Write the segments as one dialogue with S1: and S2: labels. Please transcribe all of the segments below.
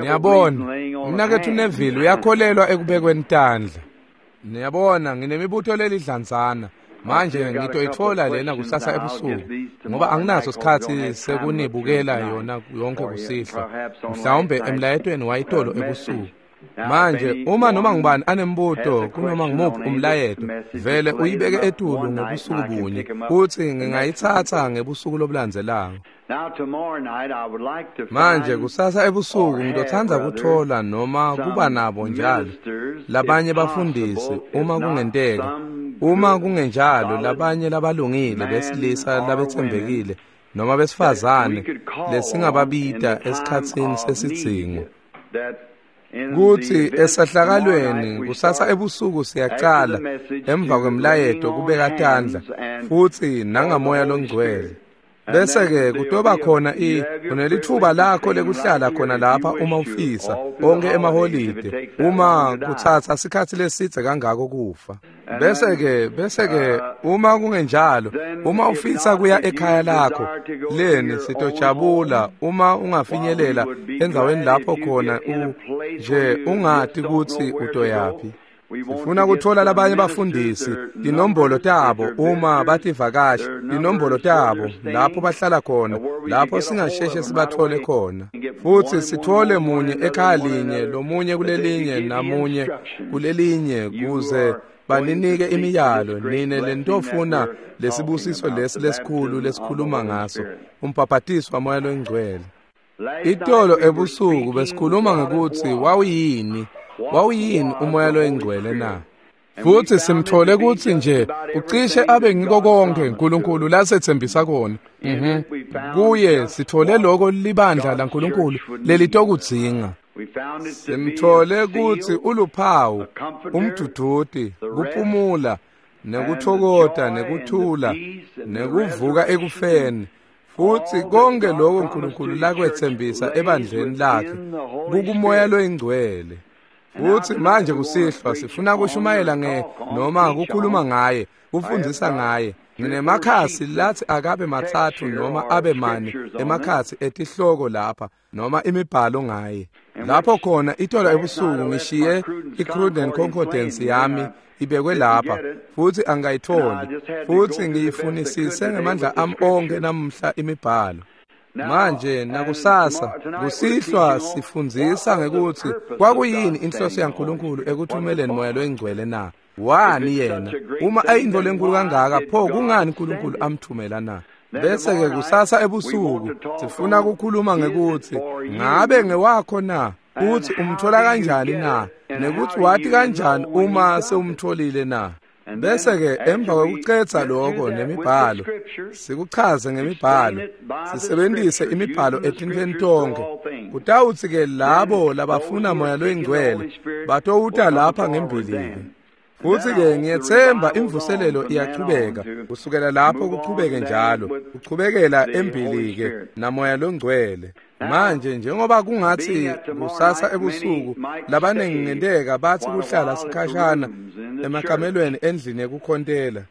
S1: Niyabona, umnaketfu Neville uyakholelwa ekubekweni tandla. Niyabona, nginemibuto lelidlanzana. Manje ngitoyitfola lena kusasa ebusuku, ngoba anginaso sikhatsi sekunibukela yona yonke kusihlwa, mhlawumbe emlayetweni wayitolo ebusuku. Manje uma noma ngubani anembuto kunoma ngumuphi umlayeto, vele uyibeke etulu ngobusuku bunye, kutsi ngingayitsatsa ngebusuku lobulandzelako. Manje kusasa ebusuku ngitotsandza kutfola noma kuba nabo njalo labanye bafundisi, uma kungenteka, uma kungenjalo labanye labalungile besilisa labetsembekile noma besifazane lesingababita esikhatsini sesidzingo. Kutsi esahlakalweni kusasa ebusuku siyacala emva kwemlayeto kubeka tandla futsi nangamoya longcwele. Bese-ke kutoba khona unelitfuba lakho lekuhlala khona lapha uma ufisa onke emaholide, uma kutsatsa sikhatsi lesidze kangako kufa. Bese-ke uma kungenjalo, uma ufisa kuya ekhaya lakho, leni sitojabula uma ungafinyelela endzaweni lapho khona nje ungati kutsi utoyaphi. Sifuna kutfola labanye bafundisi, tinombolo tabo uma bativakashi, tinombolo tabo lapho bahlala khona, lapho singasheshe sibathole khona. Futsi sithole munye ekhaya linye, lomunye kulelinye, namunye kulelinye, kuze baninike imiyalo nine lentofuna lesibusiso lesi lesikhulu lesikhuluma ngaso, umbhabhatiso waMoya loNgcwele. Itolo ebusuku besikhuluma ngekutsi wawuyini umoya loyingcwele na? Futsi simthole kutsi nje ucishe abe ngiko konke uNkulunkulu lasethembisa kona. Kuye sithole lokho libandla laNkulunkulu lelitokudzinga. Simthole kutsi uluphawu, umduduti, kuphumula, nekuthokota, nekuthula, nekuvuka ekufeni. Futsi konke lokho uNkulunkulu lakwethembisa ebandleni lakhe kukumoya loyingcwele. Futsi manje kusihlwa sifuna kushumayela noma kukhuluma ngaye, kufundzisa ngaye. Nginemakhasi lathi akabe 3 noma abe 4 emakhasi etihloko lapha noma imibhalo ngaye. Lapho khona itolo ebusuku ngishiye i-Cruden Concordance yami ibekwe lapha, futsi angayitholi, futsi ngiyifunisise ngemandla ami onke namuhla imibhalo. Manje nakusasa kusihlwa sifundzisa ngekutsi kwakuyini inhloso yaNkulunkulu ekuthumeleni moya loyingcwele na? Wani yena? Uma ayintfo lenkulu kangaka, pho kungani uNkulunkulu amthumela na? Bese-ke kusasa ebusuku sifuna kukhuluma ngekutsi ngabe ngewakho na? Kutsi umthola kanjani na? Nekutsi wati kanjani uma sewumtholile na? Bese-ke emva kwekucedza lokho nemibhalo, sikuchaze ngemibhalo, sisebentise imibhalo etintfweni tonkhe. Kutawutsi-ke labo labafuna moya loyingcwele batowuta lapha ngembili-ke. Futsi-ke ngiyetsemba imvuselelo iyachubeka kusukela lapho kuchubeke njalo, kuchubekela embili-ke namoya longcwele. Manje njengoba kungatsi kusasa ebusuku labanengi ngenteka batsi kuhlala sikhashana emakamelweni endlini yekukhontela.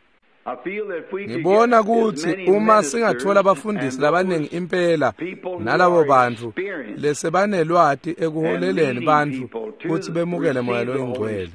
S1: Ngibona kutsi uma singatfola abafundisi labanengi impela nalabo bantfu lesebanelwati ekuholeleni bantfu kutsi bemukele moya loyingcwele,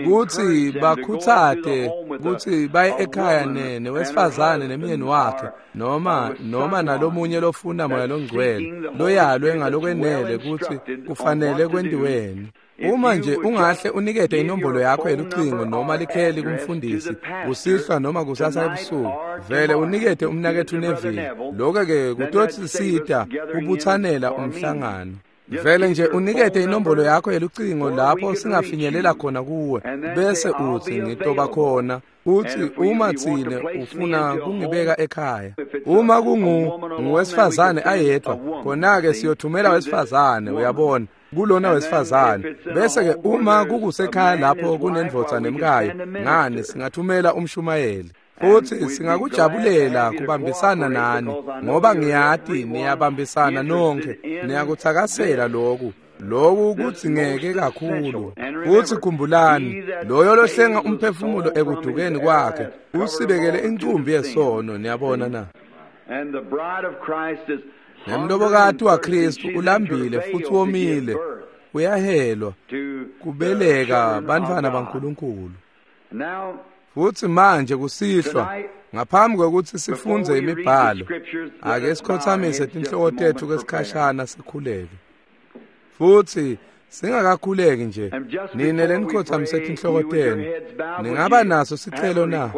S1: kutsi bakhutsate kutsi baye ekhaya newesifazane nemyeni wakhe noma nalomunye lofuna moya longcwele loyalwe ngalokwenele kutsi kufanele kwentiweni. Uma nje ungahle unikete inombolo yakho yelucingo noma likheli kumfundisi kusihlwa noma kusasa ebusuku, vele unikete umnaketfu Neville. Lokho-ke kutosisita kubutsanela umhlangano. Vele nje unikete inombolo yakho yelucingo lapho singafinyelela khona kuwe, bese utsi ngitoba khona. Uthi uma tsine ufuna kungibeka ekhaya, uma kunguwesifazane ayedwa, khona-ke siyothumela wesifazane, uyabona, kulona wesifazane. Bese-ke uma kukusekhaya lapho kunendvodza nemkayo, ngani singathumela umshumayeli. Futsi singakujabulela kubambisana nani, ngoba ngiyati niyabambisana nonke, niyakutsakasela loku. Loku kudzingeke kakhulu. Futsi khumbulani, loyo lohlenga umphefumulo ekudukeni kwakhe usibekele incumbi yesono, niyabona na? Nemlobokati waKristu ulambile futhi womile, uyahelwa kubeleka bantfwana baNkulunkulu. Futhi manje kusihlwa, ngaphambi kwekutsi sifundze imibhalo, ake sikhotsamise tinhloko tetfu kwesikhashana sikhuleke. Futhi singakakhuleki nje, nine lenikhotsamise tinhloko tenu, ningaba naso sicelo na?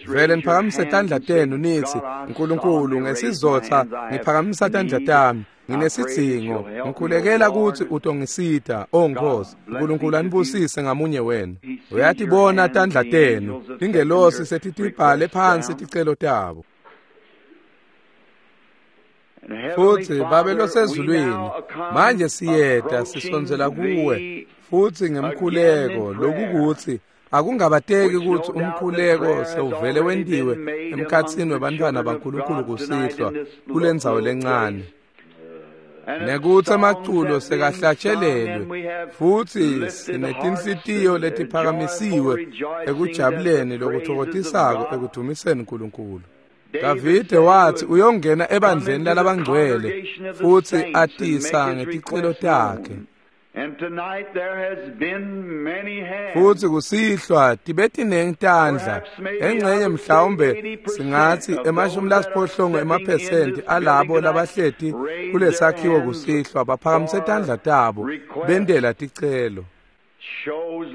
S1: Vele niphakamise tandla tenu nitsi, Nkulunkulu, ngesizotsa ngiphakamisa tandla tami, nginesidzingo, ngikhulekela kutsi utongisita, O Nkosi. Nkulunkulu anibusise ngamunye wenu. Uyatibona tandla tenu, tingelosi setitibhale phansi ticelo tabo. Futhi Babe losezulwini, manje siyeta sisondzela kuwe futhi ngemkhuleko, lokukutsi akungabateki kutsi umkhuleko sewuvele wentiwe emkhatsini webantfwana baNkulunkulu kusihlwa kulendzawo lencane, nekutsi emaculo sekahlatshelelwe futhi sinetinhlitiyo letiphakamisiwe ekujabuleni lokuthokotisako ekudvumiseni Nkulunkulu. Davide wathi uyongena ebandleni lalabangcwele futhi atisa ngeticelo takhe. Futhi kusihlwa tibe tinengi tandla, engxenye mhlawumbe singathi 80% alabo labahleti kulesakhiwo kusihlwa baphakamise tandla tabo bentela ticelo.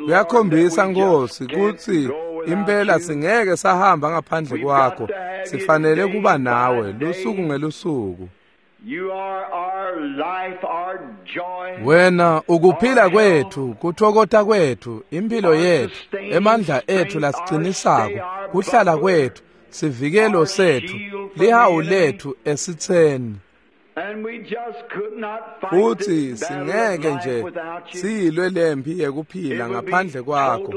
S1: Kuyakhombisa Nkosi kutsi impela singeke sahamba ngaphandle kwakho, sifanele kuba nawe lusuku ngelusuku. Wena ukuphila kwethu, kuthokota kwethu, impilo yethu, emandla ethu lasiqinisako, kuhlala kwethu, sivikelo sethu, lihawu lethu esitseni. Futhi singeke nje siyilwe lempi yekuphila ngaphandle kwakho.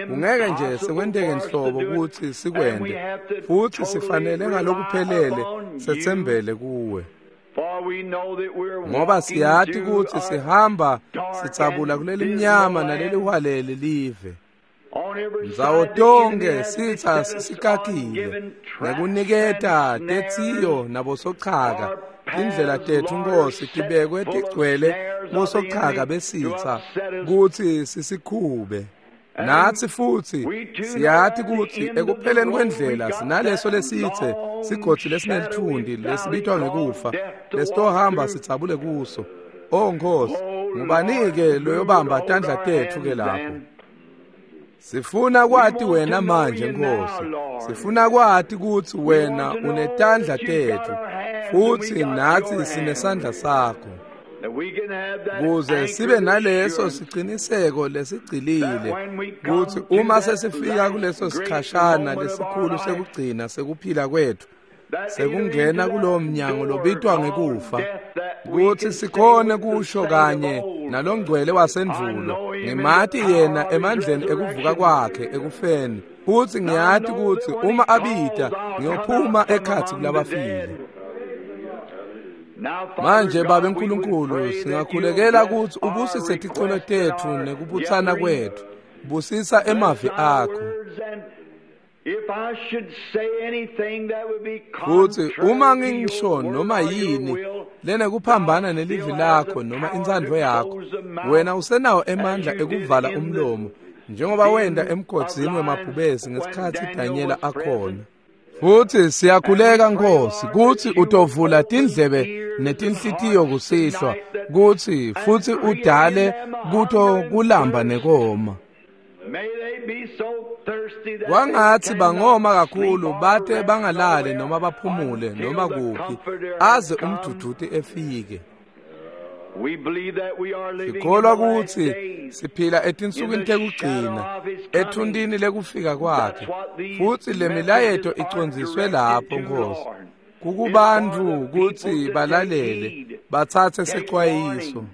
S1: Kungeke nje sekwenteke nhlobo kutsi sikwente, futhi sifanele ngalokuphelele setsembele kuwe. Ngoba siyati kutsi sihamba sitsabula kuleli mnyama naleli hwalele live. Ndzawo tonke sitsa sisikakile ngekuniketa tetsiyo nabosochaka. Indlela tetfu Nkosi tibekwe tigcwele bosochaka besitsa kutsi sisikhube. Natsi futsi siyati kutsi ekupheleni kwendlela sinaleso lesitse sigodzi lesinelithundi lesibitwa ngekufa lesitohamba sitsabule kuso. O Nkosi, ngubani-ke loyobamba tandla tetfu ke lapho? Sifuna kwati wena manje Nkosi. Sifuna kwati kutsi wena unetandla tetfu futhi natsi sinesandla sakho, kuze sibe naleso siciniseko lesigcilile kutsi uma sesifika kuleso sikhashana lesikhulu sekugcina sekuphila kwethu, sekungena kulowo mnyango lobitwa ngekufa, kutsi sikhone kusho kanye nalongcwele wasendvulo, ngimati yena emandleni ekuvuka kwakhe ekufeni, futsi ngiyati kutsi uma abita ngiyophuma ekhatsi kulabafile. Manje Babe Nkulunkulu, singakhulekela kutsi ubusise ticelo tetfu nekubutsana kwetfu. Busisa emavi akho. Futsi uma ngisho noma yini lenekuphambana nelivi lakho noma intsandvo yakho, wena usenawo emandla ekuvala umlomo, njengoba wenta emgodzini wemabhubesi ngesikhatsi Danyela akhona. Futhi siyakhuleka Nkosi kutsi utovula tindlebe netinhlitiyo kusihlwa, kutsi futhi udale kuto kulamba nekoma. Kwangatsi bangoma kakhulu bate bangalali noma baphumule noma kuphi aze umduduti efike. Sikholwa kutsi siphila etinsukwini tekugcina, ethuntini lekufika kwakhe, futsi lemilayeto icondziswe lapho Nkosi, kukubantfu kutsi balalele, batsatse secwayiso.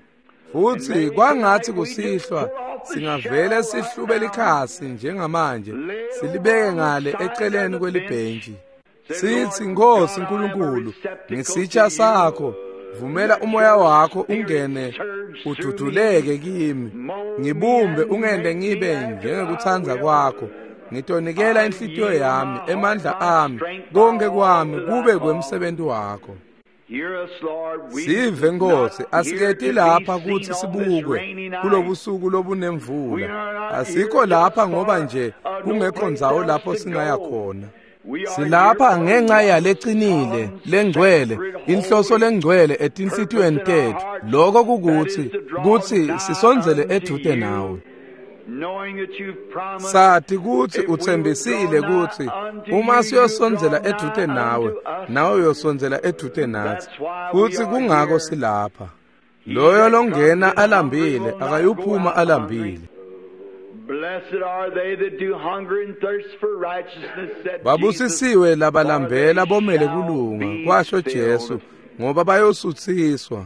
S1: Futsi kwangatsi kusihlwa singavele sihlube likhasi njengamanje, silibeke ngale eceleni kwelibhentshi, sitsi, Nkosi Nkulunkulu, ngisitsha sakho, vumela umoya wakho ungene ududuleke kimi, ngibumbe ungente ngibe njengekutsandza kwakho. Ngitonikela inhlitiyo yami, emandla ami, konke kwami kube kwemsebenti wakho. Sive Nkosi, asiketi lapha kutsi sibukwe kulobusuku lobunemvula. Asikho lapha ngoba nje kungekho ndzawo lapho singaya khona. Silapha ngenxa yalecinile lengcwele, inhloso lengcwele etinhlitiyweni tetfu. Lokho kukuthi kutsi sisondzele edvute nawe. Sati kutsi utsembisile kutsi uma siyosondzela edvute nawe, nawe uyosondzela edvute natsi. Futsi kungako silapha. Loyo longena alambile akayuphuma alambile. Babusisiwe labalambela bomele kulunga, kwasho Jesu, ngoba bayosutsiswa.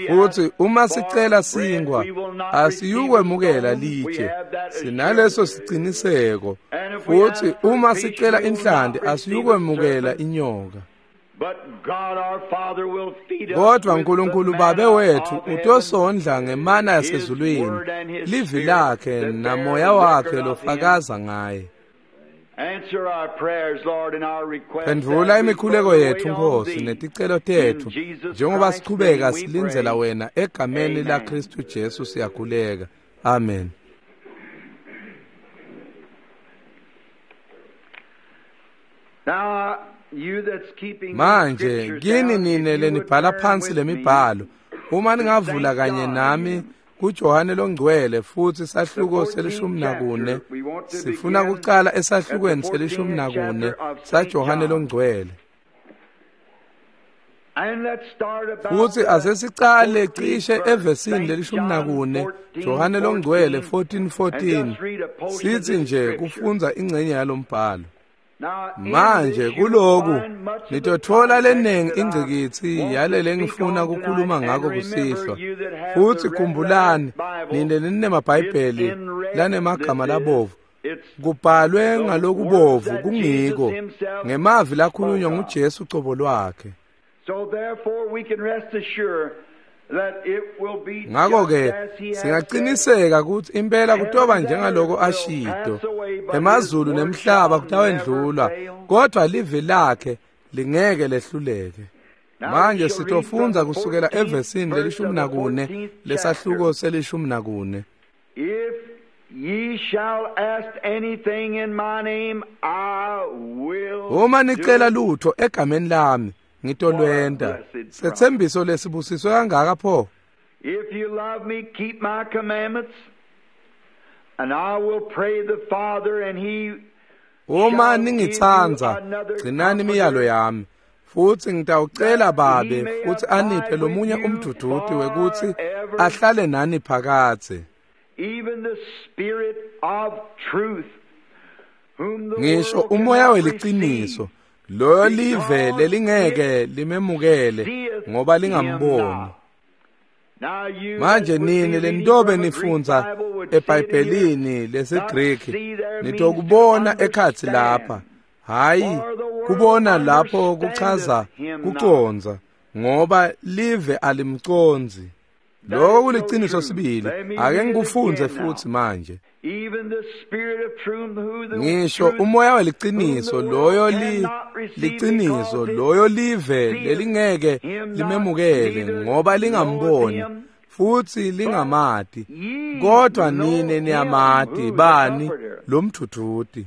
S1: Futsi uma sicela sinkwa, asiyukwemukela litshe, sinaleso siciniseko. Futsi uma sicela inhlanti, asiyukwemukela inyoka. Kodwa Nkulunkulu Babe wethu utosondla ngemana yasezulwini, livi lakhe namoya wakhe lofakaza ngaye. Phendvula imikhuleko yethu Nkosi neticelo tetfu njengoba sichubeka silindzela wena egameni laKhristu Jesu siyakhuleka. Amen. Manje kini nine lenibhala phansi lemibhalo, uma ningavula kanye nami kuJohane longcwele futhi sahluko se-14, sifuna kucala esahlukweni se-14 saJohane longcwele. Futhi asesicale cishe evesini le-14, Johane longcwele 14:14, sithi nje kufundza ingcenye yalombhalo. Manje kuloku nitothola lenengi ingcikitsi yale lengifuna kukhuluma ngako kusihlwa. Futhi khumbulani nine ninemabhayibheli lanemagama labovu, kubhalwe ngalokubovu kungiko ngemavi lakhulunywa nguJesu cobo lwakhe. Ngakho-ke singaqiniseka ukuthi impela kutoba njengaloko ashito, emazulu nemhlaba kutawendlula, kodwa livi lakhe lingeke lehluleke. Manje sitofundza kusukela evesini le-14 lesahluko se-14. Uma nicela lutho egameni lami, ngitolwenta. Setsembiso lesibusiswe kangaka pho.
S2: If you love me, keep my commandments, and I will pray the Father, and he
S1: Uma ningitsandza, gcinani imiyalo yami, futhi ngitawucela Babe futhi aniphe lomunye umduduti wekuthi ahlale nani phakadze.
S2: Even the Spirit of truth, whom the
S1: Ngisho
S2: world
S1: umoya
S2: cannot
S1: weliciniso, loyo live lelingeke limemukele ngoba lingamboni. Manje nini lentobe nifundza eBhayibhelini lesiGriki nitokubona ekhatsi lapha. Hayi, kubona lapho kuchaza kucondza, ngoba live alimcondzi. Lokho kuliciniso sibili. Ake ngikufundze futhi manje. Ngisho umoya weliciniso, loyo liciniso, loyo live lelingeke limemukele ngoba lingamboni futhi lingamati, kodwa nine niyamati. Bani? Lo mthuthuti.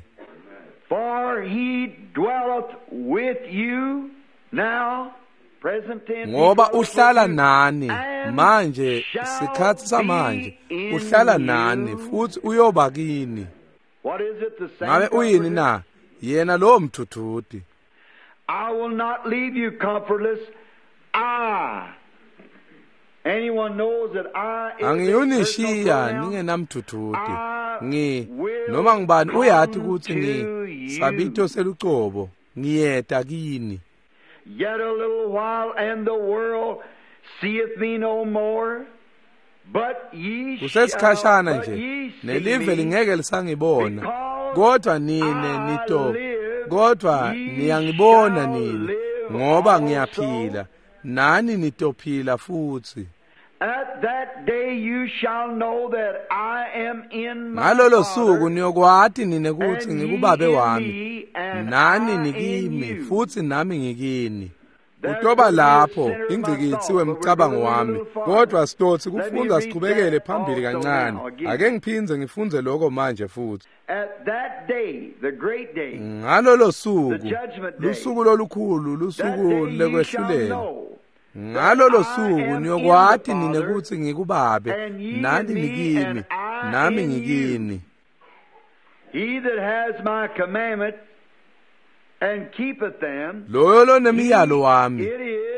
S2: For he dwelleth with you now, present tense,
S1: Ngoba uhlala nani manje, sikhathi samanje, uhlala nani futhi uyoba kini.
S2: What is it, the same
S1: Ngabe uyini na? Yena lo mthuthuti.
S2: I will not leave you comfortless. I. Anyone knows that I is a
S1: Angiyunishiya
S2: personal pronoun.
S1: ningenamthuthuti. Ngi noma ngibani uyati ukuthi ngi sabito selucobo, ngiyeta kini.
S2: Yet a little while, and the world seeth me no more. But ye shall,
S1: Kusesikhashana
S2: but
S1: nje
S2: ye see
S1: nelive
S2: me,
S1: lingeke lisangibona,
S2: because
S1: kodwa nine nito, kodwa
S2: ye
S1: niyangibona
S2: shall
S1: nine,
S2: live
S1: ngoba
S2: also.
S1: ngiyaphila, nani nitophila futhi.
S2: At that day you shall know that I am in my
S1: Ngalolo
S2: Father,
S1: suku niyokwati nine kuthi
S2: and ye
S1: ngikubabe
S2: in
S1: wami,
S2: me, and
S1: nani
S2: I in
S1: nikimi
S2: you.
S1: futhi nami ngikini. Utoba lapho ingcikitsi wemcabango wami, kodwa sitotsi kufundza sichubekele phambili kancane. Ake ngiphindze ngifundze lokho manje futhi. Ngalolo suku, lusuku lolukhulu, lusuku lekwehlulela. Ngalolo suku niyokwati nine kutsi ngikubabe, nani nikimi, nami ngikini.
S2: He that has my commandment and keepeth them,
S1: loyo lonemiyalo wami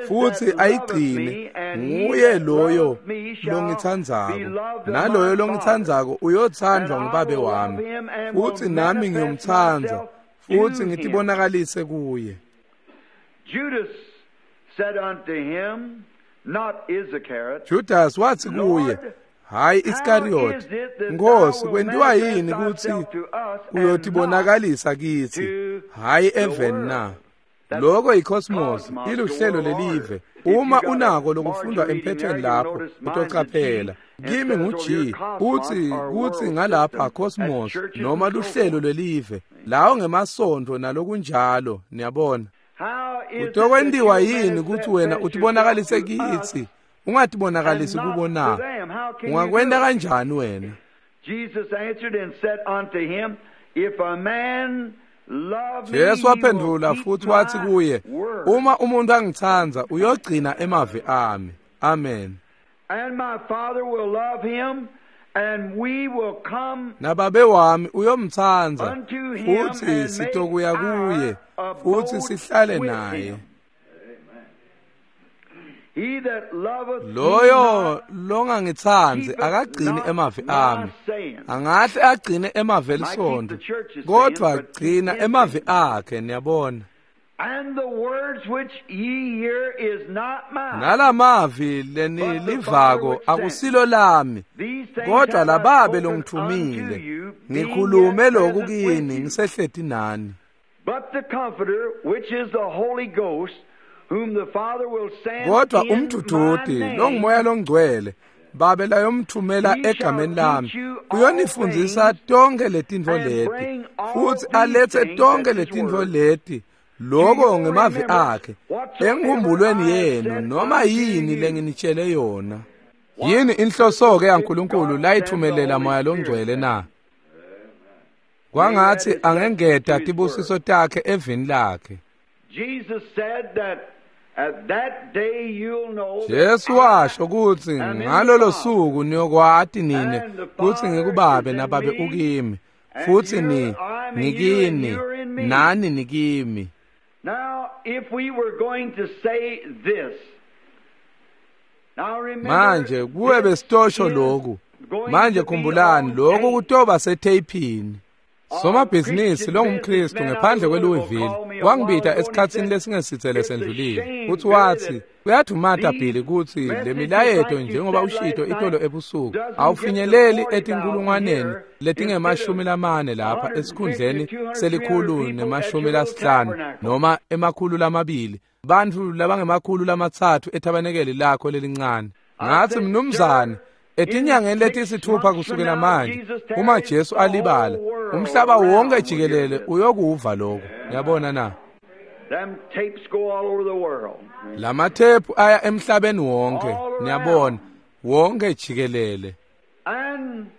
S1: futsi ayigcine, nguye loyo longitsandzako, naloyo longitsandzako uyothandwa ngubabe wami, futsi nami ngiyomtsandza futsi ngitibonakalise kuye.
S2: Judas said unto him, not Iscariot,
S1: Judas wathi kuye, hayi Iskariot, Nkosi, kwentiwa yini kutsi uyotibonakalisa kitsi, hayi eveni na? Lokho yicosmos, iluhlelo lelive. Uma unako lokufundwa emphethweni lapho, utocaphela. Kimi ngu-G, uthi kutsi ngalapha cosmos noma luhlelo lwelive, lawo ngemasontfo nalokunjalo, niyabona. Utokwentiwa yini kutsi wena utibonakalise kitsi, ungatibonakalisi kubo na? Ungakwenta kanjani wena?
S2: Jesus answered and said unto him, If a man love me,
S1: Jesu waphendvula
S2: he will
S1: futhi
S2: keep
S1: wathi
S2: my
S1: kuye,
S2: word.
S1: uma umuntu angitsandza uyogcina emavi ami. Amen.
S2: And my Father will love him, and we will come
S1: Nababe wami uyomtsandza
S2: unto him
S1: futhi
S2: and make
S1: sitokuya kuye
S2: our
S1: futhi
S2: abode
S1: sihlale
S2: with
S1: naye.
S2: him. He that loveth me
S1: Loyo
S2: not
S1: longangitsandzi
S2: keepeth
S1: akagcini
S2: not
S1: emavi
S2: my
S1: ami.
S2: sayings.
S1: Angahle agcine emavi
S2: Might keep
S1: elisondo,
S2: the church's
S1: kodwa
S2: sayings, but keep
S1: gcina
S2: his
S1: emavi
S2: sayings.
S1: akhe, niyabona.
S2: And the words which ye hear is not mine.
S1: Nalamavi lenilivako akusilo lami,
S2: These things
S1: kodwa
S2: have I
S1: lababe
S2: spoken
S1: longithumile.
S2: unto you, being
S1: Ngikhulume
S2: yet
S1: lokhu
S2: present with
S1: kini
S2: you.
S1: ngisehleti nani.
S2: But the Comforter, which is the Holy Ghost, whom the Father will send
S1: Kodwa
S2: in my
S1: umdududi
S2: name,
S1: longumoya longcwele, babe layomthumela
S2: He shall
S1: egameni lami,
S2: teach you all
S1: uyonifundzisa
S2: things
S1: tonke letintfo
S2: and
S1: leti,
S2: bring all
S1: futhi
S2: these
S1: alethe
S2: things,
S1: tonke
S2: that's his
S1: letintfo
S2: word,
S1: leti,
S2: to
S1: loko
S2: your
S1: ngemavi
S2: remembrance
S1: akhe,
S2: whatsoever
S1: enkhumbulweni
S2: I have
S1: yenu,
S2: said
S1: noma
S2: unto
S1: yini
S2: you.
S1: lenginitshele yona.
S2: What
S1: Yini inhloso-ke
S2: did
S1: yaNkulunkulu
S2: God send the
S1: layithumelela
S2: Holy
S1: Moya
S2: Spirit
S1: Longcwele
S2: then?
S1: na?
S2: May he add
S1: Kwangatsi
S2: his blessing to
S1: angengeta
S2: his word.
S1: tibusiso takhe evini lakhe.
S2: Jesus said that at that day you'll know that
S1: Jesu
S2: I
S1: washo kutsi
S2: am in the
S1: ngalolo
S2: Father,
S1: suku niyokwati nine
S2: and the
S1: kutsi
S2: Father is
S1: ngikubabe
S2: in
S1: nababe
S2: me,
S1: ukimi,
S2: and
S1: futsi
S2: you
S1: ni
S2: I'm in you, and
S1: ngikini
S2: you're in me.
S1: nani nikimi.
S2: Now, if we were going to say this, now remember
S1: Manje kuwe
S2: this
S1: besitosho
S2: is
S1: lokhu.
S2: going
S1: Manje
S2: to be
S1: khumbulani
S2: on
S1: lokhu
S2: tape.
S1: kutoba setheyiphini.
S2: A
S1: Somabhizinisi
S2: Christian
S1: longumKristu
S2: businessman out of
S1: ngephandle
S2: Louisville
S1: kweLouisville
S2: called me a while
S1: wangibita
S2: ago and he
S1: esikhatsini
S2: said,
S1: lesingesitse
S2: It's a
S1: lesendlulile.
S2: shame,
S1: Futhi
S2: Billy,
S1: wathi
S2: that
S1: kuyadumata
S2: these
S1: Billy kutsi le
S2: messages,
S1: milayeto
S2: like you
S1: njengoba
S2: said
S1: ushito
S2: last
S1: itolo
S2: night,
S1: ebusuku
S2: doesn't get to
S1: awufinyeleli
S2: 40,000
S1: etinkulungwaneni
S2: here instead of
S1: letingemashumi lamane lapha
S2: 150,
S1: esikhundleni
S2: 200, 300
S1: selikhulu
S2: people at
S1: nemashumi
S2: your little
S1: lasihlanu
S2: tabernacle.
S1: noma emakhulu lamabili bantfu labangemakhulu lamatsatfu ethabanekeli lakho lelincane.
S2: I
S1: Ngatsi
S2: said,
S1: mnumzane,
S2: Sir, in
S1: etinyangeni
S2: 6
S1: letisitfupha
S2: months from
S1: kusukela
S2: now,
S1: manje,
S2: Jesus
S1: uma
S2: tarries,
S1: Jesu
S2: the
S1: alibala,
S2: whole world
S1: umhlaba wonke
S2: around will hear
S1: jikelele
S2: this.
S1: uyokuva lokho. Yabona na?
S2: Them tapes go all over the world.
S1: Lamathephu aya emhlabeni wonke,
S2: All
S1: niyabona,
S2: around.
S1: wonke jikelele.
S2: And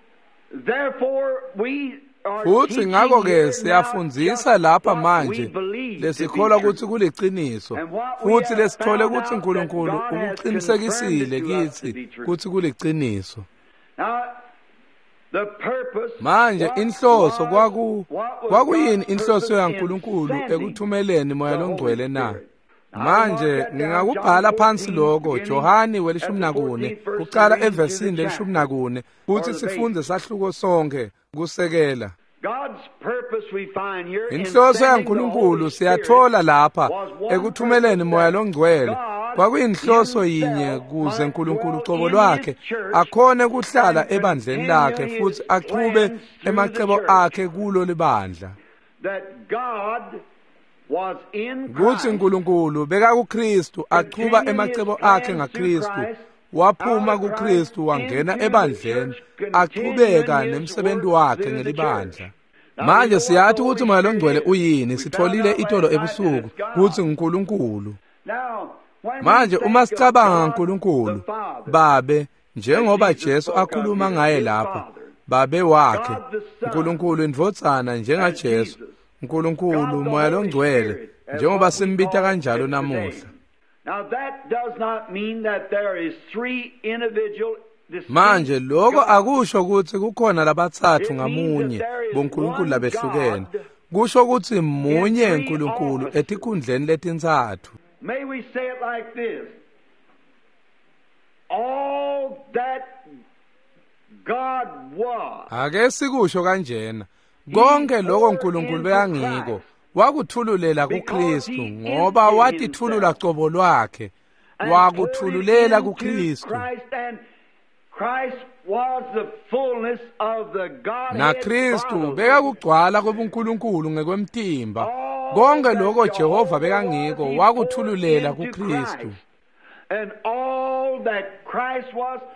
S2: therefore we are
S1: Futhi
S2: teaching
S1: ngakho-ke
S2: here now
S1: siyafundzisa
S2: just
S1: lapha
S2: what we
S1: manje
S2: believe to be
S1: lesikholwa
S2: true.
S1: kutsi kuliciniso
S2: And what we
S1: futhi
S2: have
S1: lesithole
S2: found
S1: kutsi
S2: out that
S1: uNkulunkulu
S2: God has confirmed
S1: ukuqinisekisile
S2: it to us to
S1: kitsi
S2: be true.
S1: kutsi kuliciniso.
S2: Now, the purpose,
S1: Manje
S2: what
S1: inhloso
S2: was
S1: kwaku
S2: what was
S1: kwakuyini
S2: God's
S1: inhloso
S2: purpose in
S1: yaNkulunkulu
S2: sending
S1: ekuthumeleni Moya
S2: the Holy
S1: Longcwele na?
S2: Spirit? Now, I mark
S1: Manje
S2: that down, John
S1: ngingakubhala phansi
S2: 14,
S1: lokho
S2: beginning
S1: Johani
S2: at
S1: welishumi
S2: the
S1: nakune
S2: 14th verse and
S1: kuqala
S2: reading to the
S1: evesini lelishumi
S2: chapter
S1: nakune
S2: or
S1: futhi
S2: the base.
S1: sifunde sahluko sonke kusekela.
S2: God's purpose we find here in
S1: Inhloso
S2: sending the
S1: yaNkulunkulu
S2: Holy Spirit
S1: siyathola lapha
S2: was one
S1: ekuthumeleni
S2: purpose
S1: Moya
S2: that
S1: Longcwele
S2: God
S1: kwakuyinhloso yinye
S2: himself
S1: kuze
S2: might
S1: uNkulunkulu
S2: dwell
S1: ucobo
S2: in his
S1: lwakhe
S2: church
S1: akhone kuhlala
S2: and
S1: ebandleni
S2: continue
S1: lakhe
S2: his
S1: futhi achube
S2: plans through the
S1: emacebo
S2: church.
S1: akhe kulo libandla.
S2: That God was in
S1: Kutsi
S2: Christ,
S1: uNkulunkulu bekakuKristu achuba
S2: continuing his
S1: emacebo akhe
S2: plans through
S1: ngaKristu
S2: Christ,
S1: waphuma
S2: out of Christ
S1: kuKristu wangena
S2: into the
S1: ebandleni
S2: church, continuing
S1: achubeka
S2: his
S1: nemsebenzi
S2: work
S1: wakhe
S2: through the church.
S1: ngelibandla.
S2: Now we
S1: Manje
S2: know what
S1: siyathi
S2: the
S1: ukuthi
S2: Holy
S1: Moya
S2: Spirit
S1: Longcwele
S2: is.
S1: uyini
S2: We found
S1: sitholile
S2: out
S1: itolo
S2: last night that
S1: ebusuku
S2: it's
S1: kutsi
S2: God.
S1: nguNkulunkulu. Manje uma sicabanga ngaNkulunkulu Babe, njengoba Jesu akhuluma ngaye lapha, Babe wakhe, uNkulunkulu indvodzana njengaJesu, uNkulunkulu Moya loNgcwele, njengoba simbita kanjalo namuhla. Manje lokho akusho ukuthi kukhona labatsatfu ngamunye boNkulunkulu labehlukene. Kusho ukuthi munye uNkulunkulu etikhundleni letintsatfu.
S2: May we say it like this? All that God was.
S1: Ake sikusho kanjena. Konke lokho uNkulunkulu bekangiko wakuthululela kuKristu, ngoba watithulula cobo lwakhe, wakuthululela kuKristu. NaKristu bekakugcwala kobuNkulunkulu ngekwemtimba. Konke lokho Jehova bekangiko wakuthululela kuKristu.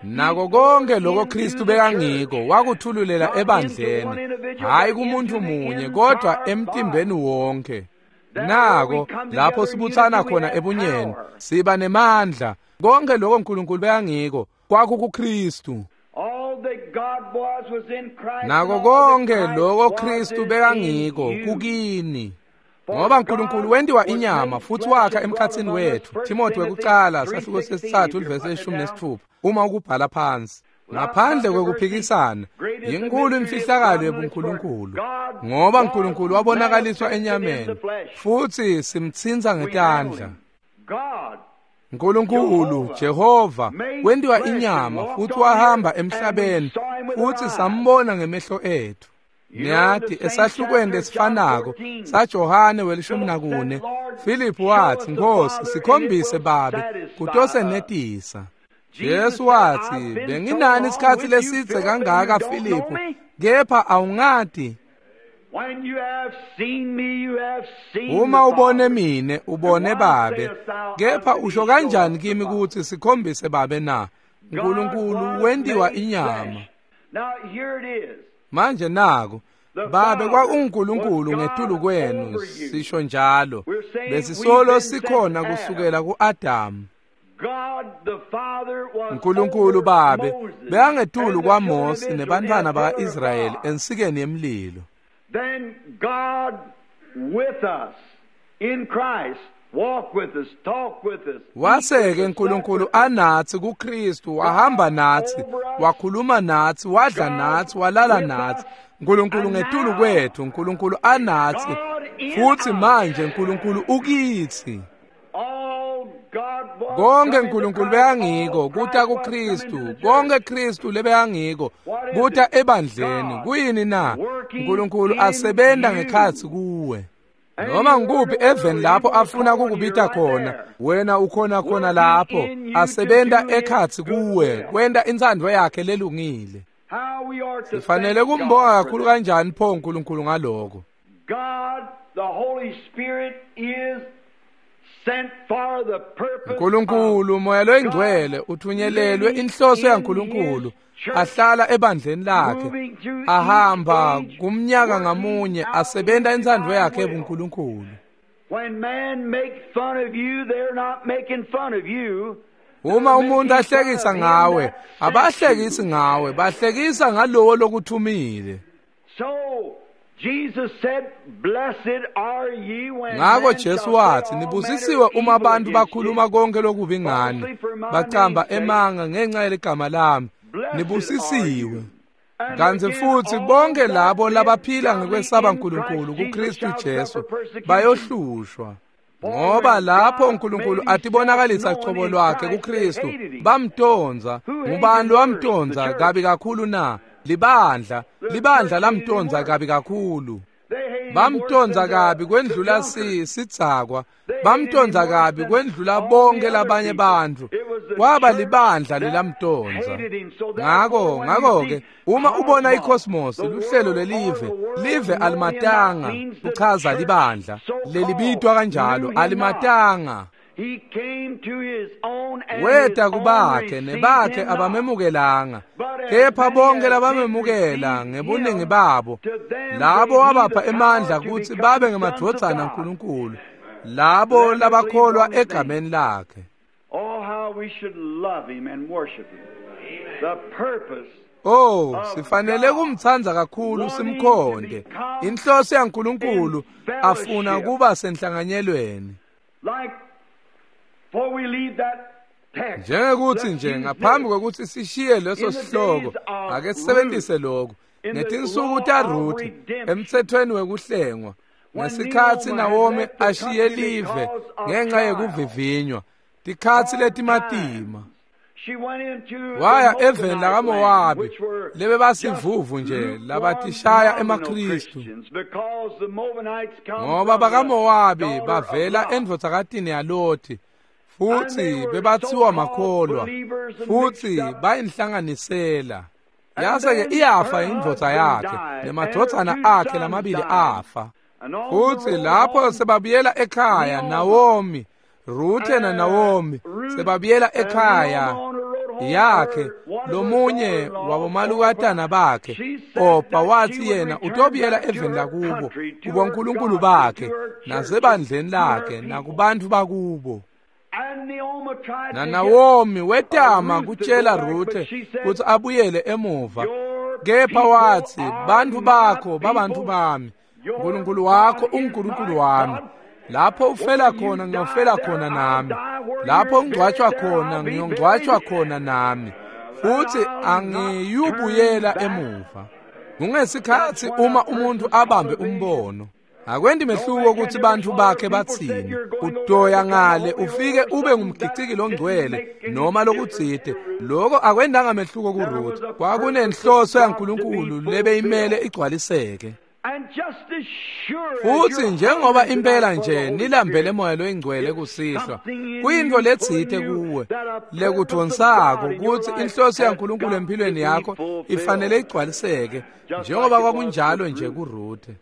S1: Nako konke lokho Kristu bekangiko wakuthululela ebandleni, hayi kumuntu munye kodwa emtimbeni wonke. Nako lapho sibuthana khona ebunyeni, siba nemandla. Konke lokho uNkulunkulu bekangiko kwakukuKristu. Nako konke lokho Kristu bekangiko kukini. Ngoba uNkulunkulu wentiwa inyama futhi wakha emkhatsini wethu. Timothy wekucala sahluko sesithathu ivesi 16 uma ukubhala phansi. Ngaphandle kwekuphikisana, inkulu imfihlakalo yebuNkulunkulu, ngoba uNkulunkulu wabonakaliswa enyameni futhi simtsinza ngetandla. uNkulunkulu Jehova wentiwa inyama futhi wahamba emhlabeni futhi sambona ngemehlo ethu. Niyathi esahlukweni lesifanako saJohane we-14, Philip wathi, "Nkosi, sikhombise Babe kutosenetisa." Jesu wathi, "Benginani isikhathi lesidze kangaka Philip, kepha awungati. Uma ubone mine, ubone Babe. Kepha usho kanjani kimi ukuthi sikhombise Babe na?" uNkulunkulu wentiwa inyama. Manje nako Babe kwakuNkulunkulu ngetulu kwenu, sisho njalo. Besisolo sikhona kusukela kuAdamu. uNkulunkulu Babe bekangetulu kwaMose nebantwana bakaIsrayeli ensikeni yemlilo.
S2: Then God with us in Christ walk with us, talk with us.
S1: Waseke uNkulunkulu anathi kuKristu, wahamba nathi, wakhuluma nathi, wadla nathi, walala nathi. uNkulunkulu ngetulu kwethu, uNkulunkulu anathi, futhi manje uNkulunkulu ukithi. Konke uNkulunkulu bekangiko kuta kuKristu, konke Kristu lebekangiko kuta ebandleni. Kuyini na? uNkulunkulu asebenta ngekhatsi kuwe. Noma ngikuphi eveni lapho afuna kukubita khona, wena ukhona khona lapho, asebenta ekhatsi kuwe, kwenta intsandvo yakhe lelungile. Sifanele kumbonga kakhulu kanjani pho uNkulunkulu ngaloko. uNkulunkulu Moya loyiNgcwele uthunyelelwe inhloso yaNkulunkulu, ahlala ebandleni lakhe, ahamba kumnyaka ngamunye, asebenta intsandvo yakhe ebuNkulunkulu. Uma umuntu ahlekisa ngawe, abahlekisi ngawe, bahlekisa ngalowo lokuthumile. Ngako Jesu wathi, "Nibusisiwe uma abantu bakhuluma konke lokubi ngani, bacamba emanga ngenxa yeligama lami. Nibusisiwe." Kanti futhi bonke labo labaphila ngekwesaba uNkulunkulu kuKristu Jesu bayohlushwa. Ngoba lapho uNkulunkulu atibonakalisa cobo lwakhe kuKristu, bamtonza. Ngubani lowamtonza kabi kakhulu na? Libandla. Libandla lamtonza kabi kakhulu. Bamtonza kabi kwendlula sidzakwa, bamtonza kabi kwendlula bonke labanye bantfu. Kwaba libandla lelamtonza. Ngakho-ke uma ubona icosmos, luhlelo lelive, live alimatanga, kuchaza libandla lelibitwa kanjalo, alimatanga. Weta kubakhe, nebakhe abamemukelanga, kepha bonke labamemukela ngebuningi babo, labo wabapha emandla kutsi babe ngemadvodzana aNkulunkulu, Labo labakholwa egameni lakhe.
S2: Oh, how we should love him and worship him. The purpose.
S1: Oh, sifanele kumtsandza kakhulu simkhonde. Inhloso yaNkulunkulu afuna kuba senhlanganyelweni.
S2: Like before we leave that text.
S1: Njengekuthi nje ngaphambi kwekuthi sishiye leso sihloko, ake sisebenzise lokhu. Ngetinsuku taRuth emthethweni wekuhlengwa, ngesikhatsi Naomi ashiye live ngenxa yekuvivinywa, tikhatsi letimatima.
S2: She went into
S1: Waya
S2: the
S1: eveni lakaMowabi
S2: which were
S1: lebebasivuvu nje labatishaya emaKristu.
S2: Christians, because the Moabites come
S1: Ngoba
S2: from the
S1: bakaMowabi
S2: daughter of
S1: bavela
S2: Lot.
S1: endvodzakatini yaLothi futhi bebathiwa makholwa futhi bayinhlanganisela. Yase-ke iyafa indvodza yakhe nemadvodzana akhe lamabili afa.
S2: And on
S1: Futhi
S2: the road
S1: lapho
S2: home,
S1: sebabuyela ekhaya Naomi, Ruthe na Naomi sebabuyela ekhaya yakhe lomunye wabomalukatana bakhe Opa wathi yena utobuyela eveni lakubo kubonkulunkulu bakhe nasebandleni lakhe nakubantu bakubo.
S2: And Naomi tried
S1: Na
S2: to
S1: Naomi wetama kutshela Ruthe kutsi abuyele emuva,
S2: get
S1: kepha
S2: your
S1: wathi
S2: people are
S1: bantfu
S2: my
S1: bakho babantfu
S2: people.
S1: bami, uNkulunkulu wakho uNkulunkulu wami. Lapho ufela khona ngiyofela khona nami, lapho ungcwatshwa khona ngiyongcwatshwa khona nami, futhi angiyubuyela emuva. Kungesikhatsi uma umuntu abambe umbono, akwendi mehluko ukuthi bantfu bakhe batsini. Utoya ngale ufike ube ngumgiciki longcwele noma lokutsite, loko akwendanga mehluko kuRuth. Kwakunenhloso yaNkulunkulu lebeyimele igcwaliseke.
S2: And just as sure as
S1: Futhi
S2: you're
S1: njengoba
S2: hungry
S1: impela
S2: tonight for the
S1: nje
S2: Holy
S1: nilambele
S2: Spirit,
S1: moya loyingcwele kusihlwa,
S2: something in
S1: kuyintfo
S2: you
S1: letsite
S2: pulling you
S1: kuwe
S2: that a purpose of
S1: lekudvonsako
S2: God in your
S1: kutsi
S2: life
S1: inhloso
S2: has
S1: yaNkulunkulu
S2: got
S1: empilweni
S2: to be
S1: yakho
S2: fulfilled.
S1: ifanele igcwaliseke
S2: Just
S1: njengoba
S2: like it was
S1: kwakunjalo
S2: with
S1: nje
S2: Ruth.
S1: kuRuthe.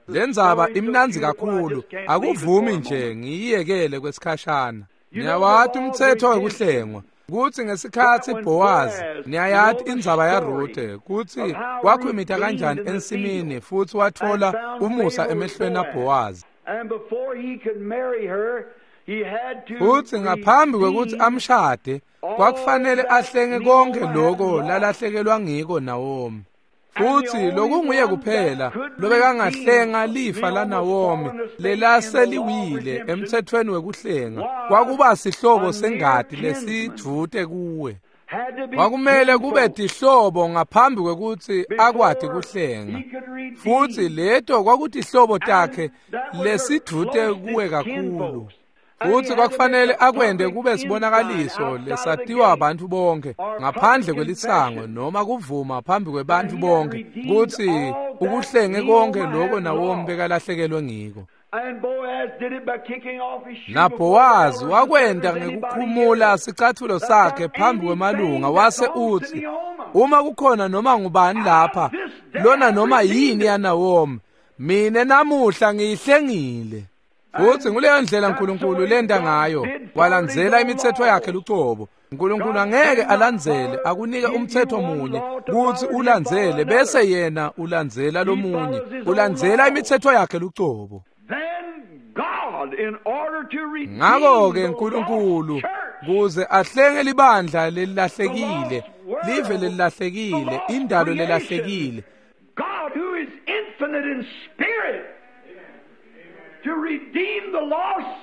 S1: Le ndzaba imnandzi kakhulu, akuvumi nje ngiyiyekele kwesikhashana. Niyawati umthetho wekuhlengwa kutsi ngesikhatsi Bowazi, niyayati indzaba yaRuthe kutsi wakhwimita kanjani ensimini futhi watfola umusa emehlweni aBowazi.
S2: And before he could marry her, he had to
S1: Futhi ngaphambi kwekutsi
S2: redeem
S1: amshade, kwakufanele ahlenge konke loko lalahlekelwa ngiko Naomi. Futhi lokunguye kuphela lobekangahlenga lifa laNaomi lelaseliwile emthethweni wekuhlenga kwakuba sihlobo sengati lesidvute kuwe.
S2: had to be
S1: Kwakumele kube
S2: kinfolk
S1: tihlobo ngaphambi kwekutsi akwati kuhlenga.
S2: he could redeem.
S1: Futhi leto kwakutihlobo takhe
S2: That was her
S1: lesidvute kuwe
S2: closest
S1: kakhulu.
S2: kinfolks. And he
S1: Futhi
S2: had to
S1: kwakufanele
S2: make a
S1: akwente
S2: public
S1: kube sibonakaliso
S2: inside outside
S1: lesatiwa
S2: the
S1: abantu bonke
S2: or
S1: ngaphandle
S2: public
S1: kwelisango
S2: confession
S1: noma kuvuma phambi kwebantfu
S2: that he had
S1: bonke
S2: redeemed
S1: kutsi
S2: all that
S1: ukuhlenge konke
S2: Naomi
S1: loko
S2: had
S1: Naomi
S2: lost.
S1: bekalahlekelwe ngiko.
S2: And Boaz did it by kicking off his shoe before the
S1: NaBhowazi
S2: elders and said,
S1: wakwenta
S2: "There's anybody
S1: ngekukhumula
S2: here
S1: sicathulo
S2: that's
S1: sakhe
S2: got
S1: phambi
S2: anything
S1: kwemalunga
S2: that
S1: wase
S2: belongs to
S1: utsi
S2: Naomi?
S1: uma kukhona noma ngubani lapha
S2: This day
S1: lona
S2: I
S1: noma
S2: redeemed
S1: yini
S2: it."
S1: yaNaomi, mine namuhla ngiyihlengile. Futhi nguleyo ndlela
S2: That's the
S1: uNkulunkulu
S2: way
S1: lenta
S2: God
S1: ngayo,
S2: did followed his
S1: walandzela
S2: own
S1: imithetho yakhe
S2: laws.
S1: lucobo. uNkulunkulu
S2: God
S1: angeke
S2: cannot
S1: alandzele
S2: follow,
S1: akunike
S2: give you
S1: umthetho
S2: one
S1: munye
S2: law to
S1: kutsi
S2: follow and you follow
S1: ulandzele bese
S2: another.
S1: yena ulandzela
S2: He
S1: lomunye,
S2: follows his own
S1: ulandzela
S2: law.
S1: imithetho yakhe lucobo.
S2: Then God, in order to redeem
S1: Ngakho-ke
S2: the
S1: uNkulunkulu
S2: lost church,
S1: kuze ahlenge libandla
S2: the
S1: lelilahlekile,
S2: lost
S1: live
S2: world, the
S1: lelilahlekile,
S2: lost
S1: indalo
S2: creation,
S1: lelahlekile,
S2: God who is infinite in spirit, to redeem the lost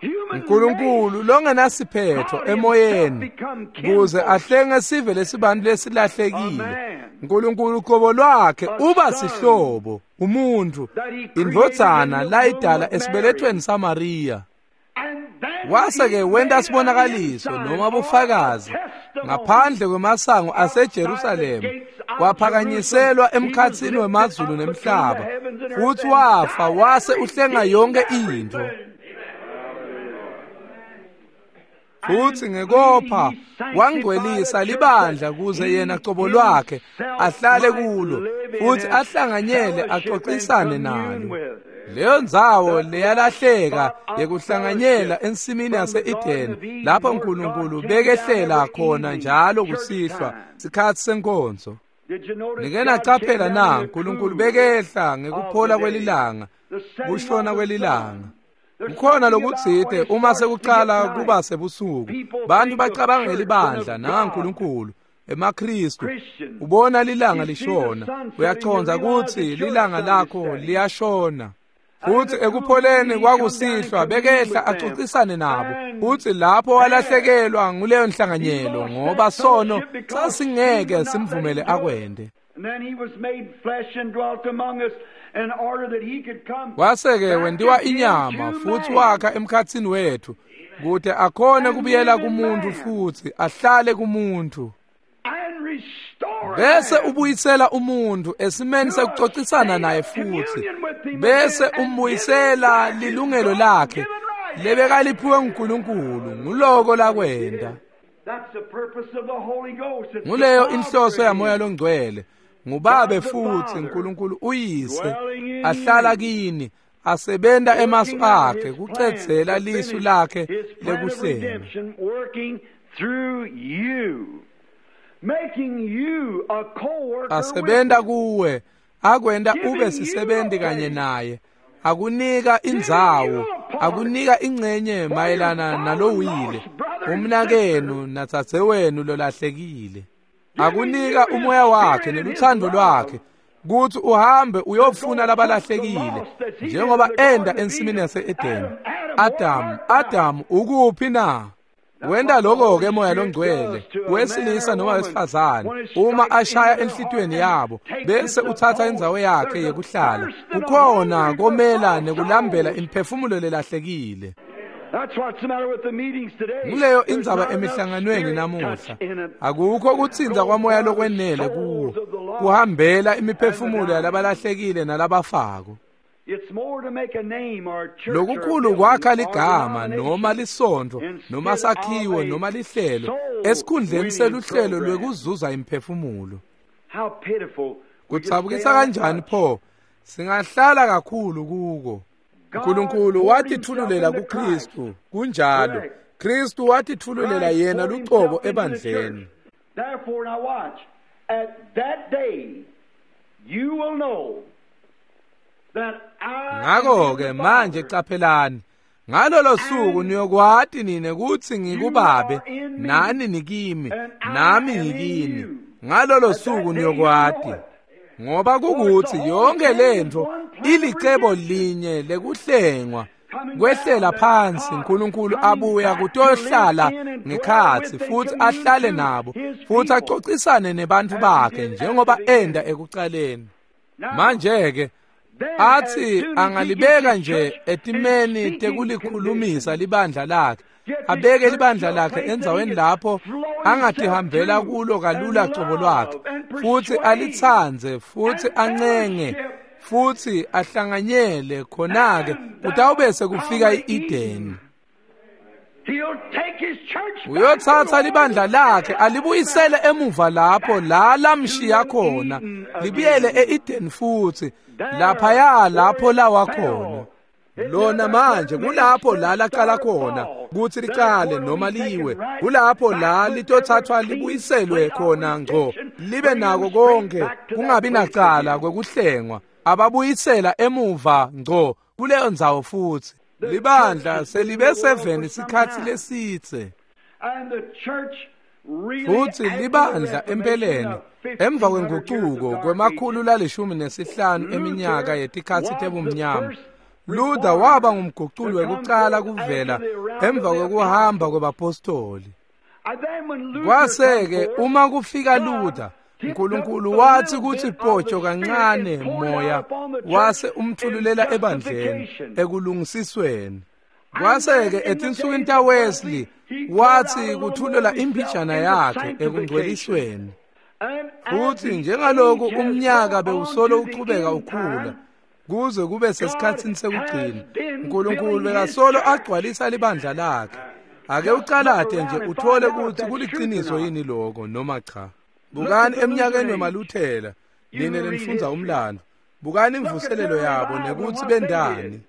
S2: human race,
S1: uNkulunkulu longenasiphetho
S2: God himself
S1: emoyeni
S2: become
S1: kuze
S2: kinfolk,
S1: ahlenge sive lesibantu
S2: a
S1: lesilahlekile.
S2: man
S1: uNkulunkulu qobo lwakhe
S2: a
S1: uba
S2: son
S1: sihlobo, umuntu,
S2: that he created in
S1: indvodzana
S2: the womb
S1: layidala
S2: of Mary.
S1: esibelethweni saMariya.
S2: And then
S1: Wase
S2: he
S1: ke wenta
S2: made an
S1: sibonakaliso
S2: ensign
S1: noma
S2: or a
S1: bufakazi
S2: testimony
S1: ngaphandle kwemasango
S2: outside the
S1: aseJerusalema,
S2: gates of Jerusalem.
S1: waphakanyiselwa
S2: He was
S1: emkhatsini
S2: lifted
S1: wemazulu
S2: up between the
S1: nemhlaba,
S2: heavens and earth
S1: futhi
S2: and
S1: wafa
S2: died and
S1: wase uhlenga
S2: redeemed
S1: yonke intfo.
S2: everything.
S1: Futhi
S2: And
S1: ngekopha
S2: he sanctified
S1: wangcwelisa
S2: a church
S1: libandla
S2: that
S1: kuze
S2: he
S1: yena cobo lwakhe
S2: himself
S1: ahlale
S2: might
S1: kulo
S2: live in
S1: futhi
S2: and
S1: ahlanganyele
S2: fellowship and
S1: axoxisane
S2: commune
S1: nalo.
S2: with.
S1: Leyo ndzawo
S2: The
S1: leyalahleka
S2: spot of
S1: yekuhlanganyela
S2: fellowship
S1: ensimini
S2: from the Garden
S1: yase-Edeni
S2: of Eden
S1: lapho
S2: where God
S1: uNkulunkulu
S2: came down
S1: bekehlela
S2: every
S1: khona
S2: evening,
S1: njalo
S2: church
S1: kusihlwa
S2: time.
S1: sikhatsi senkonzo.
S2: Did you notice
S1: Nike
S2: God came
S1: nacaphela
S2: down
S1: na
S2: in the
S1: uNkulunkulu
S2: cool
S1: bekehla
S2: of the
S1: ngekuphola
S2: day?
S1: kwelilanga Kushona kwelilanga. Kukhona lokutsite uma sekucala kuba sebusuku, bantu bacabanga ngelibandla nangaNkulunkulu, emaKhristu. Ubona lilanga lishona, uyachonza kutsi lilanga lakho liyashona. Futhi ekupholeni kwakusihlwa bekehla axoxisane nabo, futhi lapho walahlekelwa nguleyo nhlanganyelo ngoba sono sasingeke simvumele akwende. Kwase-ke wentiwa inyama futhi wakha emkhatsini wethu kute akhone kubuyela kumuntu futhi ahlale kumuntu, bese ubuyisela umuntu esimeni sekuxoxisana naye futhi, bese umbuyisela lilungelo lakhe lebekaliphiwe nguNkulunkulu. Nguloko lakwenda. Nguleyo inhloso yaMoya loNgcwele. Ngubabe futhi uNkulunkulu uyise ahlala kini, asebenta emasu akhe kucedzela lisu lakhe lekuhlenga. Asebenta kuwe, akwenta ube sisebenzi kanye naye, akunika indzawo, akunika ingcenye mayelana nalowile, umnakenu natsadzewenu lolahlekile. Akunika umoya wakhe neluthando lwakhe kutsi uhambe uyofuna labalahlekile, njengoba enda ensimini yase-Edeni. Adamu, ukuphi na? Wenta lokho-ke Moya loNgcwele wesilisa noma wesifazane uma ashaya enhlitiyweni yabo, bese uthatha indzawo yakhe yekuhlala. Kukhona komela nekulambela imiphefumulo lelahlekile. Nguleyo indzaba emihlanganweni namuhla. Akukho kutsinza kwamoya lokwenele kuwo kuhambela imiphefumulo yalabalahlekile nalabafako. Lokukhulu kwakha ligama noma lisontfo noma sakhiwo noma lihlelo esikhundleni seluhlelo lwekuzuza imiphefumulo. Kudzabukisa kanjani pho, singahlala kakhulu kuko. uNkulunkulu watithululela kuKristu, kunjalo. Kristu watithululela yena lucobo ebandleni.
S2: Therefore now watch, at that day you will know that I.
S1: Ngakho-ke manje caphelani, ngalolo suku niyokwati nine kutsi ngikubabe, nani nikimi, nami ngikini. Ngalolo suku niyokwati, ngoba kukuthi yonke lentfo ilicebo linye lekuhlengwa kwehlela phansi. uNkulunkulu abuya kutohlala ngekhatsi futhi ahlale nabo futhi axoxisane nebantfu bakhe njengoba enda ekucaleni. Manje-ke athi angalibeka nje etimeni tekulikhulumisa libandla lakhe, abeke libandla lakhe endzaweni lapho angatihambela kulo kalula cobo lwakhe, futhi alitsandze futhi ancenge futhi ahlanganyele. Khona-ke kutawube kufika i-Edeni. Uyotsatsa libandla lakhe alibuyisele emuva lapho la lamshiya khona, libuyele e-Edeni futhi laphaya lapho lawa khona. Lona manje kulapho la laqala khona kutsi licale noma liwe, kulapho la litothathwa libuyiselwe khona ngco, libe nako konke kungabi nacala kwekuhlengwa. Ababuyisela emuva ngco kuleyo ndzawo futhi. Libandla selibe seveni isikhatsi lesitse, futhi libandla empeleni emva kwengucuko kwemakhulu la15 eminyaka yetikhatsi tebumnyama, Luther waba ngumguculi wekucala kuvela emva kwekuhamba kwebapostoli. Kwase-ke uma kufika Luther, uNkulunkulu wathi kutsi potsho kancane moya wase umthululela ebandleni ekulungisisweni. Kwase-ke etinsukwini taWesley wathi kuthulela imbijana yakhe ekungcwelisweni. Futhi njengaloku umnyaka bewusolo uchubeka ukhula kuze kube sesikhatsini sekugcina, uNkulunkulu bekasolo agcwalisa libandla lakhe. Ake ucalate nje uthole ukuthi kuliciniso yini lokho noma cha. Bukani eminyakeni wemaLuthela, nine lenifundza umlando, bukani imvuselelo yabo nekuthi bendani.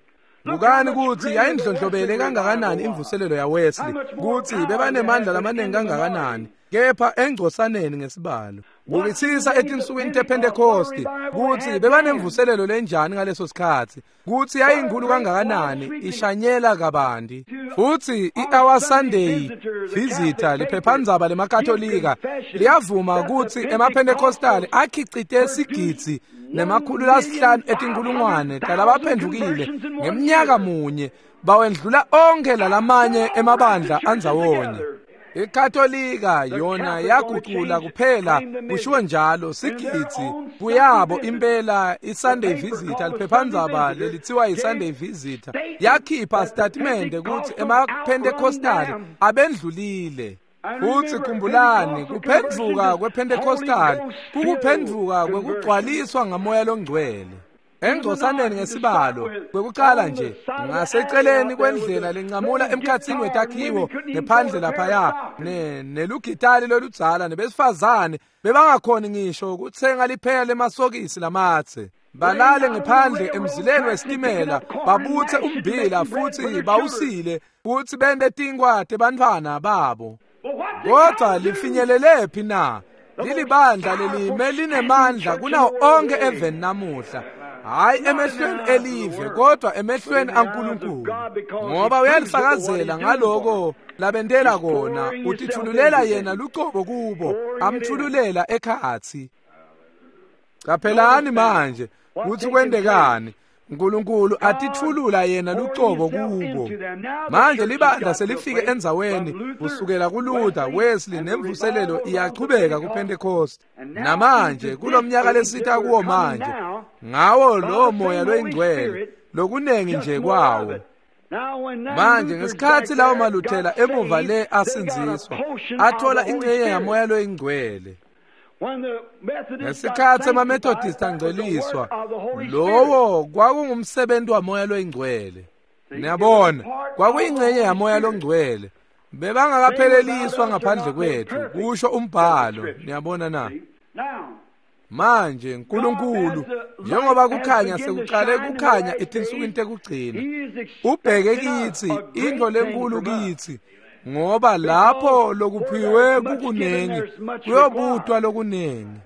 S1: Bukani ukuthi yayindlondlobele kangakanani imvuselelo yaWesley, kutsi bebanemandla lamaningi kangakanani. kepha engcosaneni ngesibalo. Bukisisa etinsukwini tePhentekosti kutsi bebanemvuselelo lenjani ngaleso sikhatsi, kutsi yayinkulu kangakanani, ishanyela kabanti. Futsi i-Our Sunday Visitor, liphephandzaba lemaKatolika, liyavuma kutsi emaPhentekostali akhicite 1,500,000 talabaphendvukile ngemnyaka munye, bawendlula onkhe lalamanye emabandla andzawonye. IKatolika yona yagucula kuphela, kushiwo njalo, sigidzi kuyabo impela. I-Sunday Visitor, liphephandzaba lelitsiwa i-Sunday Visitor, yakhipha sitatimende kutsi emaPhentekostali abendlulile. Futsi khumbulani, kuphendvuka kwePhentekostali kukuphendvuka kwekugcwaliswa ngaMoya loNgcwele. Engcosaneni ngesibalo kwekucala nje, ngaseceleni kwendlela lencamula emkhatsini wetakhiwo ngephandle laphaya, nelugitali loludzala, nebesifazane bebangakhoni ngisho kutsenga lipheya lemasokisi lamatse. Balale ngephandle emzileni wesitimela, babutse ummbila futsi bawusile, futsi bente tinkwa tebantfwana babo. Kodwa lifinyelelephi na? Lilibandla lelime linemandla kunawo onke eveni namuhla. Hayi emehlweni elive, kodwa emehlweni aNkulunkulu, ngoba uyalifakazela ngaloko labentela kona. Utithululela yena lucobo kubo, amthululela ekhatsi. Caphelani manje kutsi kwentekani. uNkulunkulu atithulula yena lucobo kubo. Manje libandla selifike endzaweni kusukela kuLuther, Wesley nemvuselelo iyachubeka kuPentecost. Namanje kulomnyaka lesita kuwo manje, ngawo lo moya loyingcwele, lokunengi nje kwawo. Manje ngesikhatsi lawo maLuthela emuva le asindziswa, athola ingcenye yamoya loyingcwele. Ngesikhatsi emaMethodist angcweliswa, lowo kwakungumsebenzi wamoya loyingcwele. Niyabona, kwakuyingcenye yamoya longcwele. Bebangakapheleliswa ngaphandle kwethu, kusho umbhalo. Niyabona na? Manje uNkulunkulu, njengoba kukhanya sekuqale kukhanya etinsukwini tekugcina, ubheke kitsi into lenkulu kitsi, ngoba lapho lokuphiwe kukunengi kuyobutwa lokunengi.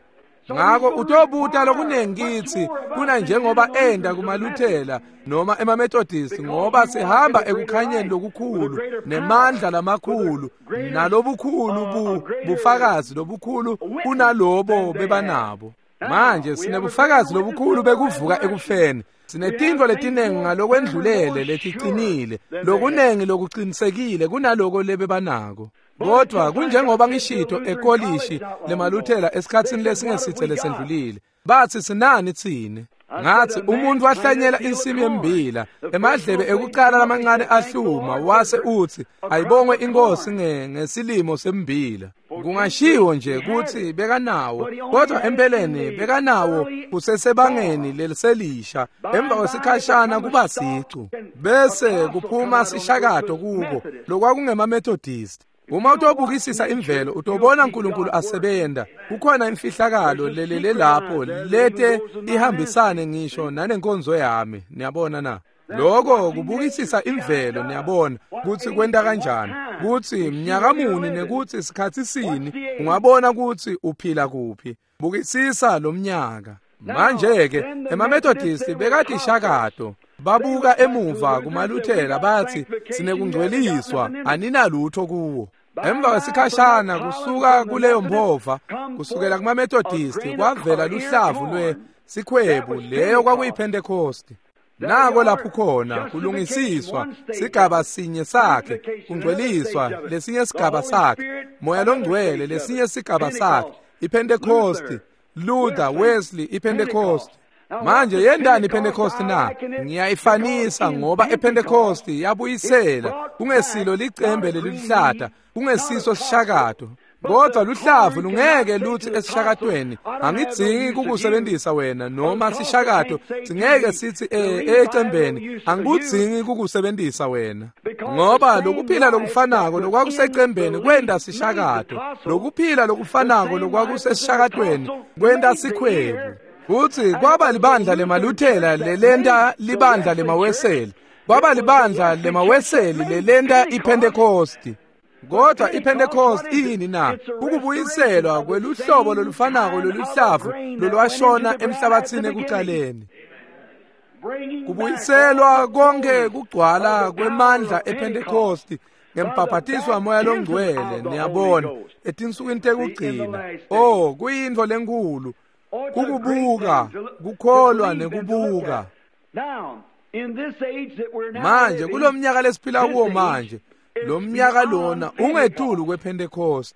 S1: Ngako utobuta lokunengi kitsi kuna njengoba enda kumaLuthela noma emaMethodist, ngoba sihamba ekukhanyeni lokukhulu nemandla lamakhulu nalobukhulu bufakazi lobukhulu kunalobo bebanabo. Manje sinebufakazi lobukhulu bekuvuka ekufeni. Sinetintfo letinengi ngalokwendlulele leticinile, lokunengi lokuqinisekile kunaloko lebebanako. Kodwa kunjengoba ngishito ekolishi lemaLuthela esikhatsini lesingesitse lesendlulile, batsi sinani tsine? Ngathi umuntu wahlanyela insimu yembila, emadlebe ekucala lamancane ahluma, wase utsi ayibongwe inkosi ngesilimo sembila. Kungashiwo nje kutsi bekanawo, kodwa empeleni bekanawo kusesebangeni leliselisha. Emva kwesikhashana kuba sicu, bese kuphuma sishakato kubo lokwakungemaMethodist. Uma utobukisisa imvelo, utobona uNkulunkulu asebenta. Kukhona imfihlakalo lelele lapho lete ihambisane ngisho nanenkonzo yami. Niyabona na? Lokho kubukisisa imvelo, niyabona kutsi kwenta kanjani, kutsi mnyaka muni nekutsi sikhatsi sini, ungabona kutsi uphila kuphi. Bukisisa lo mnyaka. Manje-ke emaMethodist bekatishakato. Babuka emuva kumaLuthela bathi sinekungcweliswa, aninalutho kuwo. Emva kwesikhashana kusuka kuleyo mphova, kusukela kumaMethodist kwavela luhlavu lwesikhwebu, leyo kwakuyiPhentekosti. Nako lapho khona kulungisiswa sigaba sinye sakhe, kungcweliswa lesinye sigaba sakhe, Moya loNgcwele lesinye sigaba sakhe, iPhentekosti, Luther, Wesley, iPhentekosti. Manje yendani iPhentekosti na? Ngiyayifanisa ngoba ePhentekosti yabuyisela kungesilo licembe leliluhlata, kungesiso sishakato, kodwa luhlavu lungeke lutsi esishakatweni angidzingi kukusebentisa wena, noma sishakato singeke sithi ecembeni angikudzingi kukusebentisa wena, ngoba lokuphila lokufanako lokwakusecembeni kwenta sishakato, lokuphila lokufanako lokwakusesishakatweni kwenta sikhwebu. Futsi kwaba libandla lemaLuthela lelenta libandla lemaWeseli, kwaba libandla lemaWeseli lelenta iPhentekosti. Kodwa iPentecost iyini na? Ukubuyiselwa kweluhlobo lolufanako loluhlavu lolwashona emhlabathini ekuqaleni. Kubuyiselwa konke kugcwala kwemandla ePentecost ngembhabhatiso waMoya loNgcwele, niyabona, etinsukwini tekugcina. Oh, kuyintfo lenkulu kukubuka, kukholwa nekubuka. Manje kulomnyaka lesiphila kuwo manje, lo mnyaka lona ungetulu kwePentecost.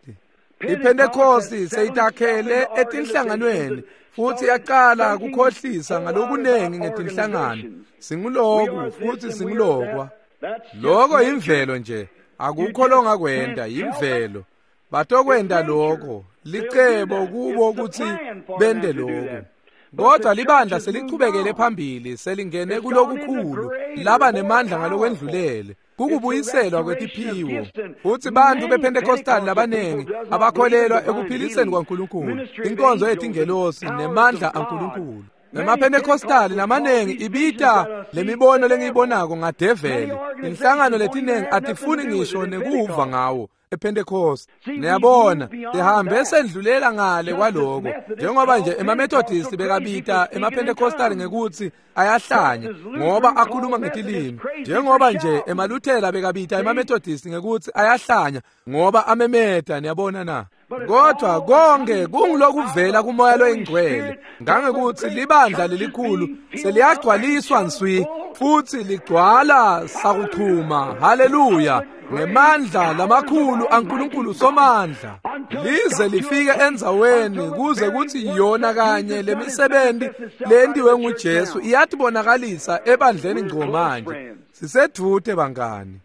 S1: IPentecost seyitakhele etinhlanganweni futhi yaqala kukhohlisa ngalokunengi ngetinhlangano. Singuloku futhi singulokwa. Lokho imvelo nje, akukho longakwenda, imvelo. Batokwenda lokho, licebo kubo ukuthi bende lokho. Kodwa libandla selichubekele phambili, selingene kulokukhulu, laba nemandla ngalokwendlulele. Kukubuyiselwa kwetiphiwo. Futhi bantu bePentecostal labanengi abakholelwa ekuphiliseni kwaNkulunkulu, inkonzo yetingelosi nemandla aNkulunkulu. NemaPentecostal lamanengi ibita lemibono lengiyibonako ngadeveli. Inhlangano letinengi atifuni ngisho nekuva ngawo ePentecost. Niyabona, sihambe sendlulela ngale kwaloko. Njengoba nje emaMethodist bekabita emaPentecostal ngekuthi ayahlanya ngoba akhuluma ngetilimi. Njengoba nje emaLuthela bekabita emaMethodist ngekuthi ayahlanya ngoba amemeta, niyabona na? Kodwa konke kungilokuvela kuMoya loyiNgcwele, ngangekuthi libandla lelikhulu seliyagcwaliswa nswi futhi ligcwala sakuchuma. Haleluya! Ngemandla lamakhulu aNkulunkulu somandla, lize lifike endzaweni kuze kuthi yona kanye lemisebenzi lentiwe nguJesu iyatibonakalisa ebandleni ngco manje. Sisedvute bangani.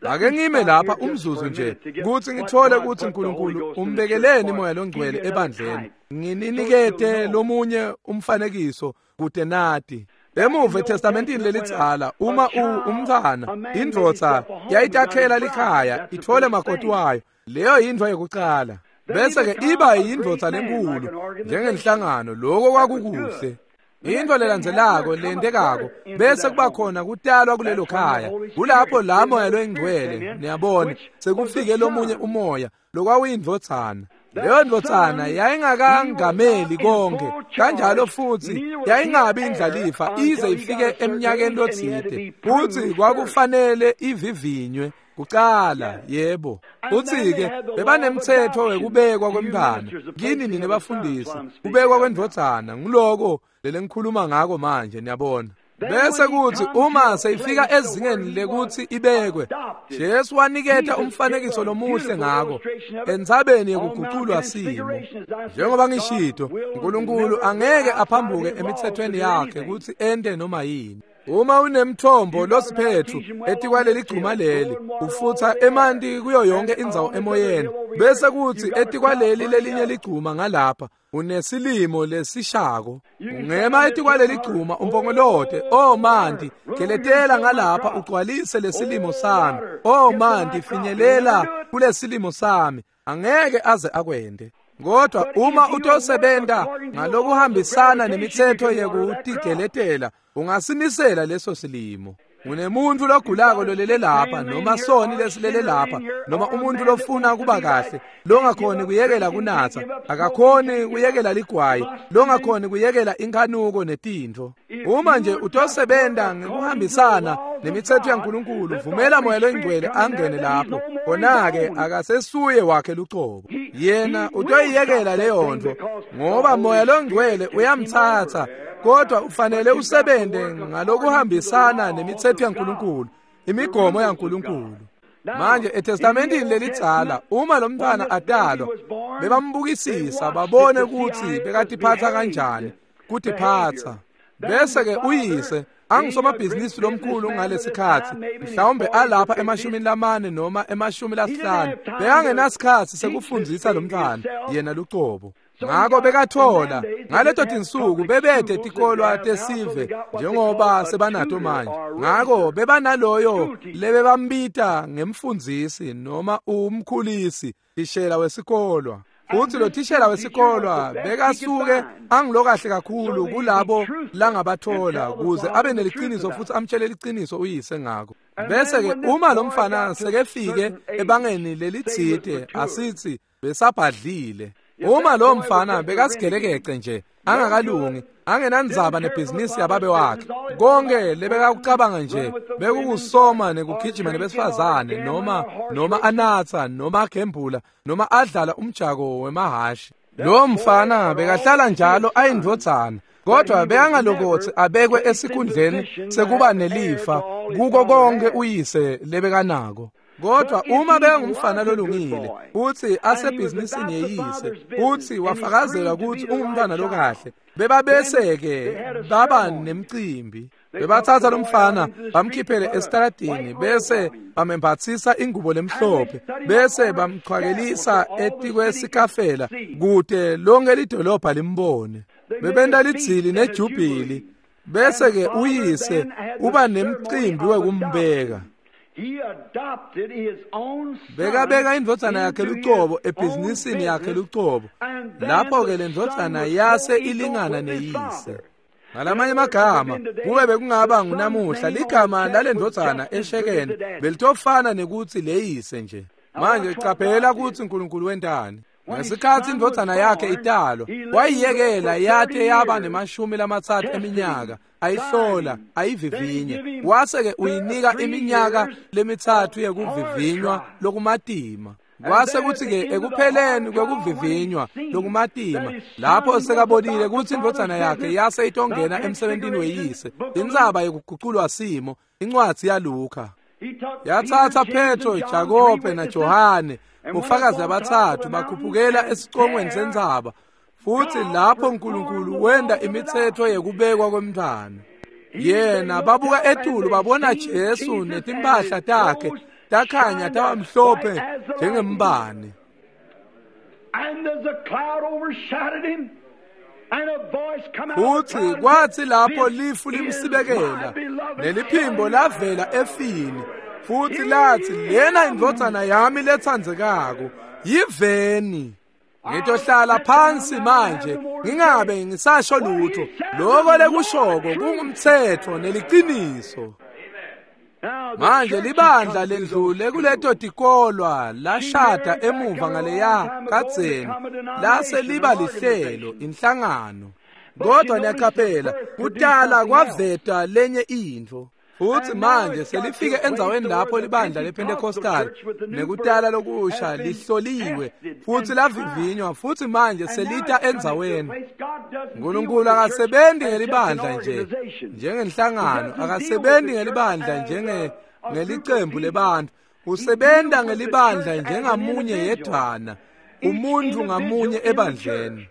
S1: Ake ngime lapha umzuzu nje kuthi ngithole ukuthi uNkulunkulu umbekeleni Moya loNgcwele ebandleni. Ngininikete lomunye umfanekiso kude nati. Emuva eTestamentini lelidzala, uma umntwana indvodza yayitakhela likhaya ithole makoti wayo, leyo yintfo yokucala. Bese ke iba yindvodza lenkulu njengenhlangano, lokho kwakukuhle. Into lelandzelako lentekako bese kuba khona kutalwa kulelo khaya. Kulapho la Moya loyiNgcwele, niyabona, sekufike lomunye umoya lokwakuyindvodzana. Leyo ndvodzana yayingakangameli konke, kanjalo futhi yayingabi indlalifa ize ifike eminyakeni lotsite. Futhi kwakufanele ivivinywe kucala, yebo. Futhi-ke bebanemthetho wekubekwa kwemntwana. Kini nine bafundisi, kubekwa kwendvodzana nguloko lelengikhuluma ngako manje, niyabona. Bese kuthi uma seyifika ezingeni lekuthi ibekwe, Jesu waniketa umfanekiso lomuhle ngako entsabeni yekuguculwa simo. Njengoba ngishito, uNkulunkulu angeke aphambuke emithethweni yakhe ukuthi ente noma yini. Uma unemthombo losiphethu etikwaleli gcuma leli, ufutha emanti kuyo yonke indzawo emoyeni, bese kuthi etikwaleli lelinye ligcuma ngalapha unesilimo lesishako. Ungema etikwaleli gcuma umpongolote, "Oh manti, geletela ngalapha ugcwalise lesilimo sami. Oh manti, finyelela kulesilimo sami." Angeke aze akwende. Kodwa uma utosebenta ngalokuhambisana nemithetho yekutigeletela, ungasinisela leso silimo. Unemuntu logulako lolele lapha, noma soni lesilele lapha, noma umuntu lofuna kuba kahle, longakhoni kuyekela kunatsa, akakhoni kuyekela ligwayi, longakhoni kuyekela inkhanuko netintfo. Uma nje utosebenta ngekuhambisana nemithetho yaNkulunkulu, vumela Moya loyiNgcwele angene lapho, khona-ke akasesuye wakhe lucobo. Yena utoyiyekela leyo nto, ngoba Moya loNgcwele uyamtsatsa. Kodwa ufanele usebente ngalokuhambisana nemithetho yaNkulunkulu, imigomo yaNkulunkulu. Manje eTestamentini lelidzala, uma lo mntwana atalwa, bebambukisisa babone ukuthi bekatiphatsa kanjani, kutiphatsa. Bese ke uyise angisomabhizinisi lomkhulu ngalesikhathi, mhlawumbe alapha e40 noma e50, bekangenasikhathi sekufundzisa lo mntwana yena lucobo. Ngako bekathola ngaleto tinsuku bebede tikolwa tesive njengoba sebanato manje. Ngako bebanaloyo lebebambita ngemfundzisi noma umkhulisi, thishela wesikolwa. Futhi lo thishela wesikolwa bekasuke angilokahle kakhulu kulabo langabathola kuze abe neliciniso futhi amtshele liciniso uyise ngako. Bese-ke uma lo mfana sekefike ebangeni lelitsite, asithi besabhadlile. Uma lo mfana bekasigelekeqe nje, angakalungi, angenandzaba nebhizinisi yababe wakhe, konke lebekakucabanga nje bekukusoma nekugijima nebesifazane, noma anatsa, noma agembula, noma adlala umjako wemahhashi. Lo mfana bekahlala njalo ayindvodzana, kodwa bekangalokotsi abekwe esikhundleni sekuba nelifa kuko konke uyise lebekanako. Kodwa uma bekangumfana lolungile futhi asebhizinisini yeyise, futhi wafakazela ukuthi ungumntwana lokahle, bebabese-ke baba nemcimbi. Bebathatha lomfana bamkhiphele esitaladini, bese bamembathisa ingubo lemhlophe, bese bamchwakelisa etikwesikafela kude lonke lidolobha limbone. Bebenta lidzili nejubhili, bese-ke uyise uba nemcimbi wekumbeka. Bekabeka indvodzana yakhe lucobo ebhizinisini yakhe lucobo. Lapho-ke le ndvodzana yase ilingana neyise. Ngalamanye amagama, kube bekungaba ngunamuhla, ligama lale ndvodzana eshekeni belitofana nekuthi leyise nje. Manje caphela kutsi uNkulunkulu wentani. Ngesikhatsi indvodzana yakhe italwa, wayiyekela yate yaba ne-30 eminyaka, ayihlola, ayivivinya. Wase-ke uyinika iminyaka 3 yekuvivinywa lokumatima. Kwase kuthi-ke ekupheleni kwekuvivinywa lokumatima, lapho sekabonile kutsi indvodzana yakhe yase itongena emsebentini weyise, indzaba yekuguculwa simo, incwadzi yaLuka. Yatsatsa Petro, Jakobe naJohane, bofakazi abathathu, bakhuphukela esicongweni sentsaba, futhi lapho uNkulunkulu wenda imithetho yekubekwa kwemntfwana. Yena babuka etulu babona Jesu netimpahla takhe takhanya taba mhlophe njengembane. Futhi kwathi lapho lifu limsibekela, neliphimbo lavela efini, futhi lathi, lena indvodzana yami letsandzekako, yiveni. Ngitohlala phansi manje, ngingabe ngisasho lutho. Lokho lekushoko kungumthetho neliciniso. Manje libandla lendlule kuleto tikolwa lashada emuva ngaleya kadzeni, lase liba lihlelo, inhlangano. Kodwa niyaqaphela, kutala kwaveta lenye intfo. Futhi manje selifike endzaweni lapho libandla lePentecostal nekutala lokusha lihloliwe futhi lavivinywa, futhi manje selita endzaweni. uNkulunkulu akasebenzi ngelibandla nje njengenhlangano, akasebenzi ngelibandla njengelicembu lebantu, usebenza ngelibandla njengamunye yedwana, umuntu ngamunye ebandleni.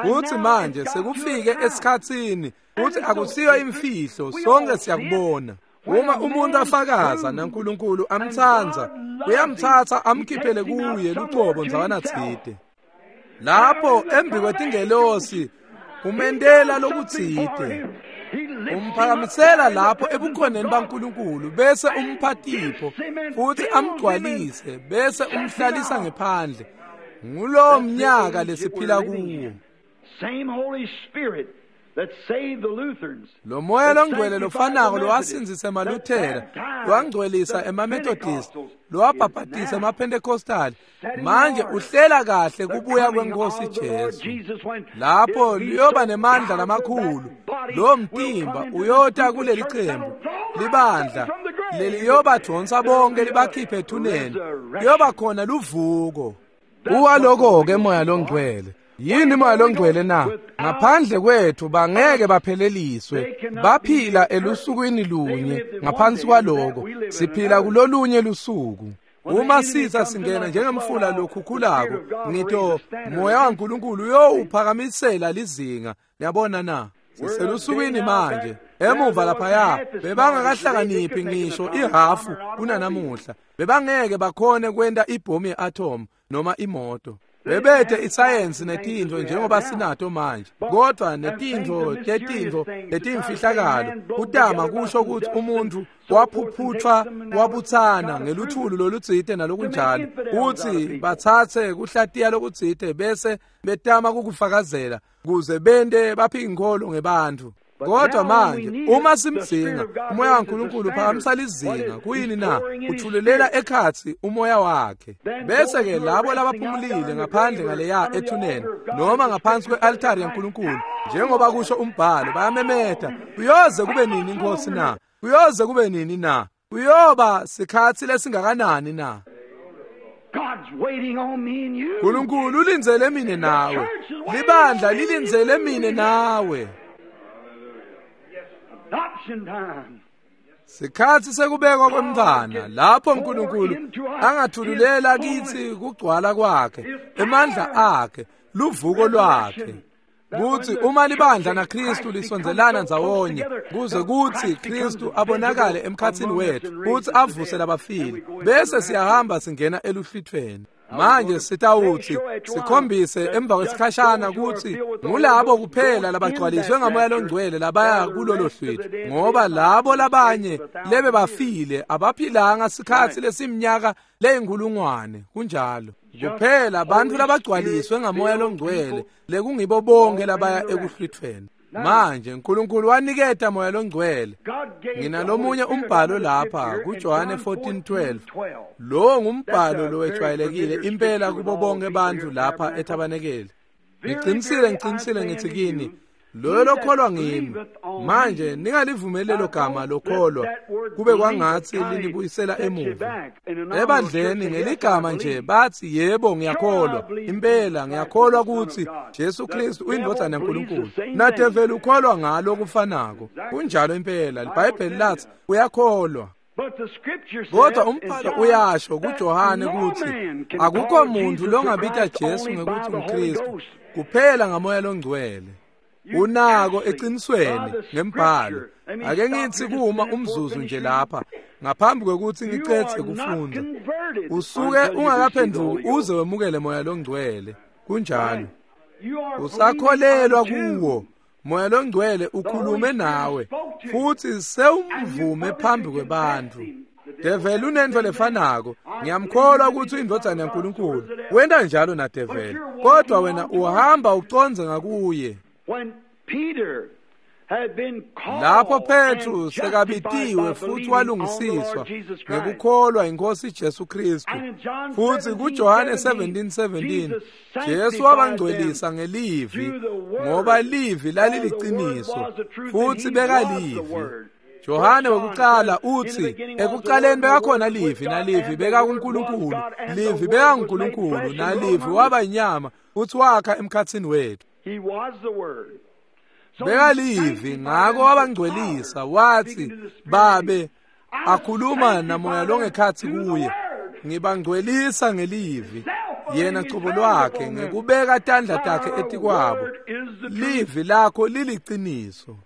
S1: Futhi manje sekufike esikhatsini, futhi akusiyo imfihlo, sonke siyakubona. Uma umuntu afakaza naNkulunkulu amtsandza, uyamthatha amkhiphele kuye lucobo ndzawana tsite. Lapho embi kwetingelosi umendela lokutsite, umphakamisela lapho ebukhoneni baNkulunkulu, bese umpha tipho futhi amgcwalise, bese umhlalisa ngephandle. Ngulowo mnyaka lesiphila kuwo. Lo moya longcwele lofanako lowasindzisa emaLuthera, lowangcwelisa emaMethodist, lowabhabhatisa emaPentecostal, manje uhlela kahle kubuya kweNkosi Jesu. Lapho liyoba nemandla lamakhulu, lo mtimba uyota kuleli qembu, libandla leliyobadonsa bonke libakhiphe ethuneni, kuyoba khona luvuko. Uwaloko-ke moya longcwele. Yini moya longcwele na? Ngaphandle kwethu bangeke bapheleliswe. Baphila elusukwini lunye, ngaphansi kwaloko siphila kulolunye lusuku. Uma sitha singena njengemfula lokhukhulako, ngito moya waNkulunkulu uyowuphakamisela lizinga. Niyabona na? Siselusukwini manje. Emuva laphaya bebangakahlakaniphi ngisho ihafu kunanamuhla. Bebangeke bakhone kwenta ibhomu ye-atom noma imoto. Bebethe isayensi netintfo njengoba sinato manje, kodwa netintfo tetintfo letimfihlakalo kutama kusho ukuthi umuntu waphuphuthwa wabutsana ngeluthulu lolutsite nalokunjalo, kutsi batsatse kuhlatiya lokutsite bese betama kukufakazela kuze bente baphike inkholo ngebantfu. Kodwa manje uma simdzinga umoya waNkulunkulu uphakamisa lizinga. Kuyini na? Uthululela ekhatsi umoya wakhe. Bese ke labo labaphumulile ngaphandle ngaleya ethuneni noma ngaphansi kwe-altari yaNkulunkulu, njengoba kusho umbhalo, bayamemeta, kuyoze kube nini Nkosi na? Kuyoze kube nini na? Kuyoba sikhatsi lesingakanani na? Nkulunkulu ulindzele mine nawe. Libandla lilindzele mine nawe. Sikhatsi sekubekwa kwemntfwana lapho uNkulunkulu angathululela kitsi kugcwala kwakhe, emandla akhe, luvuko lwakhe. Kutsi uma libandla naKristu lisondzelana ndzawonye kuze kutsi Kristu abonakale emkhatsini wetfu kutsi avuse labafile, bese siyahamba singena eluhlwithweni. Manje sitawutsi sikhombise emva kwesikhashana kutsi ngulabo kuphela labagcwaliswe ngamoya longcwele labaya kulolo hlwitho, ngoba labo labanye lebe bafile abaphilanga sikhatsi lesiminyaka leyinkulungwane. Kunjalo kuphela bantfu labagcwaliswe ngamoya longcwele lekungibo bonke labaya ekuhlwithweni. Manje uNkulunkulu waniketa moya longcwele. Nginalomunye umbhalo lapha kuJohane 14:12. Lo ngumbhalo lowejwayelekile impela kubo bonke bantfu lapha ethabanekeli. Ngicinisile ngithi kini, loyo lokholwa ngimi. Manje ningalivumeli lelo gama lokholwa kube kwangatsi linibuyisela emuva ebandleni ngeligama nje bathi yebo ngiyakholwa, impela ngiyakholwa kutsi Jesu Kristu uyindvodzana yaNkulunkulu. Nadeveli ukholwa ngalo kufanako. Kunjalo impela, iBhayibheli lathi uyakholwa. Kodwa umbhalo uyasho kuJohane kutsi akukho muntu longabita Jesu ngekutsi nguKristu kuphela ngamoya longcwele. Unako eqinisweni ngembhalo. Ake ngithi kuma umzuzu nje lapha ngaphambi kwekuthi ngicedze kufunda. Usuke ungakaphenduki uze wemukele moya longcwele. Kunjalo. Usakholelwa kuwo. Moya longcwele ukhulume nawe futhi sewumvume phambi kwebantfu. Develi unento lefanako. Ngiyamkholwa ukuthi uyindvodzana yaNkulunkulu. Wenta njalo naDeveli, kodwa wena uhamba ucondze ngakuye. Lapho Petru sekabitiwe futhi walungisiswa ngekukholwa inkosi Jesu Kristu, futhi kuJohane 17:17 Jesu wabangcwelisa ngelivi, ngoba livi laliliqiniso futhi bekalivi. Johane wekuqala uthi ekuqaleni bekakhona livi, nalivi bekakuNkulunkulu, livi bekaNkulunkulu, nalivi waba inyama futhi wakha emkhatsini wethu. Bekalivi, ngako wabangcwelisa. Wathi babe akhuluma namoya longekhatsi kuye, ngibangcwelisa ngelivi, yena cobo lwakhe ngekubeka tandla takhe etikwabo. Livi lakho liliqiniso.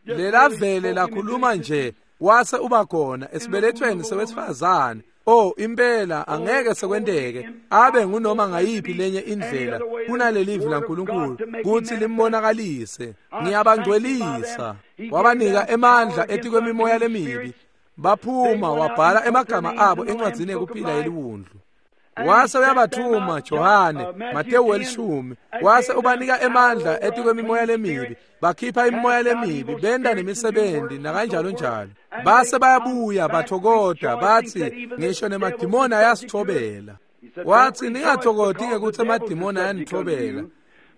S1: Lelavele lakhuluma nje wase uba khona esibelethweni sewesifazane. Oh, impela angeke sekwenteke abe ngunoma ngayiphi lenye indlela kunalelivi laNkulunkulu kutsi limbonakalise. Ngiyabangcwelisa. Wabanika emandla etikwemimoya lemibi. Baphuma wabhala emagama abo encwadzini yekuphila yeliwundlu. Wase uyabathuma Johane, Matewu 10, wase ubanika emandla etikwemimoya lemibi. Bakhipha imimoya lemibi, benda nemisebenzi nakanjalo njalo. Base bayabuya bathokota bathi ngisho nemadimoni ayasithobela. Wathi ningathokoti ngekuthi emadimoni ayanithobela,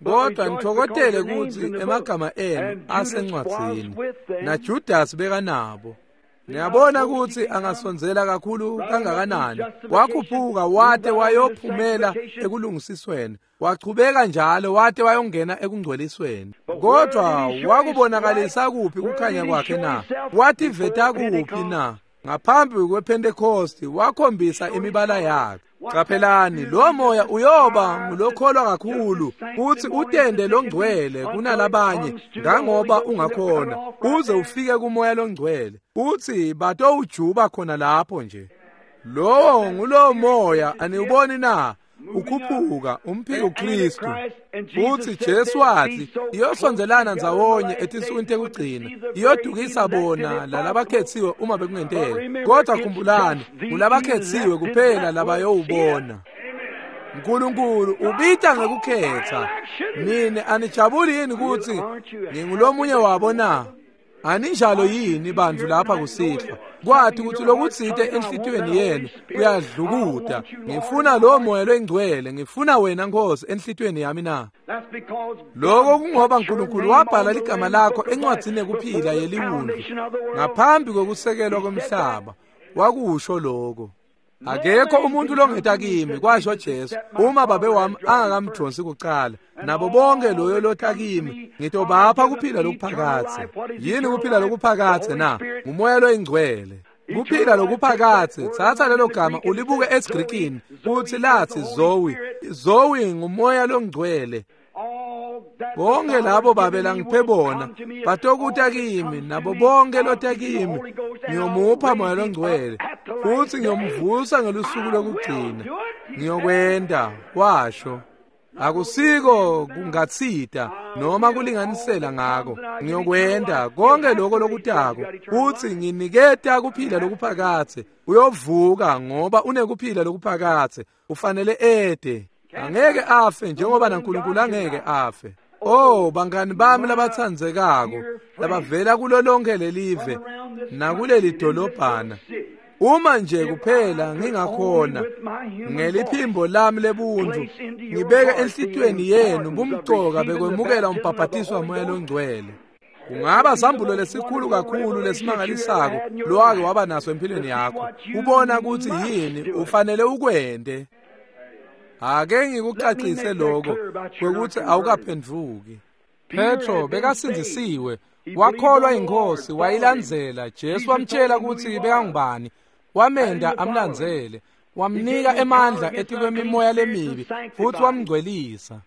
S1: kodwa nithokotele kutsi emagama enu asencwadzini. NaJudas bekanabo. Niyabona ukuthi angasondzela kakhulu kangakanani. Wakhuphuka wate wayophumela ekulungisisweni, wachubeka njalo wate wayongena ekungcwelisweni. Kodwa wakubonakalisa kuphi kukhanya kwakhe na? Wativeta kuphi na? Ngaphambi kwePentecost wakhombisa imibala yakhe. Qaphelani, lo moya uyoba ngulokholwa kakhulu kuthi utende longcwele kunalabanye ngangoba ungakhona uze ufike kumoya longcwele uthi batowujuba khona lapho nje. Lowo ngulowo moya, aniwuboni na? Ukhuphuka umphiko Kristu. Futhi Jesu wathi iyosondelana ndzawonye etinsukwini tekugcina, iyodukisa bona lalabakhethiwe uma bekungenteka. Kodwa khumbulani, ngulabakhethiwe kuphela labayowubona. uNkulunkulu ubita ngekukhetha. Nini anijabuli yini ukuthi ngingulomunye wabo na? Aninjalo yini bantu lapha kusihlwa kwathi ukuthi lokutsite enhlitiyweni yenu kuyadlukuta ngifuna lo moya longcwele ngifuna wena Nkosi enhlitiyweni yami na? Lokho kungoba uNkulunkulu wabhala ligama lakho encwadzini yekuphila yeliwundlu ngaphambi kokusekelwa komhlaba. Wakusho lokho. Akekho umuntu longeta kimi, kwasho Jesu, uma babe wami angakamdonsi kuqala. Nabo bonke loyo lotha kimi ngitobapha kuphila lokuphakathe. Yini kuphila lokuphakathe na? Ngumoya loyingcwele. Kuphila lokuphakathe, thatha lelo gama ulibuke esiGrikini futhi lathi Zoe. Zoe ngumoya longcwele. Bonke labo babe langiphe bona batokuta kimi, nabo bonke lota kimi ngiyomupha moya longcwele futhi ngiyomvusa ngelusuku lokugcina. Ngiyokwenda, washo. Akusiko kungatsita noma kulinganisela ngako. Ngiyokwenda konke lokho lokutako futhi nginiketa kuphila lokuphakathe. Uyovuka ngoba unekuphila lokuphakathe. Ufanele ede. Angeke afe njengoba naNkulunkulu angeke afe. Oh bangani bami labatsandzekako labavela kulo lonke lelive nakuleli dolobhana, uma nje kuphela ngingakhona ngeliphimbo lami lebuntu ngibeke enhlitiyweni yenu bumcoka bekwemukela umbhabhatiso wamoya longcwele. Kungaba sambulo lesikhulu kakhulu lesimangalisako lowake waba naso empilweni yakho, ubona ukuthi yini ufanele ukwente. Ake ngikucacise lokho kwekuthi awukaphenduki. Petro bekasindzisiwe, wakholwa inkosi, wayilandzela. Jesu wamtshela ukuthi bekangubani, wamenda amlandzele, wamnika emandla etikwemimoya lemibi futhi wamngcwelisa.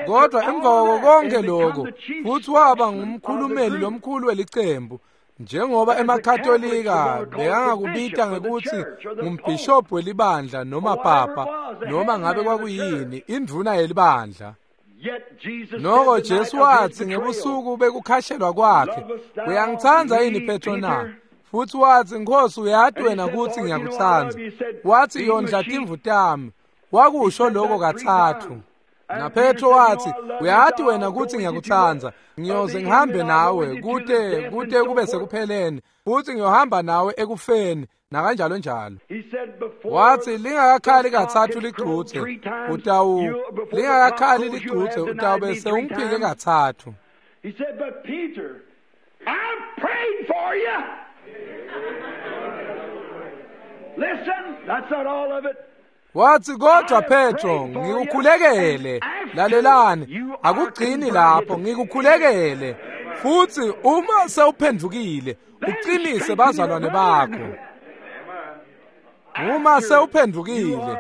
S1: Kodwa emva kwako konke lokho futhi waba ngumkhulumeli lomkhulu welicembu, njengoba emaKatolika bekangakubita ngekuthi ngumbhishobhi welibandla noma papa noma ngabe kwakuyini, indvuna yelibandla. Noko Jesu wathi ngebusuku bekukhashelwa kwakhe, uyangitsandza yini Petro na? Futhi wathi, Nkosi, uyati wena ukuthi ngiyakutsandza. Wathi, yondla timvu tami. Wakusho lokho kathathu. Na Petro wathi, uyati wena ukuthi ngiyakutsandza, ngiyoze ngihambe nawe kute kube sekupheleni, futhi ngiyohamba nawe ekufeni nakanjalo njalo. Wathi, lingakakhali kathathu ligcuthe, lingakakhali ligcuthe utawube sewungiphike kathathu.
S2: He said, but Peter, I prayed for you. Listen, that's not all of it.
S1: Wathi, kodwa Petro, ngikukhulekele. Lalelani, akugcini lapho, ngikukhulekele. Futhi uma sewuphendukile, uqinise bazalwane bakho. Uma sewuphendukile,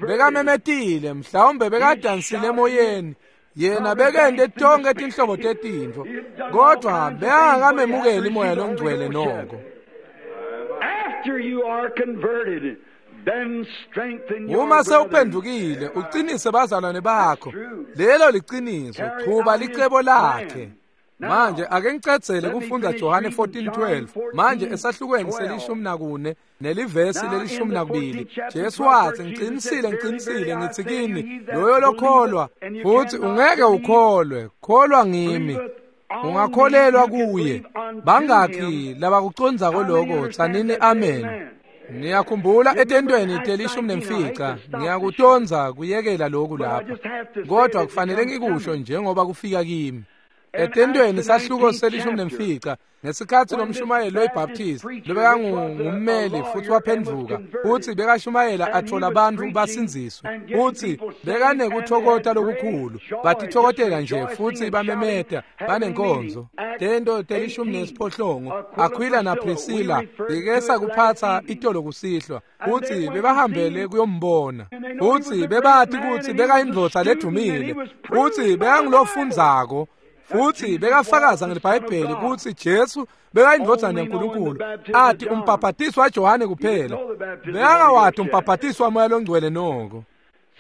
S1: bekamemetile, mhlawumbe bekadansile emoyeni, yena bekende tonke tinhlobo tetintfo, kodwa bekangakamemukeli moya longcwele noko.
S2: After you are converted,
S1: uma sewuphendukile, uqinise bazalwane bakho. Lelo liqiniso, chuba licebo lakhe. Manje ake ngicedzele kufunda Johane 14:12. Manje esahlukweni se-14 nelivesi le-12, Jesu wathi, ngiqinisile ngiqinisile ngithi kini, loyo lokholwa futhi ungeke ukholwe, kholwa ngimi, ungakholelwa kuye. Bangakhi labakucondzako lokho? Tsanini amen. Niyakhumbula etentweni te-15, ngiyakutonza kuyekela lokhu lapha, kodwa kufanele ngikusho njengoba kufika kimi. Etentweni sahluko se-15, ngesikhathi lomshumayeli weBaptist lobekangummeli futhi waphenduka, futhi bekashumayela athola abantu basindziswe, futhi bekanekuthokota lokukhulu, batithokotela nje futhi bamemeta banenkonzo. Tento te-18, Aquila na Priscilla bikesa kuphatha itolo kusihlwa, futhi bebahambele kuyombona, futhi bebathi kuthi bekayindvodza ledumile, futhi bekangulofundzako, futhi bekafakaza ngeBhayibheli ukuthi Jesu bekayindvodzana yaNkulunkulu, athi umbhabhatiso waJohane kuphela, bekangawati umbhabhatiso wamoya longcwele noko.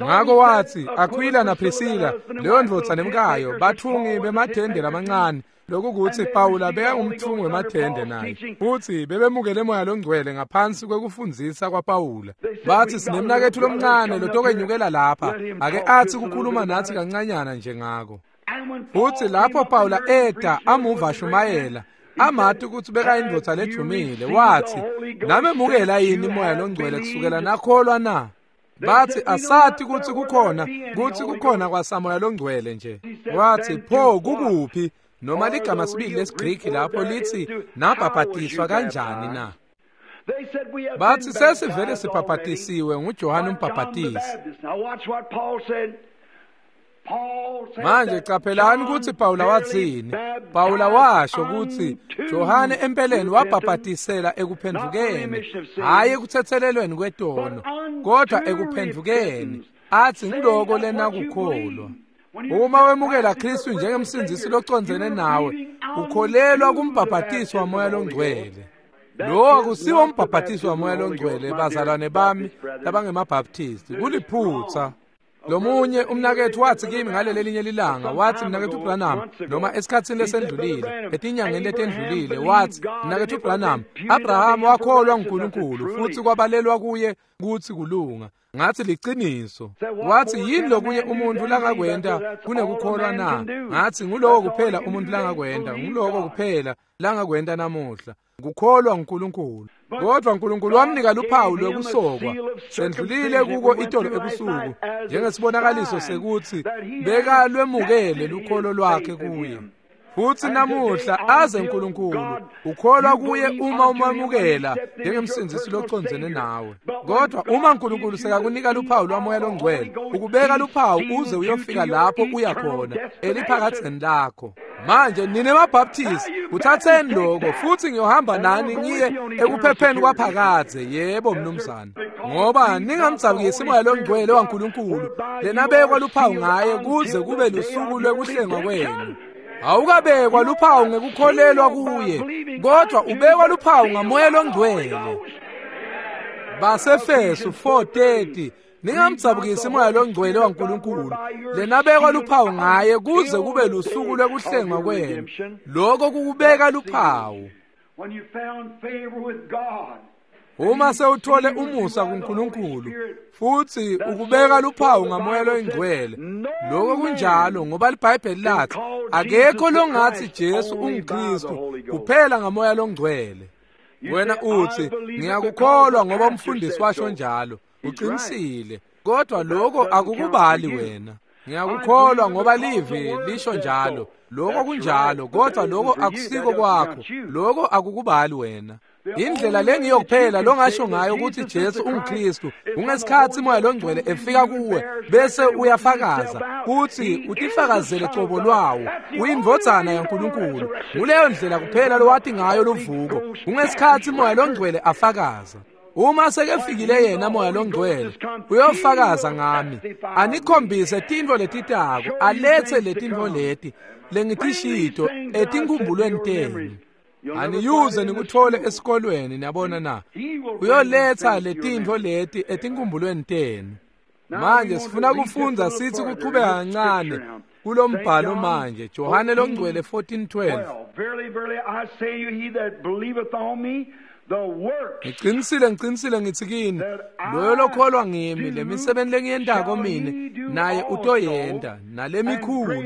S1: Ngakho wathi Aquila na Priscilla, leyo ndvodza nemkayo, bathungi bemathende lamancane, lokukuthi Pawula bekangumthungi wemathende naye, futhi bebemukele moya longcwele ngaphansi kwekufundzisa kwaPawula. Bathi, sinemnaketfu lomncane lotokenyukela lapha, ake athi kukhuluma nathi kancanyana nje ngako. Futhi lapho Pawula eta amuva ashumayela, Amati kutsi bekayindvodza ledvumile, watsi, "Namemukela yini Moya loNgcwele kusukela nakholwa na?" Bathi, "Asati kutsi kukhona kwasamoya loNgcwele nje." Wathi, "Pho kukuphi?" Noma ligama sibili lesiGriki lapho lithi nabhabhatiswa kanjani na? Bathi, "Sesivele sibhabhatisiwe nguJohane umbhabhatisi." Manje caphelani kutsi Pawula watsini. Pawula washo kutsi Johane empeleni wabhabhatisela ekuphendvukeni, hhayi ekutsetselelweni kwetono, kodwa ekuphendvukeni, athi ngiloko lenakukholwa. Uma wemukela Kristu njengemsindzisi locondzene nawe, ukholelwa kumbhabhatiso waMoya loNgcwele. Lo akusiwo umbhabhatiso waMoya loNgcwele, bazalwane bami labangemabhaptisti, kuliphutsa. Lomunye umnaketfu watsi kimi ngalelelinye lilanga, watsi, "Mnaketfu Branham," noma esikhatsini lesendlulile, etinyangeni letendlulile, watsi, "Mnaketfu Branham, Abraham wakholwa nguNkulunkulu futsi kwabalelwa kuye kutsi kulunga." Ngathi, "Liciniso." Wathi, "Yini lokunye umuntu langakwenta kunekukholwa na?" Ngathi, "Nguloko kuphela umuntu langakwenta, nguloko kuphela langakwenta namuhla, kukholwa nguNkulunkulu." Kodwa uNkulunkulu wamnika luphawu lwekusokwa, sendlulile kuko itolo ebusuku, njengesibonakaliso sekutsi bekalwemukele lukholo lwakhe kuye. Futsi namuhla aze uNkulunkulu ukholwa kuye uma umamukela njengemsindzisi locondzene nawe. Kodwa uma uNkulunkulu sekakunika luphawu lwaMoya loNgcwele, ukubeka luphawu uze uyofika lapho uya khona eliphakadzeni lakho. Manje nine mabhaptisti, kuthatheni lokho futsi ngiyohamba nani ngiye ekuphepheni kwaphakadze. Yebo mnumzane, ngoba ningamdzabukisi Moya loNgcwele waNkulunkulu lenabekwa luphawu ngaye kuze kube lusuku lwekuhlengwa kwenu. Awukabekwa luphawu ngekukholelwa kuye, kodwa ubekwa luphawu ngaMoya loNgcwele. Basefesu 4:30, ningamdzabukisi Moya loNgcwele waNkulunkulu lenabekwa luphawu ngaye kuze kube lusuku lwekuhlengwa kwenu. Lokho kukubeka luphawu. Uma sewuthole umusa kuNkulunkulu futsi ukubeka luphawu ngaMoya loNgcwele, lokho kunjalo, ngoba iBhayibheli lathi akekho longathi Jesu unguKristu kuphela ngaMoya loNgcwele. Wena uthi, "Ngiyakukholwa ngoba umfundisi washo njalo." Uqinisile, kodwa lokho akukubali wena. Ngiyakukholwa ngoba livi lisho njalo. Lokho kunjalo, kodwa lokho akusiko kwakho. Lokho akukubali wena. Indlela lengiyo kuphela longasho ngayo ukuthi Jesu unguKristu kungesikhathi Moya loNgcwele efika kuwe bese uyafakaza kuthi utifakazele cobo lwawo uyindvodzana yaNkulunkulu. Nguleyo ndlela kuphela lowati ngayo luvuko, kungesikhathi Moya loNgcwele afakaza. Uma sekefikile yena Moya loNgcwele uyofakaza ngami, anikhombise tintfo letitako, alethe letintfo leti lengitishito etinkumbulweni tenu. Aniyuze nikuthole esikolweni, niyabona na? Uyoletha letintfo leti etinkumbulweni tenu. Manje sifuna kufundza sithi kuchubeka kancane kulombhalo manje, Johane loNgcwele 14:12.
S2: Verily, verily, I say you, he that believeth on me, the works
S1: Ngiqinisile, ngiqinisile ngithi kini, loyo lokholwa ngimi, lemisebenti lengiyentako mine naye utoyenta, nalemikhulu.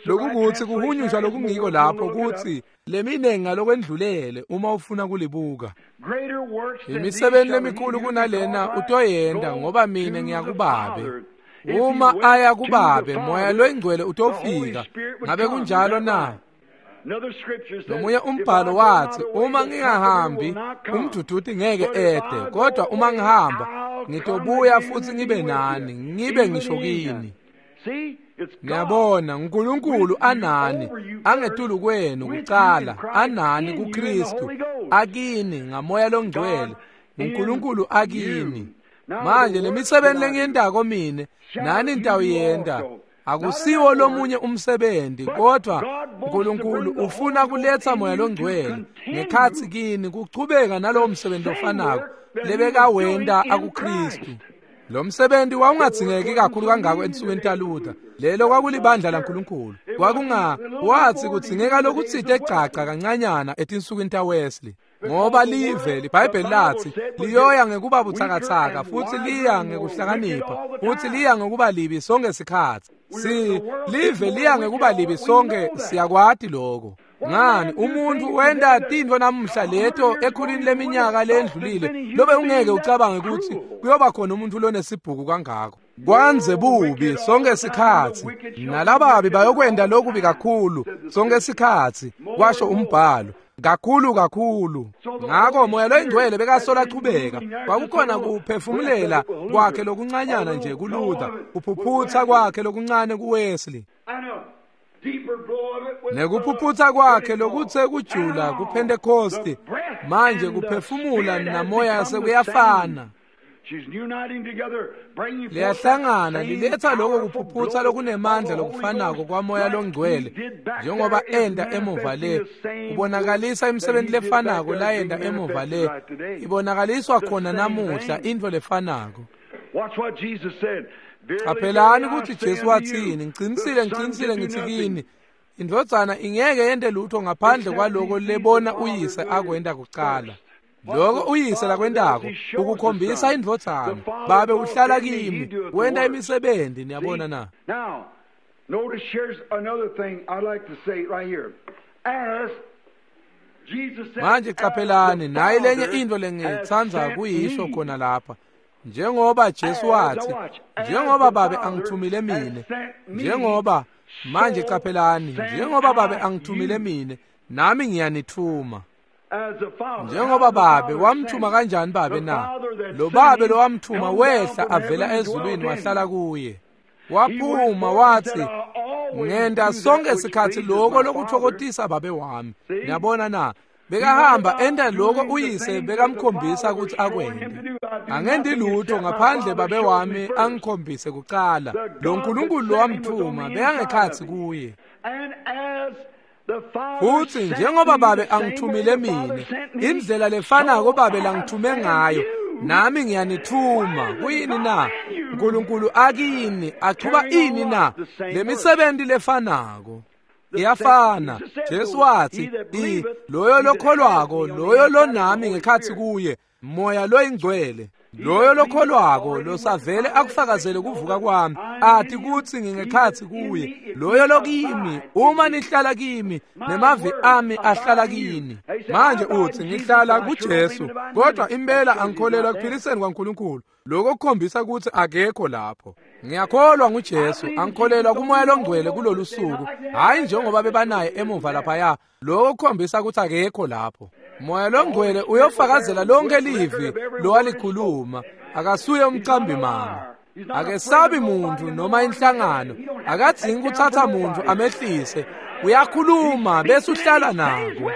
S1: Lokukuthi kuhunyushwa lokungiko lapho kuthi leminengi ngalokwendlulele uma ufuna kulibuka.
S2: greater works than these
S1: Imisebenti
S2: shall he
S1: lemikhulu
S2: do
S1: kunalena
S2: because I
S1: utoyenta
S2: go
S1: ngoba mine
S2: to the
S1: ngiyakubabe.
S2: Father. If he
S1: Uma
S2: went
S1: aya
S2: to the
S1: kubabe, Moya
S2: Father,
S1: loNgcwele
S2: the Holy
S1: utofika.
S2: Spirit would
S1: Ngabe
S2: come. Is
S1: kunjalo
S2: that
S1: na?
S2: right? Another scripture says,
S1: Lomunye
S2: if I
S1: umbhalo
S2: go
S1: wathi,
S2: not away,
S1: uma
S2: the Comforter
S1: ngingahambi
S2: will not come.
S1: umduduti ngeke
S2: But if
S1: ede,
S2: I go
S1: kodwa uma
S2: away,
S1: ngihamba
S2: I'll come
S1: ngitobuya
S2: again
S1: futhi
S2: and
S1: ngibe
S2: be with
S1: nani,
S2: you,
S1: ngibe
S2: even
S1: ngisho
S2: in
S1: kini.
S2: you. See, it's God
S1: Niyabona, uNkulunkulu
S2: with you,
S1: anani,
S2: over you first,
S1: angetulu kwenu
S2: with you in
S1: kucala,
S2: Christ,
S1: anani
S2: in you in the
S1: kuKristu,
S2: Holy Ghost.
S1: akini ngaMoya loNgcwele,
S2: God in
S1: uNkulunkulu akini.
S2: you. Now the
S1: Manje
S2: works
S1: lemisebenti
S2: that I do
S1: lengiyentako mine,
S2: shall
S1: nani
S2: you do
S1: nitawuyenta.
S2: also. Not
S1: Akusiwo
S2: another work,
S1: lomunye umsebenzi,
S2: but
S1: kodwa
S2: God wants to
S1: uNkulunkulu
S2: bring the
S1: ufuna
S2: Holy Ghost
S1: kuletha
S2: in
S1: Moya
S2: you to
S1: loNgcwele
S2: continue
S1: ngekhatsi kini kuchubeka nalowo
S2: the
S1: msebenzi
S2: same
S1: lofanako
S2: work that he was doing
S1: lebekawenta
S2: in
S1: akuKristu.
S2: Christ.
S1: Lo msebenzi
S2: The work
S1: wawungadzingeki
S2: wasn't
S1: kakhulu
S2: so
S1: kangako
S2: needed
S1: ensukwini
S2: in the days of
S1: taLuther.
S2: Luther.
S1: Lelo
S2: That was not
S1: kwakulibandla
S2: church.
S1: laNkulunkulu.
S2: It wasn't
S1: Kwakunga
S2: a little
S1: wathi
S2: before the
S1: kudzingeka
S2: days of
S1: lokutsite caca
S2: Wesley.
S1: kancanyana etinsukwini taWesley. Ngoba
S2: Because the
S1: live
S2: word, the
S1: liBhayibheli
S2: Bible
S1: lathi
S2: said, would get
S1: liyoya ngekuba
S2: weaker
S1: butsakatsaka
S2: and
S1: futhi
S2: wiser
S1: liya
S2: and more wicked
S1: ngekuhlakanipha
S2: all the
S1: futhi
S2: time.
S1: liya ngekuba libi sonke sikhatsi.
S2: We're,
S1: Si
S2: the world gets
S1: live
S2: more
S1: liya
S2: wicked
S1: ngekuba
S2: all
S1: libi
S2: we
S1: sonke
S2: know that.
S1: siyakwati lokho. Ngani, umuntu wenta tintfo namuhla leto ekhulwini leminyaka lendlulile lobe ungeke ucabange kutsi kuyoba khona umuntu lonesibhuku kangako. Kwanze bubi sonke sikhatsi, nalababi bayokwenta lokubi kakhulu sonke sikhatsi, kwasho umbhalo. Kakhulu kakhulu. Ngako Moya loyiNgcwele bekasola achubeka. Kwakukhona kuphefumulela kwakhe lokuncanyana nje kuLuther, kuphuphutsa kwakhe lokuncane kuWesley, nekuphuphutsa kwakhe lokutse kujula kuPentecost. Manje kuphefumula namoya sekuyafana, liyahlangana, liletha lokho kuphuphutsa lokunemandla lokufanako kwaMoya loNgcwele njengoba enta emuva le, kubonakalisa imisebenzi lefanako layenta emuva le, ibonakaliswa khona namuhla, intfo lefanako. Qaphelani kutsi Jesu watsini, ngicinisile ngicinisile ngithi kini, indvodzana ingeke yente lutho ngaphandle kwaloko lebona uyise akwenta kucala. Lokho uyise lakwentako ukukhombisa indvodzana. Babe uhlala kimi, wenta imisebenzi. Niyabona na?
S2: Now, notice here's another thing I'd like to say right here. As Jesus said,
S1: Manje qaphelani, nayi lenye
S2: Father
S1: intfo
S2: has
S1: lengitsandza
S2: sent
S1: kuyisho
S2: me.
S1: khona lapha. Njengoba Jesu wathi, njengoba Babe angithumile mine, njengoba manje qaphelani, njengoba Babe angithumile mine, nami ngiyanithuma.
S2: As the Father,
S1: Njengoba Babe wamthuma kanjani Babe na? Lo Babe lo wamthuma wehla avela ezulwini wahlala kuye. Waphuma wathi, ngenta sonke sikhatsi lokho lokuthokotisa Babe wami. Niyabona na? Bekahamba enta lokho uyise bekamkhombisa ukuthi akwente. Angenti lutho ngaphandle Babe wami angikhombise kucala. Lo Nkulunkulu lo wamthuma bekangekhatsi kuye.
S2: And as the Father
S1: Futhi
S2: sent
S1: njengoba
S2: me,
S1: Babe
S2: the same way
S1: angithumile
S2: the Father
S1: mine,
S2: sent me,
S1: indlela lefanako
S2: so
S1: Babe
S2: I
S1: langithume
S2: send
S1: ngayo,
S2: you.
S1: nami ngiyanithuma. Kuyini na? uNkulunkulu akini achuba ini na? Lemisebenti lefanako iyafana. Jesu wathi, i loyo lokholwako, loyo lonami ngekhatsi kuye, Moya loyiNgcwele, loyo lokholwako losavele akufakazele kuvuka kwami, athi kutsi ngingekhatsi kuye, loyo lokimi, uma nihlala kimi, nemavi ami ahlala kini. Manje uthi ngihlala kuJesu, kodwa impela angikholelwa ekuphiliseni kwaNkulunkulu. Lokho kukhombisa kutsi akekho lapho. Ngiyakholwa nguJesu, angikholelwa kuMoya loNgcwele kulolu suku, hhayi njengoba bebanaye emuva laphaya. Lokho kukhombisa kutsi akekho lapho. Moya loNgcwele uyofakazela lonke livi lowalikhuluma. Akasuye umqambi manga. Akesabi muntu noma inhlangano, akadzingi kutsatsa muntu amehlise. Uyakhuluma bese uhlala nako.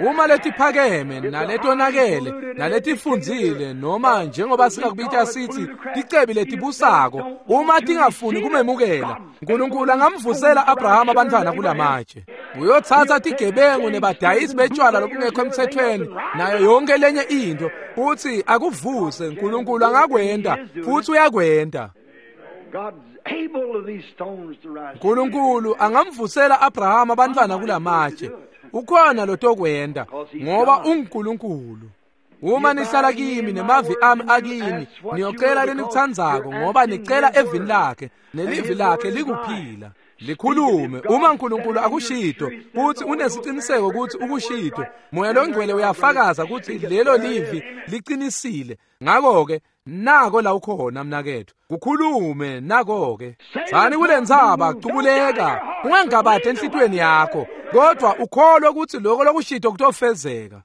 S1: Uma letiphakeme naletonakele naletifundzile noma njengoba singakubita sithi ticebi letibusako, uma tingafuni kumemukela, uNkulunkulu angamvusela Abrahama abantwana kulamatshe. Uyotsatsa tigebengu nebadayisi betshwala lobungekho emthethweni nayo yonke lenye into futhi akuvuse. uNkulunkulu angakwenta futhi uyakwenta.
S2: God's able of these stones to rise.
S1: uNkulunkulu angamvusela Abrahama abantwana kulamatshe. Ukhona lotokwenta ngoba unguNkulunkulu. Uma nihlala kimi nemavi ami akini, niyocela lenikutsandzako ngoba nicela evini lakhe, nelivi lakhe likuphila. Likhulume. Uma uNkulunkulu akushito futhi unesiciniseko ukuthi ukushito, Moya loNgcwele uyafakaza ukuthi lelo livi liqinisile. Ngakho-ke nako la ukhona mnakethu, kukhulume nako-ke. Tsani kule ntsaba, cubuleka, ungangabadi enhlitiyweni yakho, kodwa ukholwe ukuthi lokho lokushito kutofezeka.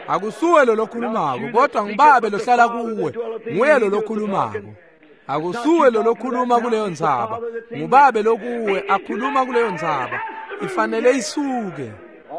S1: Akusuwe lo lokhulumako, kodwa ngibabe lohlala kuwe, nguye lo lokhulumako. Akusuwe lo lokhuluma kuleyo ntsaba, ngubabe lokuwe akhuluma kuleyo ntsaba. Ifanele isuke.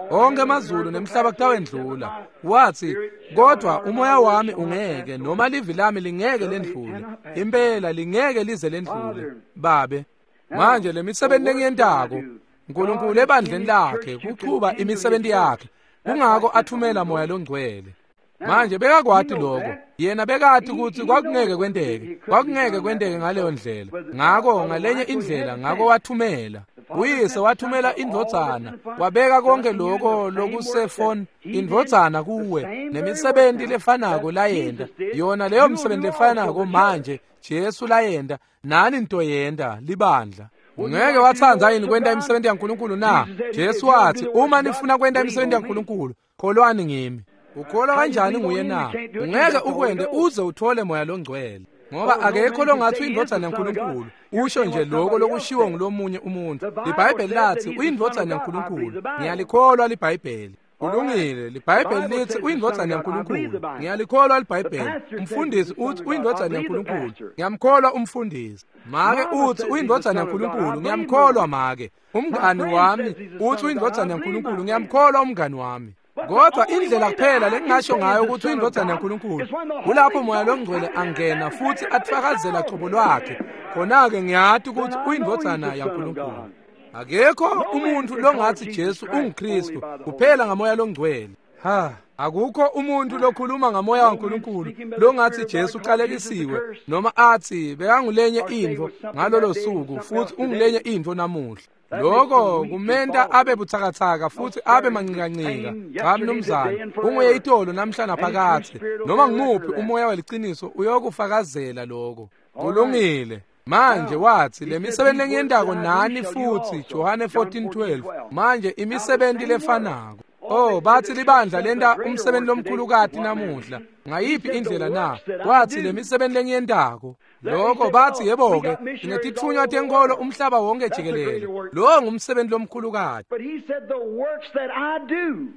S1: Onke amazulu nemhlaba kutawendlula. Wathi, kodwa umoya wami ungeke, noma livi lami lingeke lendlule. Impela lingeke lize lendlule. Babe, manje lemisebenzi lengiyentako, uNkulunkulu ebandleni lakhe kuchuba imisebenzi yakhe. Kungako athumela Moya loNgcwele. Manje bekakwati lokho. Yena bekati ukuthi kwakungeke kwenteke. Kwakungeke kwenteke ngaleyo ndlela. Ngako ngalenye indlela, ngako wathumela. Uyise wathumela indvodzana, wabeka konke lokho lokusefon indvodzana kuwe, nemisebenti lefanako layenta. Yona leyo msebenzi lefanako manje Jesu layenta, nani nitoyenta libandla. Ungeke watsandza yini kwenta imisebenti yaNkulunkulu na? Jesu wathi, uma nifuna kwenta imisebenti yaNkulunkulu, kholwani ngimi. Ukholwa kanjani nguye na? Ungeke ukwente uze uthole Moya loNgcwele. Ngoba akekho longathi uyindvodzana yaNkulunkulu, usho nje lokho lokushiwo ngulomunye umuntu. LiBhayibheli lathi uyindvodzana yaNkulunkulu. Ngiyalikholwa liBhayibheli. Kulungile, liBhayibheli lithi uyindvodzana yaNkulunkulu. Ngiyalikholwa liBhayibheli. Umfundisi uthi uyindvodzana yaNkulunkulu. Ngiyamkholwa umfundisi. Make uthi uyindvodzana yaNkulunkulu. Ngiyamkholwa make. Umngani wami uthi uyindvodzana yaNkulunkulu. Ngiyamkholwa umngani wami. Kodwa indlela kuphela lengingasho ngayo ukuthi uyindvodzana yaNkulunkulu kulapho Moya loNgcwele angena futhi atfakazela cobo lwakhe. Khona-ke ngiyati ukuthi uyindvodzana yaNkulunkulu. Akekho umuntu longathi Jesu unguKristu kuphela ngaMoya loNgcwele. Ha, akukho umuntu lokhuluma ngaMoya waNkulunkulu longathi Jesu uqalekisiwe noma athi bekangulenye intfo ngalolo suku futhi ungulenye intfo namuhla. Lokho kumenta abe butsakatsaka futhi abe mancikancika. Cha mnumzane, unguye itolo namhla naphakathe. Noma ngumuphi umoya weliciniso uyokufakazela lokho. Kulungile. Manje wathi le misebenzi lengiyentako nani futhi, Johane 14:12. Manje imisebenzi lefanako. Oh, bathi libandla lenta umsebenzi lomkhulukati namuhla. Ngayiphi indlela na? Wathi le misebenzi lengiyentako. Lokho bathi yebo-ke, sinetitfunywa tenkolo umhlaba wonke jikelele. Lowo ngumsebenzi lomkhulukati.
S2: But he said, the works that I do.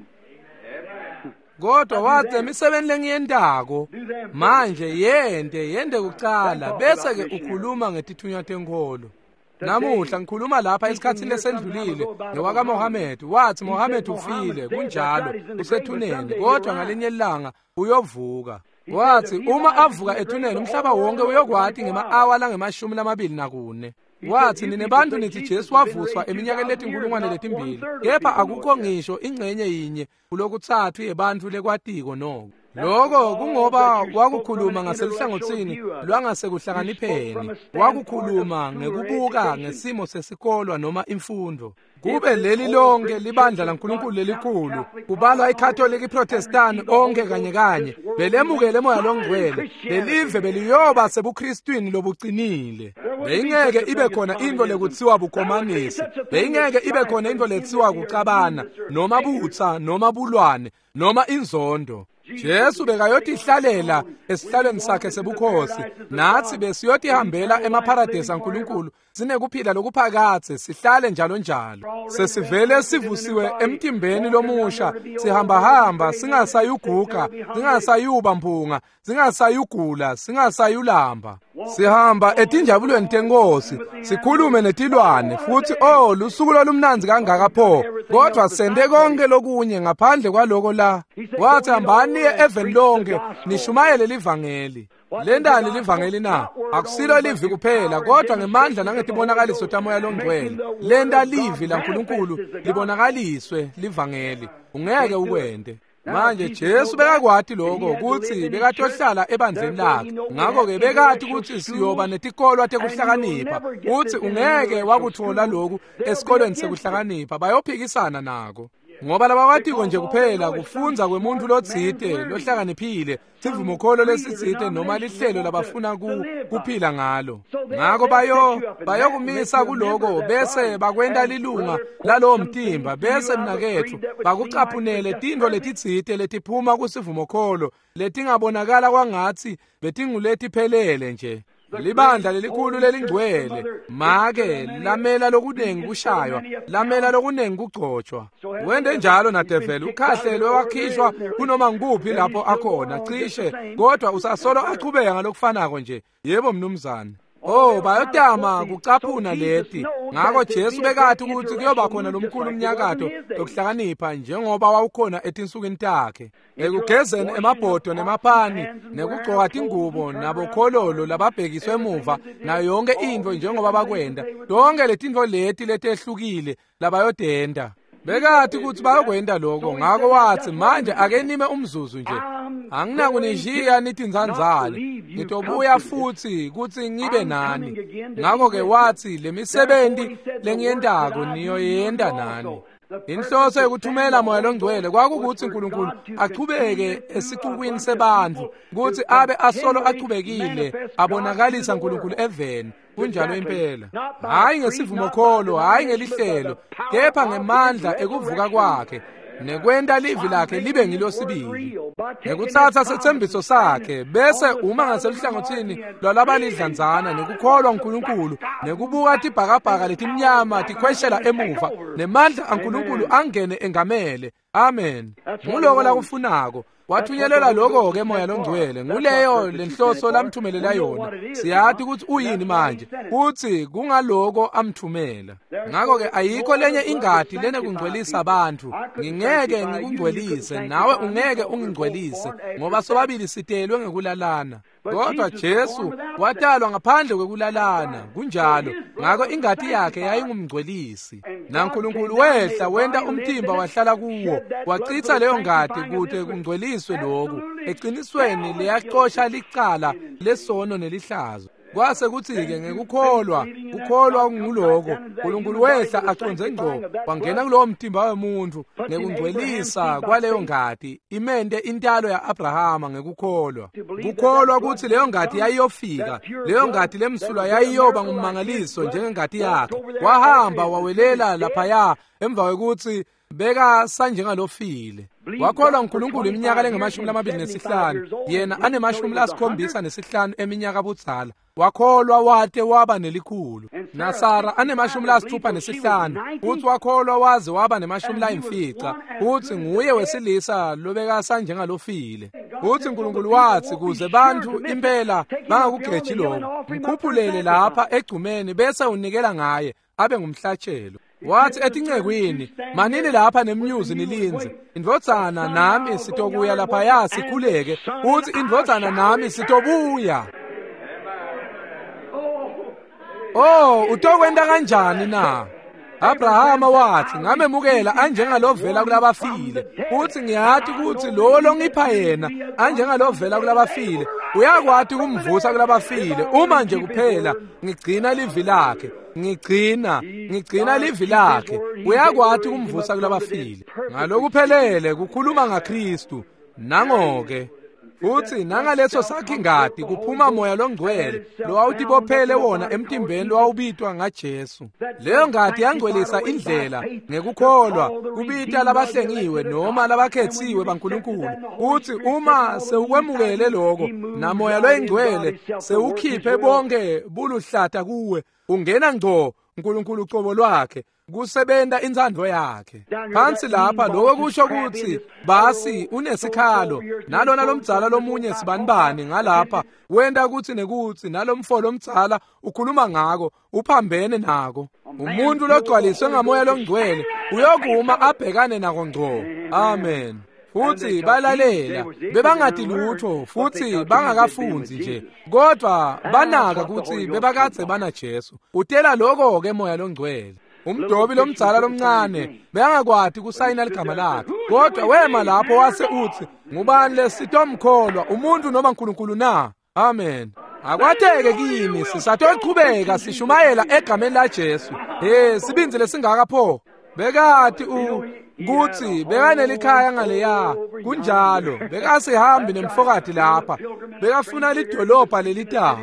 S1: Kodwa wathi imisebenzi lengiyentako manje yente kucala bese-ke ukhuluma ngetithunywa tenkolo. Namuhla ngikhuluma lapha esikhathini lesendlulile ngewakaMohamedi. Wathi Mohamedi ufile, kunjalo, usethuneni, kodwa ngalinye ilanga uyovuka. Wathi uma avuka ethuneni umhlaba wonke uyokwati ngema-awa lange-24. Wathi nine bantu nithi Jesu wavuswa eminyakeni leti-2000, kepha akukho ngisho ingxenye yinye kulokuthathu yebantfu lekwatiko noko. Lokho kungoba wakukhuluma ngaseluhlangothini lwangasekuhlakanipheni, wakukhuluma ngekubuka ngesimo sesikolwa noma imfundo. Kube leli lonke libandla laNkulunkulu lelikhulu, kubalwa iKhatholika, iProtestani, onke kanye kanye, belemukele Moya loNgcwele, lelive beliyoba sebuKristwini lobucinile. Beyingeke ibe khona into lekuthiwa bukomanisi, beyingeke ibe khona into lethiwa kucabana, noma butsa, noma bulwane, noma inzondo. Jesu bekayotihlalela esihlalweni sakhe sebukhosi, nathi besiyotihambela emapharadesi aNkulunkulu, sinekuphila lokuphakathe, sihlale njalo njalo. Sesivele sivusiwe emtimbeni lomusha, sihambahamba, singasayuguga, singasayuba mphunga, singasayugula, singasayulamba. Sihamba etinjabulweni tenkosi, sikhulume netilwane, futhi oh, lusuku lolumnandzi kangaka pho, kodwa sente konke lokunye ngaphandle kwaloko la. Wathi hambani niye eveni lonke, nishumayele livangeli. Lentani livangeli na? Akusilo livi kuphela, kodwa ngemandla nangetibonakaliso taMoya loNgcwele. Lenta livi laNkulunkulu libonakaliswe livangeli. Ungeke ukwente. Manje Jesu bekakwati lokho ukuthi bekatohlala ebandleni lakhe. Ngakho-ke bekati ukuthi siyoba netikolwa tekuhlakanipha, uthi ungeke wakuthola lokhu esikolweni sekuhlakanipha, bayophikisana nako. Ngoba labakwatiko nje kuphela kufundza kwemuntu lotsite lohlakaniphile, sivumokholo lesitsite noma lihlelo labafuna kuphila ngalo. Ngako bayokumisa kuloko bese bakwenta lilunga lalowo mtimba, bese mnaketfu bakucaphunele tintfo letitsite letiphuma kusivumokholo letingabonakala kwangatsi betinguletiphelele nje. Libandla lelikhulu lelingcwele make lamela lokunengi kushaywa, lamela lokunengi kugcotshwa. Wente njalo nadeveli, ukhahlelwe wakhishwa kunoma ngikuphi lapho akhona cishe, kodwa usasolo achubeka ngalokufanako nje. Yebo mnumzane. Oh, bayotama kucaphuna leti. Ngako Jesu bekati ukuthi kuyoba khona lomkhulu umnyakato lokuhlakanipha njengoba wawukhona etinsukwini takhe. Ekugezeni emabhodo nemapani, nekugcoka tingubo nabokhololo lababhekiswe emuva, nayo yonke intfo njengoba bakwenta. Tonke letintfo leti letehlukile labayotenta. Bekati ukuthi bayokwenta lokho, ngako wathi manje ake nime umzuzu nje. Anginakunishiya nitindzandzane, ngitobuya futhi kutsi ngibe nani. Ngako-ke wathi le misebenti lengiyentako niyoyenta nani. Inhloso yokuthumela Moya loNgcwele kwakukuthi uNkulunkulu achubeke esicukwini sebantfu, kutsi abe asolo achubekile abonakalisa uNkulunkulu eveni. Kunjalo impela, hhayi ngesivumokholo, hhayi ngelihlelo, kepha ngemandla ekuvuka kwakhe nekwenta livi lakhe libe ngilosibili, ngekutsatsa setsembiso sakhe bese uma ngaseluhlangothini lwalabalidlanzana nekukholwa uNkulunkulu nekubuka tibhakabhaka letimnyama tikhweshela emuva nemandla aNkulunkulu angene engamele. Amen. Nguloko lakufunako. Wathunyelelwa lokho-ke Moya loNgcwele. Nguleyo lenhloso lamthumelela yona. Siyati ukuthi uyini manje, kutsi kungaloko amthumela. Ngakho-ke ayikho lenye ingati lenekungcwelisa bantfu. Ngingeke ngikungcwelise, nawe ungeke ungingcwelise, ngoba sobabili sitelwe ngekulalana. Kodwa Jesu watalwa ngaphandle kwekulalana, kunjalo. Ngakho ingati yakhe yayingumngcwelisi. NaNkulunkulu wehla wenta umtimba wahlala kuwo, wachitha leyo ngati kute kungcweliswe lokhu. Eqinisweni leyacosha licala lesono nelihlazo. Kwase kuthi-ke ngekukholwa, kukholwa nguloko, uNkulunkulu wehla aconze ngco, wangena kulowo mtimba wemuntfu ngekungcwelisa kwaleyo ngati, imente intalo ya-Abrahama ngekukholwa. Kukholwa kutsi leyo ngati yayiyofika, leyo ngati lemsulwa yayiyoba ngummangaliso njengengati yakhe. Wahamba wawelela laphaya emva kwekutsi beka sanjengalofile. Wakholwa uNkulunkulu iminyaka lengamashumi 25, yena anemashumi 75 eminyaka budzala. Wakholwa wate waba nelikhulu. NaSara anemashumi 65, futhi wakholwa waze waba nemashumi 5, futhi nguye wesilisa lobeka sanjengalofile. Futhi uNkulunkulu wathi kuze bantfu impela bangakugeji lokho, mkhuphulele lapha egcumeni bese unikela ngaye abe ngumhlatshelo. Wathi etincekwini, manini lapha nemnyuzi nilindze, indvodzana nami sitokuya laphaya sikhuleke, uthi indvodzana nami sitobuya. Oh, utokwenta kanjani na? Abrahama wathi, ngamemukela anjengalovela kulabafile, futhi ngiyati ukuthi lowo longipha yena anjengalovela kulabafile uyakwati kumvusa kulabafile, uma nje kuphela ngigcina livi lakhe. Ngigcina livi lakhe, uyakwati kumvusa kulabafile. Ngalokuphelele kukhuluma ngaKristu. Nangoke futhi nangaleso sakhe ingati kuphuma Moya loNgcwele lowawutibophele wona emtimbeni lowawubitwa ngaJesu. Leyo ngati yangcwelisa indlela ngekukholwa kubita labahlengiwe noma labakhetsiwe baNkulunkulu. Uthi uma sewukwemukele lokho naMoya loyiNgcwele sewukhiphe bonke buluhlata kuwe, ungena ngco uNkulunkulu ucobo lwakhe kusebenta intsandvo yakhe. Phansi lapha lokho kusho ukuthi basi unesikhalo nalona lomdzala lomunye sibanibani ngalapha wenta ukuthi nekuthi nalomfo lomdzala ukhuluma ngako uphambene nako. Umuntu logcwaliswe ngaMoya loNgcwele uyokuma abhekane nako ngco. Amen. Futhi balalela, bebangati lutho futhi bangakafunzi nje, kodwa banaka ukuthi bebakadze bana Jesu. Utela lokho ke Moya loNgcwele. Umdobi lomdzala lomncane bekangakwati kusayina ligama lakhe, kodwa wema lapho wase uthi, ngubani lesitomkholwa, umuntu noma uNkulunkulu na? Amen. Akwateke kimi, sisatochubeka sishumayela egameni la Jesu. Hey, sibindzi lesingaka pho. Bekati kuthi bekanelikhaya ngaleya, kunjalo, bekasihambi nemfokati lapha, bekafuna lidolobha lelitako.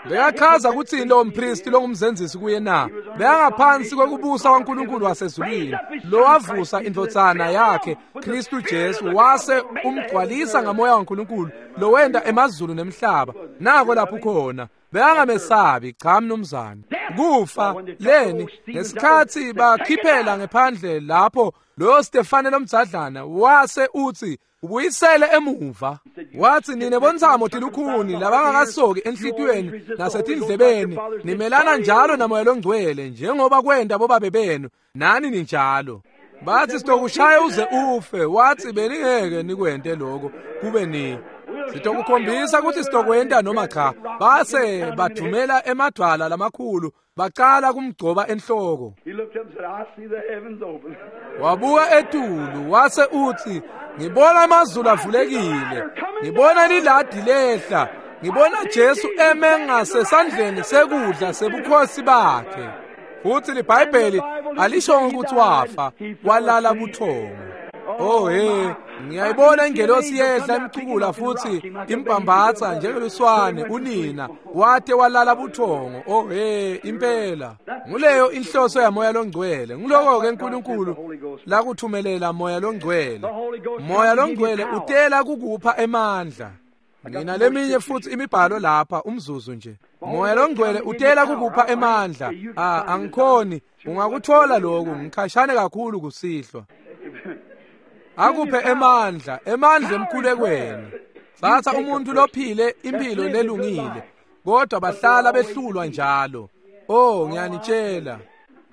S1: Bekachaza kuthi lo mpristi longumzenzisi kuye na, bekangaphansi kwekubusa kwaNkulunkulu wasezulwini, lowavusa indvodzana yakhe Kristu Jesu wase umgcwalisa ngamoya waNkulunkulu lowenta emazulu nemhlaba. Nako lapho khona. Bekangamesabi, cha mnumzane. Kufa leni ngesikhathi bakhiphela ngephandle lapho loyo Stefane lomdzadlana wase uthi ubuyisele emuva. Wathi nine bontsamo tilukhuni labangakasoki enhlitiyweni nasetindlebeni, nimelana njalo naMoya loNgcwele njengoba kwenta bobabe benu, nani ninjalo. Bathi sitokushaya uze ufe. Wathi beningeke nikwente lokho kube ni sitokukhombisa ukuthi sitokwenta noma cha. Base bathumela emadwala lamakhulu baqala kumgcoba enhloko. Wabuka etulu wase uthi, ngibona amazulu avulekile, ngibona liladi lehla, ngibona Jesu eme ngasesandleni sekudla sebukhosi bakhe. Futhi liBhayibheli alishongo ukuthi wafa, walala buthongo. Oh hey, ngiyayibona ingelosi yehla imcukula futhi imbambatha njengeluswane unina wate walala buthongo. Oh hey, impela nguleyo inhloso yaMoya loNgcwele. Ngiloko ke uNkulunkulu lakuthumelela Moya loNgcwele. Moya loNgcwele utela kukupha emandla. Ngina leminye futhi imibhalo lapha umzuzu nje. Moya loNgcwele utela kukupha emandla. Angikhoni ungakuthola lokhu, ngikhashane kakhulu kusihlwa. Akuphe emandla, emandla emkhulekweni. Thatha umuntu lophile impilo lelungile, kodwa bahlala behlulwa njalo. Oh, ngiyanitshela,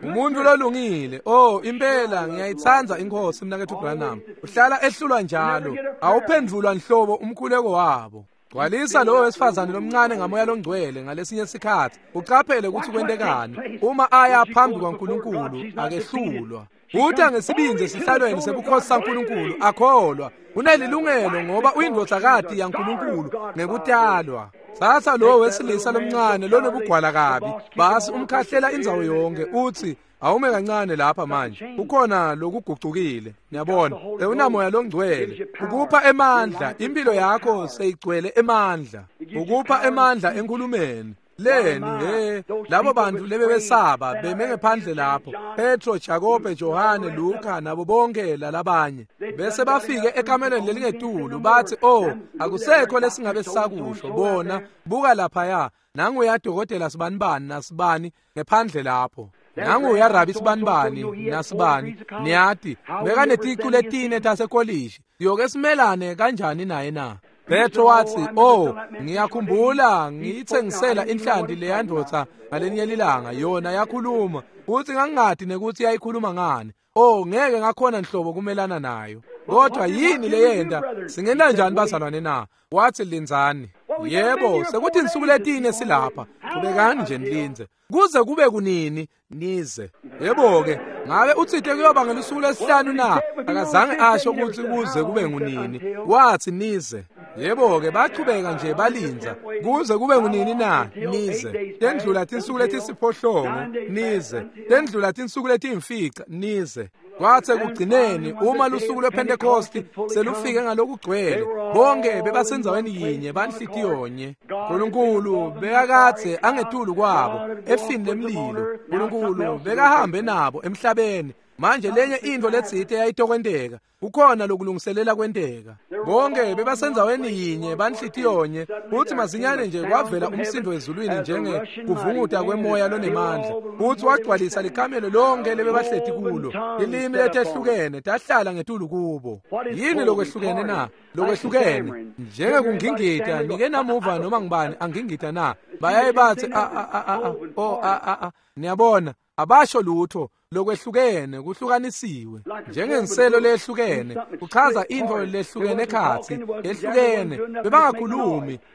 S1: umuntu lolungile, oh impela ngiyayithanda inkosi mnakethu Branham, uhlala ehlulwa njalo, awuphendulwa nhlobo umkhuleko wabo. Gcwalisa lowo wesifazane lomncane ngaMoya loNgcwele ngalesinye isikhathi, uqaphele ukuthi kwentekani uma aya phambi kwaNkulunkulu akehlulwa. Uthi ngesibindi esihlalweni sebukhosi saNkulunkulu akholwa, unelilungelo ngoba uyindodakazi yaNkulunkulu ngekutalwa. Thatha lowo wesilisa lomncane lonobugwala kabi, basi umkhahlela indzawo yonke, uthi awume kancane lapha manje, kukhona lokugucukile. Niyabona, unaMoya loNgcwele ukupha emandla, impilo yakho seyigcwele emandla, ukupha emandla enkulumeni. Leni he labo bantu lebebesaba beme ngephandle lapho, Petro, Jakobe, Johane, Luka nabo bonke lalabanye, bese bafike ekamelweni lelingetulu bathi, oh akusekho lesingabe sisakusho, bona buka laphaya, nangu dokotela sibanibani nasibani ngephandle lapho, nangu rabi sibanibani nasibani, niyati bekaneticu letine tasekolishi, siyoke simelane kanjani naye na? Petro wathi, oh ngiyakhumbula ngiyithengisela inhlanti leyandvodza ngalenye lilanga, yona yakhuluma uthi ngangingadi nekuthi yayikhuluma ngani. Oh ngeke ngakhona nhlobo kumelana nayo. Kodwa yini leyenda? Singena njani bazalwane na? Wathi lindzani. Yebo, sekuthi insuku letine silapha. Qhubekani nje nilinze kuze kube kunini nize. Yebo ke, ngabe uthithe kuyoba ngelusuku lesihlanu na? Akazange asho ukuthi kuze kube ngunini. Wathi nize. Yebo ke, bachubeka nje balinza kuze kube ngunini na? Nize. Tendlula tinsuku letisiphohlongo nize. Tendlula tinsuku letiyimfica nize. Kwathi ekugcineni uma lusuku lwePentecost selufike ngalokugcwele, bonke bebasenzaweni yinye banhlitiyonye. uNkulunkulu bekakadze angetulu kwabo efini lemlilo. uNkulunkulu bekahambe nabo emhlabeni. Manje lenye into letsite yayitokwenteka, kukhona lokulungiselela kwenteka. Bonke bebasenzaweni yinye banhlitiyonye, futhi masinyane nje kwavela umsindo ezulwini njenge kuvunguta kwemoya lonemandla, futhi wagcwalisa likamelo lonke lebebahleti kulo. Ilimi letehlukene tahlala ngetulu kubo. Yini lokwehlukene na? Lokwehlukene njengekungingita, nike namuva noma ngibani angingita na? Bayaye bathi a a a o a a, niyabona abasho lutho. Lokwehlukene kuhlukanisiwe njengenselo lehlukene, kuchaza into lehlukene ekhathi ehlukene.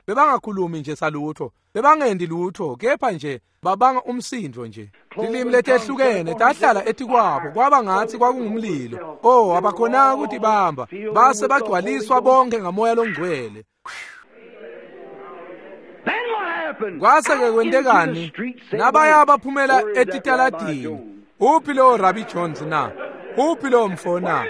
S1: Bebangakhulumi nje salutho, bebangendi lutho, kepha nje babanga umsindo nje. Tilimi letehlukene tahlala etikwabo, kwaba ngathi kwakungumlilo. Oh, abakhonanga ukuthi bamba, base bagcwaliswa bonke ngaMoya loNgcwele. Kwase ke kwentekani? Nabaya baphumela etitaladini. Uphi lo Rabbi Jones na? Uphi lo mfo na?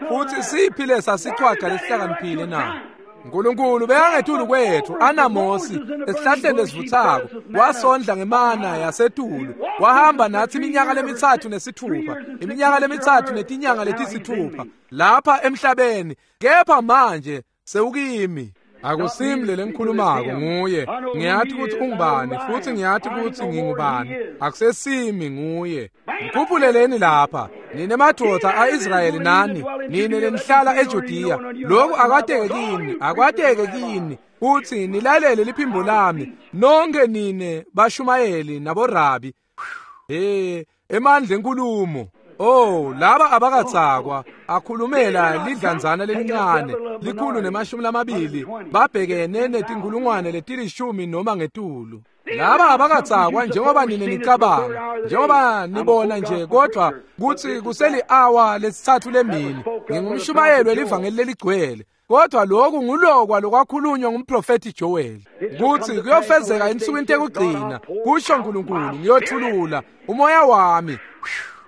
S1: Futhi siphi lesa sichwaga lesihlakaniphile na? uNkulunkulu bekangethulu kwethu anaMosi esihlahleni lesivuthako, wasondla ngemana yasetulu, wahamba nathi iminyaka lemithathu nesithupha, iminyaka lemithathu netinyanga letisithupha lapha emhlabeni, kepha manje sewukimi. Akusimi le lengikhulumako nguye. Ngiyathi ukuthi ungubani futhi ngiyathi ukuthi ngingubani. Akusesimi nguye. Ngikhuphuleleni lapha nine madoda aIsrayeli nani nine lenihlala eJudiya, lokhu akwateke kini, akwateke kini uthi nilalele liphimbo lami nonke nine bashumayeli naborabi. Hey, emandla enkulumo. Oh, laba abakatsakwa akhulumela lidlanzana lelincane 120 babhekene netinkulungwane letilishumi noma ngetulu. Laba abakatsakwa njengoba nine nicabanga, njengoba nibona nje, kodwa kuthi kuseli hour lesithathu lemini. Ngingumshumayeli welivangeli leligcwele. Kodwa lokhu ngulokwa lokwakhulunywa ngumprofethi Joel kutsi kuyofezeka ensukwini tekugcina, kusho uNkulunkulu, ngiyothulula umoya wami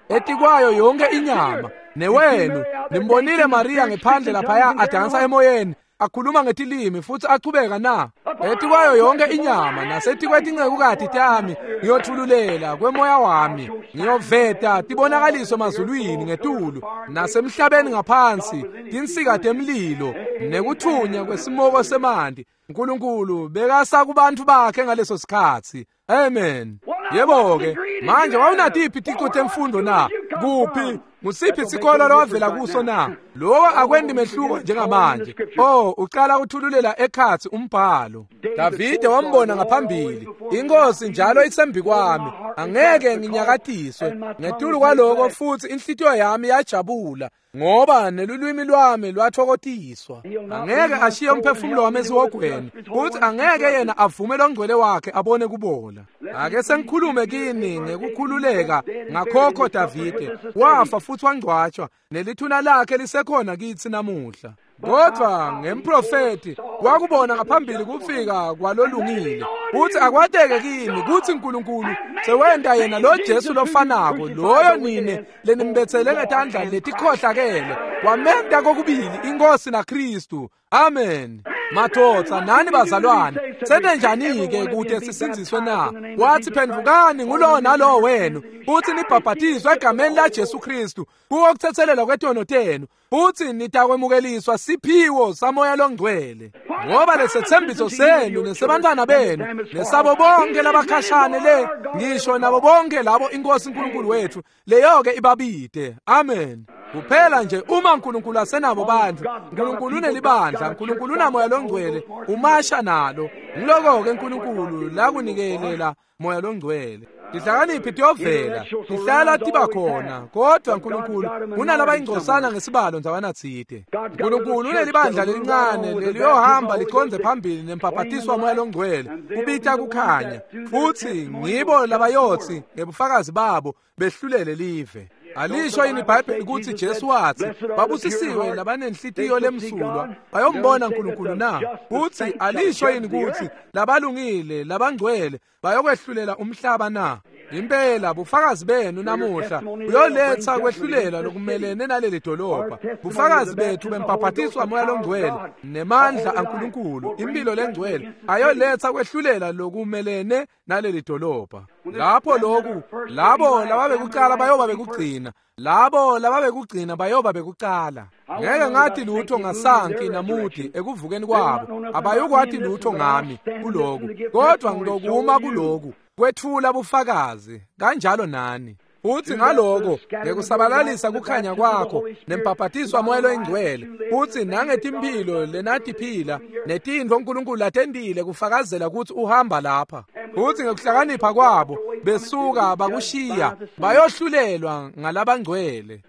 S1: etikwayo yonke inyama. Newenu nimbonile Maria ngephandle laphaya adansa emoyeni, akhuluma ngetilimi futhi achubeka na etikwayo yonke inyama nasetikwetingcekukati tami ngiyothululela kwemoya wami, ngiyoveta tibonakaliso emazulwini ngetulu nasemhlabeni ngaphansi, tinsika temlilo nekuthunya kwesimoko semanti. uNkulunkulu bekasa kubantu bakhe ngaleso sikhatsi. Amen. Yebo-ke, manje wawunatiphi ticu temfundo na? Kuphi? Ngusiphi sikolo lowavela kuso na? Lokho akwendi mehluko njengamanje. Oh, uqala uthululela ekhatsi umbhalo. Davide wambona ngaphambili. Inkosi njalo isembi kwami, angeke nginyakatiswe. Ngetulu kwaloko futhi inhlitiyo yami yajabula, ngoba nelulwimi lwami lwathokotiswa. Angeke ashiye umphefumulo wami esihogweni, futhi angeke yena avume longcwele wakhe abone kubola. Ake sengikhulume kini ngekukhululeka ngakhokho Davide. Wafa futhi wangcwatshwa, nelithuna lakhe lisekhona kitsi namuhla. Kodwa ngemprofeti wakubona ngaphambili kufika kwalolungile, uthi akwateke kimi kuthi uNkulunkulu sewenta yena lo Jesu lofanako loyo nine lenimbethele ngetandla letikhohlakele, wamenta kokubili inkosi naKristu. Amen. Madvodza nani bazalwane, sente njani-ke kute sisindziswe na? Wathi phendvukani ngulowo nalowo wenu futhi nibhabhatiswe egameni laJesu Kristu kuwo kuthethelelwa kwetono tenu, futhi nitakwemukeliswa siphiwo samoya longcwele. Ngoba lesethembiso senu nesebantwana benu nesabo bonke labakhashane le, ngisho nabo bonke labo inkosi uNkulunkulu wethu leyo-ke ibabide. Amen. Kuphela nje uma uNkulunkulu asenabo bantu, uNkulunkulu unelibandla, uNkulunkulu unamoya longcwele, umasha nalo. Ngiloko-ke uNkulunkulu lakunikelela moya longcwele. Tihlakaniphi tiyovela, tihlala tiba khona, kodwa uNkulunkulu unalaba ingcosana ngesibalo ndzawana tsite. uNkulunkulu unelibandla lelincane leliyohamba liconze phambili nempaphatiswa moya longcwele, kubita kukhanya, futhi ngibo labayotsi ngebufakazi babo behlulele live. Alisho yini iBhayibheli ukuthi Jesu wathi babusisiwe labanenhlitiyo lemsulwa bayombona uNkulunkulu na? Futhi alisho yini ukuthi labalungile labangcwele bayokwehlulela umhlaba na? Impela bufakazi benu namuhla buyoletha kwehlulela lokumelene naleli dolobha. Bufakazi bethu bempaphatiswa moya longcwele nemandla aNkulunkulu, impilo lengcwele ayoletha kwehlulela lokumelene naleli dolobha. Lapho lokhu, labo lababekuqala bayoba bekugcina, labo lababekugcina bayoba bekuqala. Ngeke ngathi lutho ngasanki namudi ekuvukeni kwabo, abayokwathi lutho ngami kuloku, kodwa ngitokuma kuloku kwethula bufakazi kanjalo nani. Uthi ngaloko ngekusabalalisa kukhanya kwakho nempaphatiswa moya loyingcwele, uthi nangetimpilo lenatiphila netintfo uNkulunkulu latentile kufakazela ukuthi uhamba lapha. Uthi ngekuhlakanipha kwabo besuka bakushiya bayohlulelwa ngalabangcwele.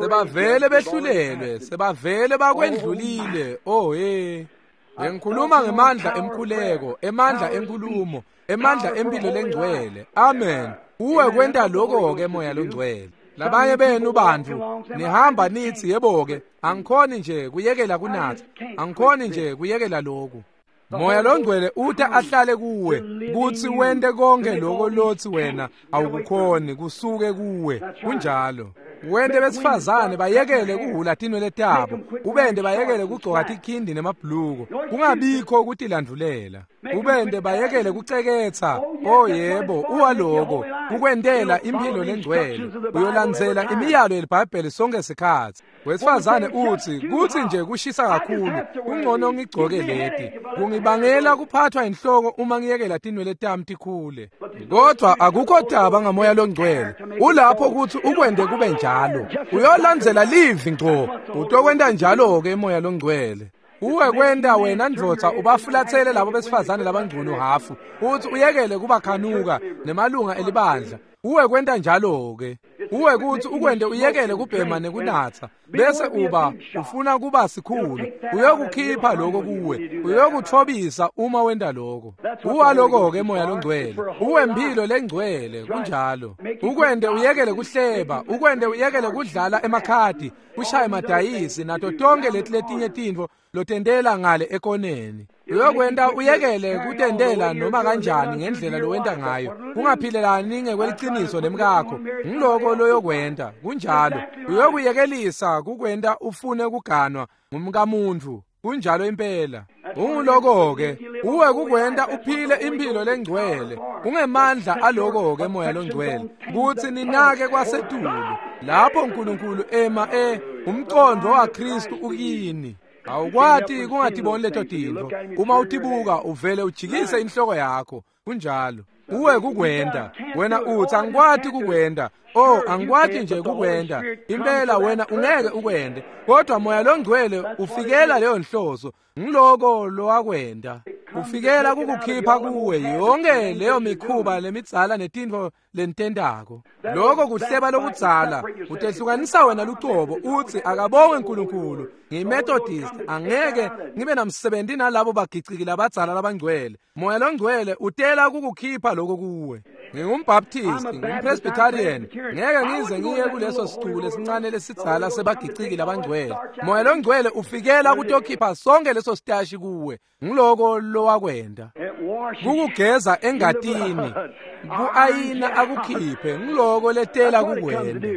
S1: Sebavele behlulelwe, sebavele bakwendlulile. Oh hey. Bengikhuluma ngemandla emkhuleko, emandla enkulumo, emandla empilo lengcwele. Amen. Uwe kwenta lokho-ke moya longcwele. Labanye benu bantu nihamba nithi yebo-ke, angikhoni nje kuyekela kunatha, angikhoni nje kuyekela lokhu. Moya longcwele uta ahlale kuwe kuthi wente konke lokho lothi wena awukukhoni kusuke kuwe. Kunjalo. Wente besifazane bayekele kuhula tinwele tabo, ubente bayekele kugcoka tikhindi nemabhuluko, kungabikho ukutilandulela. Ubente bayekele kuceketha. Oh yebo, uwaloko kukwentela impilo lengcwele. Uyolandzela imiyalo yeliBhayibheli sonke sikhatsi. Wesifazane uthi kuthi nje kushisa kakhulu, kungcono ngigcoke leti. Kungibangela kuphathwa inhloko uma ngiyekela tinwele tami tikhule. Kodwa akukho taba ngamoya longcwele. Ulapho ukuthi ukwende kube njalo. Uyolandzela livi ngco. Utokwenta njalo-ke moya longcwele. Uwe kwenta wena ndvodza ubafulathele labo besifazane labangcono hafu, uthi uyekele kubakhanuka nemalunga elibandla. Uwe kwenta njalo-ke. Uwe kuthi ukwente uyekele kubhema nekunatha, bese uba ufuna kuba sikhulu. Uyokukhipha lokho kuwe, uyokuthobisa uma wenta lokho. Uwaloko-ke moya longcwele, uwempilo lengcwele. Kunjalo. Ukwente uyekele kuhleba, ukwente uyekele kudlala emakhadi, kushaye madayisi nato tonke leti letinye tintfo. lotendela ngale ekoneni. Uyokwenta uyekele kutendela noma kanjani ngendlela lowenta ngayo. Ungaphilelani ngekweliciniso nemkakho. Ngiloko loyokwenta, kunjalo. Uyokuyekelisa kukwenta ufune kuganwa ngumkamuntfu. Kunjalo impela. Unguloko-ke, uwe kukwenta uphile impilo lengcwele. Ungemandla aloko-ke moya longcwele, kutsi ninake kwasetulu. Lapho uNkulunkulu ema umqondo waKristu ukini. Awukwati kungatiboni leto tintfo. Uma utibuka uvele ujikise inhloko yakho. Kunjalo. Uwe kukwenta. Wena utsi angikwati kukwenta. Oh, angikwati nje kukwenta. Impela wena ungeke ukwente. Kodwa moya longcwele ufikela leyo nhloso. Ngiloko lowakwenta. Ufikela kukukhipha kuwe yonke leyo mikhuba lemidzala netintfo lentendako. Lokho kuhleba lokudzala utehlukanisa wena lucobo utsi akabongwe uNkulunkulu. NgiyiMethodist, angeke ngibe namsebenzi nalabo bagiciki labadzala labangcwele. Moya longcwele utela kukukhipha lokho kuwe. NgingumBaptist, ngumPresbyterian, ngeke ngize ngiye kuleso sicuku lesincane lesidzala sebagiciki labangcwele. Moya longcwele ufikela kutokhipha sonke leso sitashi kuwe. Ngiloko lowakwenta. Kukugeza engatini, ku-ayina akukhiphe, ngiloko letela kukwenta.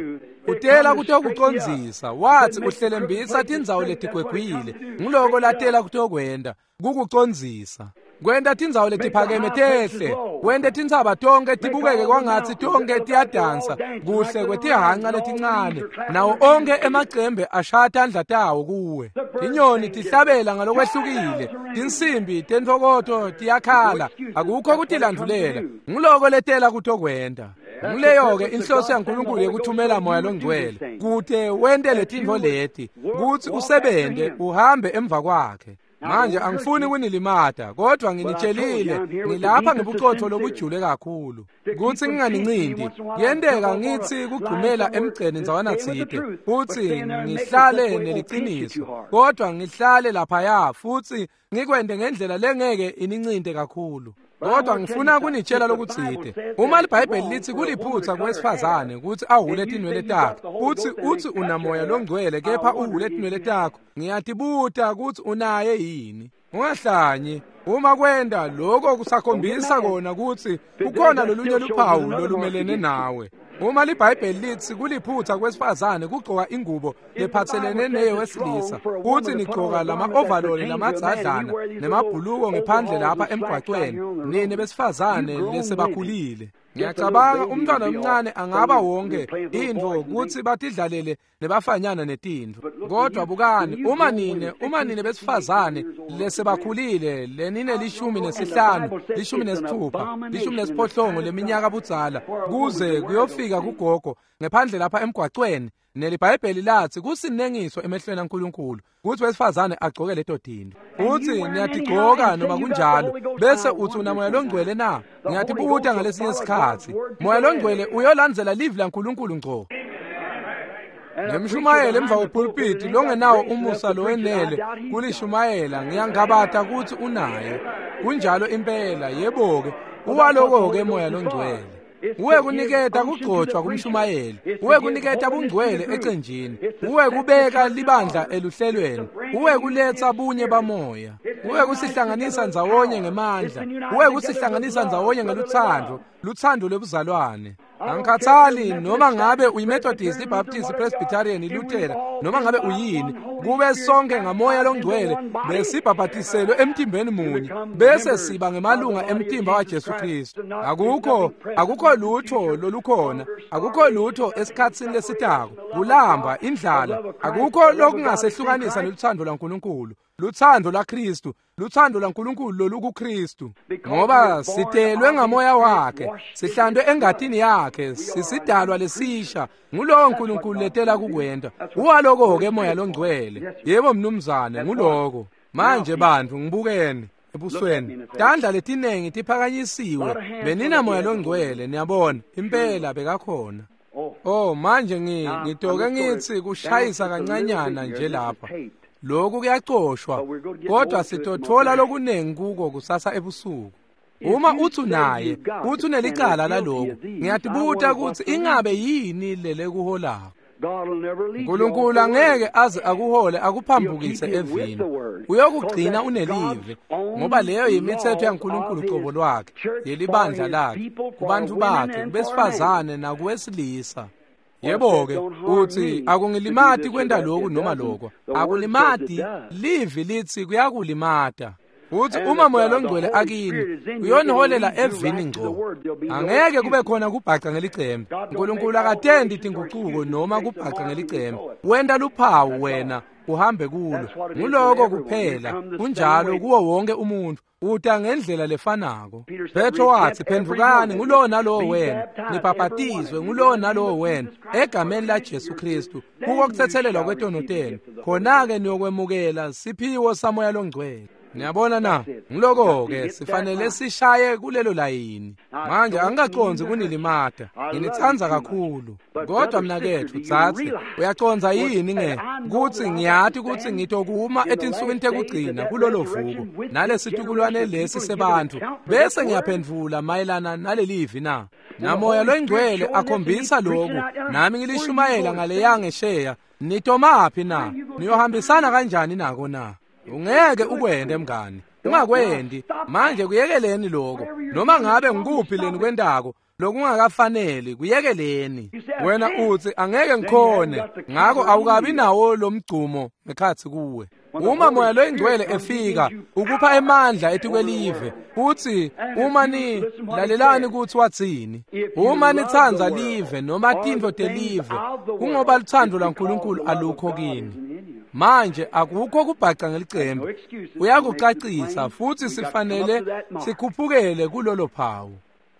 S1: Utela kutokucondzisa, wathi uhlelembisa tindzawo letigwegwile, ngiloko latela kutokwenta, kukucondzisa. Kwenta tindzawo letiphakeme tehle, wente tintsaba tonke tibukeke kwangatsi tonke tiyadansa, kuhle kwetihanca letincane, nawo onke emacembe ashaya tandla tawo kuwe. Tinyoni tihlabela ngalokwehlukile, tinsimbi tentfokoto tiyakhala, akukho kutilandvulela, ngiloko letela kutokwenta. Nguleyo-ke inhloso yaNkulunkulu yekuthumela moya longcwele, kute wente letintfo leti, kutsi usebente uhambe emva kwakhe. Manje angifuni kunilimata, kodwa nginitshelile ngilapha ngebuqotho lobujule kakhulu kutsi nginganincindi. Kuyenteka ngitsi kugcumela emgceni ndzawana tsite futsi ngihlale neliciniso, kodwa ngihlale laphaya futsi ngikwente ngendlela lengeke inincinte kakhulu. Kodwa ngifuna kunitshela lokutsite. Uma liBhayibheli litsi kuliphutsa kuwesifazane kutsi ahhule tinwele takhe, futsi utsi unamoya longcwele kepha uhhule tinwele takho, ngiyatibuta kutsi unaye yini. Ungahlanyi. Uma kwenta lokho kusakhombisa kona kutsi kukhona lolunye luphawu lolumelene nawe. Uma liBhayibheli litsi kuliphutsa kwesifazane kugcoka ingubo lephatselene neyewesilisa, kutsi nigcoka lama-ovaloli lamadzadlana nemabhuluko ngephandle lapha emgwacweni, nine besifazane lesebakhulile. Ngiyacabanga umntwana omncane angaba wonke intfo kutsi batidlalele nebafanyana netintfo. Kodwa bukani, uma nine besifazane lesebakhulile lenine 15, 16, 18 leminyaka budzala kuze kuyofika kugogo ngephandle lapha emgwacweni, neliBhayibheli lathi kusinengiso emehlweni aNkulunkulu kutsi wesifazane agcoke leto tintfo. Utsi niyatigcoka noma kunjalo, bese utsi unamoya longcwele na? Ngiyatibuta ngalesinye isikhatsi. Moya longcwele uyolandzela livi laNkulunkulu ngco. Nemshumayeli emva kwepulpiti longenawo umusa lowenele kulishumayela, ngiyangabata kutsi unaye. Kunjalo impela, yebo-ke, uwaloko-ke moya longcwele. Uwe kuniketa kugcotshwa kumshumayeli, uwe kuniketa bungcwele ecenjini, uwe kubeka libandla eluhlelweni, uwe kuletsa bunye bamoya, uwe kusihlanganisa ndzawonye ngemandla, uwe kusihlanganisa ndzawonye ngelutsandvo, lutsandvo lwebuzalwane. Angikhathali noma ngabe uyiMethodist, iBaptist, iPresbyterian, iLuthela, noma ngabe uyini, kube sonke ngamoya longcwele besibhabhatiselwe emtimbeni munye, bese siba ngemalunga emtimba waJesu Kristu. Akukho lutho lolukhona, akukho lutho esikhatsini lesitako, kulamba, indlala, akukho lokungasehlukanisa nelutsandvo lwaNkulunkulu, lutsandvo lwaKristu, lutsandvo lwaNkulunkulu lolukuKristu. Ngoba sitelwe ngamoya wakhe, sihlandwe engatini yakhe, sisidalwa lesisha. Ngulowo uNkulunkulu letela kukwenta. Uwaloko-ke moya longcwele. Yebo mnumzane, nguloko. Manje bantu ngibukeni ebusweni. Tandla letinengi tiphakanyisiwe. Benina moya longcwele, niyabona, impela bekakhona. Oh, manje ngitoke ngitsi kushayisa kancanyana nje lapha. Lokhu kuyacoshwa, kodwa sitothola lokunengi kuko kusasa ebusuku. Uma utsi unaye, utsi unelicala lalokhu, ngiyatibuta kutsi ingabe yini lelekuholako. Nkulunkulu angeke aze akuhole akuphambukise evini. Uyokugcina unelive, ngoba leyo yimithetho yaNkulunkulu qobo lwakhe, yelibandla lakhe, kubantu bakhe, kubesifazane nakuwesilisa. Yebo-ke, uthi akungilimati kwenta lokhu noma lokho. Akulimati, livi lithi kuyakulimata. Uthi uma Moya loNgcwele akini, uyoniholela evini ngco. Angeke kube khona kubhaca ngelicembe. Nkulunkulu akatendi tingucuko noma kubhaca ngelicembe. Wenta luphawu wena uhambe kulo. Nguloko kuphela, kunjalo kuwo wonke umuntu. Uta ngendlela lefanako. Petro wathi, phendvukani ngulowo nalowo wena, nibhapatizwe ngulowo nalowo wena egameni laJesu Kristu kuko kuthethelelwa kwetono tenu, khona-ke niyokwemukela siphiwo saMoya loNgcwele. Niyabona na? Ngiloko-ke sifanele sishaye kulelo layini. Manje angikacondzi kunilimata, nginitsandza kakhulu. Kodwa mnaketfu dzadze, uyacondza yini nge kutsi ngiyati kutsi ngitokuma etinsukwini tekugcina kulolo vuko nalesitukulwane lesi sebantfu, bese ngiyaphendvula mayelana nalelivi na? NaMoya loNgcwele akhombisa loku, nami ngilishumayela ngaleya ngesheya. Nitomaphi na? Niyohambisana kanjani nako na? Ungeke ukwente mngani, ungakwendi. Manje kuyekeleni lokho, noma ngabe ngikuphi leni kwentako lokungakafaneli, kuyekeleni. Wena uthi angeke ngikhone, ngakho awukabi nawo lo mgcumo ngekhatsi kuwe. Uma Moya loNgcwele efika ukupha emandla etikwelive, uthi uma ni lalelani kutsi watsini. Uma nitsandza live noma tintfo telive, kungoba lutsandvo lwaNkulunkulu alukho kini. Manje akukho kubhaca ngelicembe, uyakucacisa futsi sifanele sikhuphukele kulolo phawu.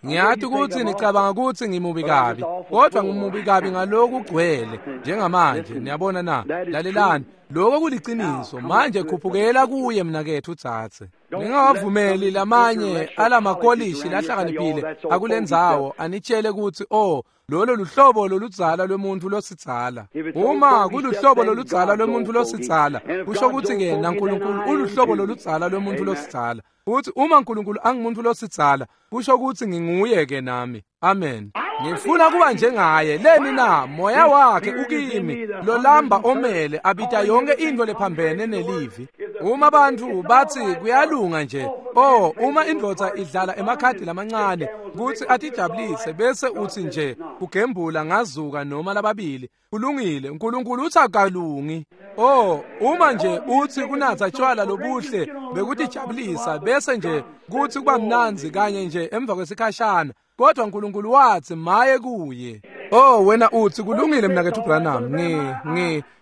S1: Ngiyati kutsi nicabanga kutsi ngimubi kabi, kodwa ngimubi kabi ngalokugcwele njengamanje. Niyabona na? Lalelani, lokho kuliciniso. Manje khuphukela kuye mnaketfu dzadze. Ningawavumeli lamanye alamakolishi lahlakaniphile akulendzawo anitshele kutsi oh, lolo luhlobo loludzala lwemuntu losidzala. Uma kuluhlobo loludzala lwemuntu losidzala, kusho kutsi-ke naNkulunkulu uluhlobo loludzala lwemuntu losidzala. Futhi uma uNkulunkulu angumuntu losidzala, kusho kutsi nginguye-ke nami. Amen. Ngifuna kuba njengaye. Leni na? Moya wakhe ukimi, lolamba omele abita yonke into lephambene nelivi. Uma abantu bathi kuyalunga nje, oh, uma indvodza idlala emakhadi lamancane kutsi atijabulise bese uthi nje kugembula ngazuka noma lababili, kulungile. uNkulunkulu uthi akalungi. Oh, uma nje uthi kunatsa tshwala lobuhle bekutijabulisa bese nje kuthi kuba mnandzi kanye nje emva kwesikhashana, kodwa uNkulunkulu wathi maye kuye. Oh, wena uthi kulungile mnaketfu Branham,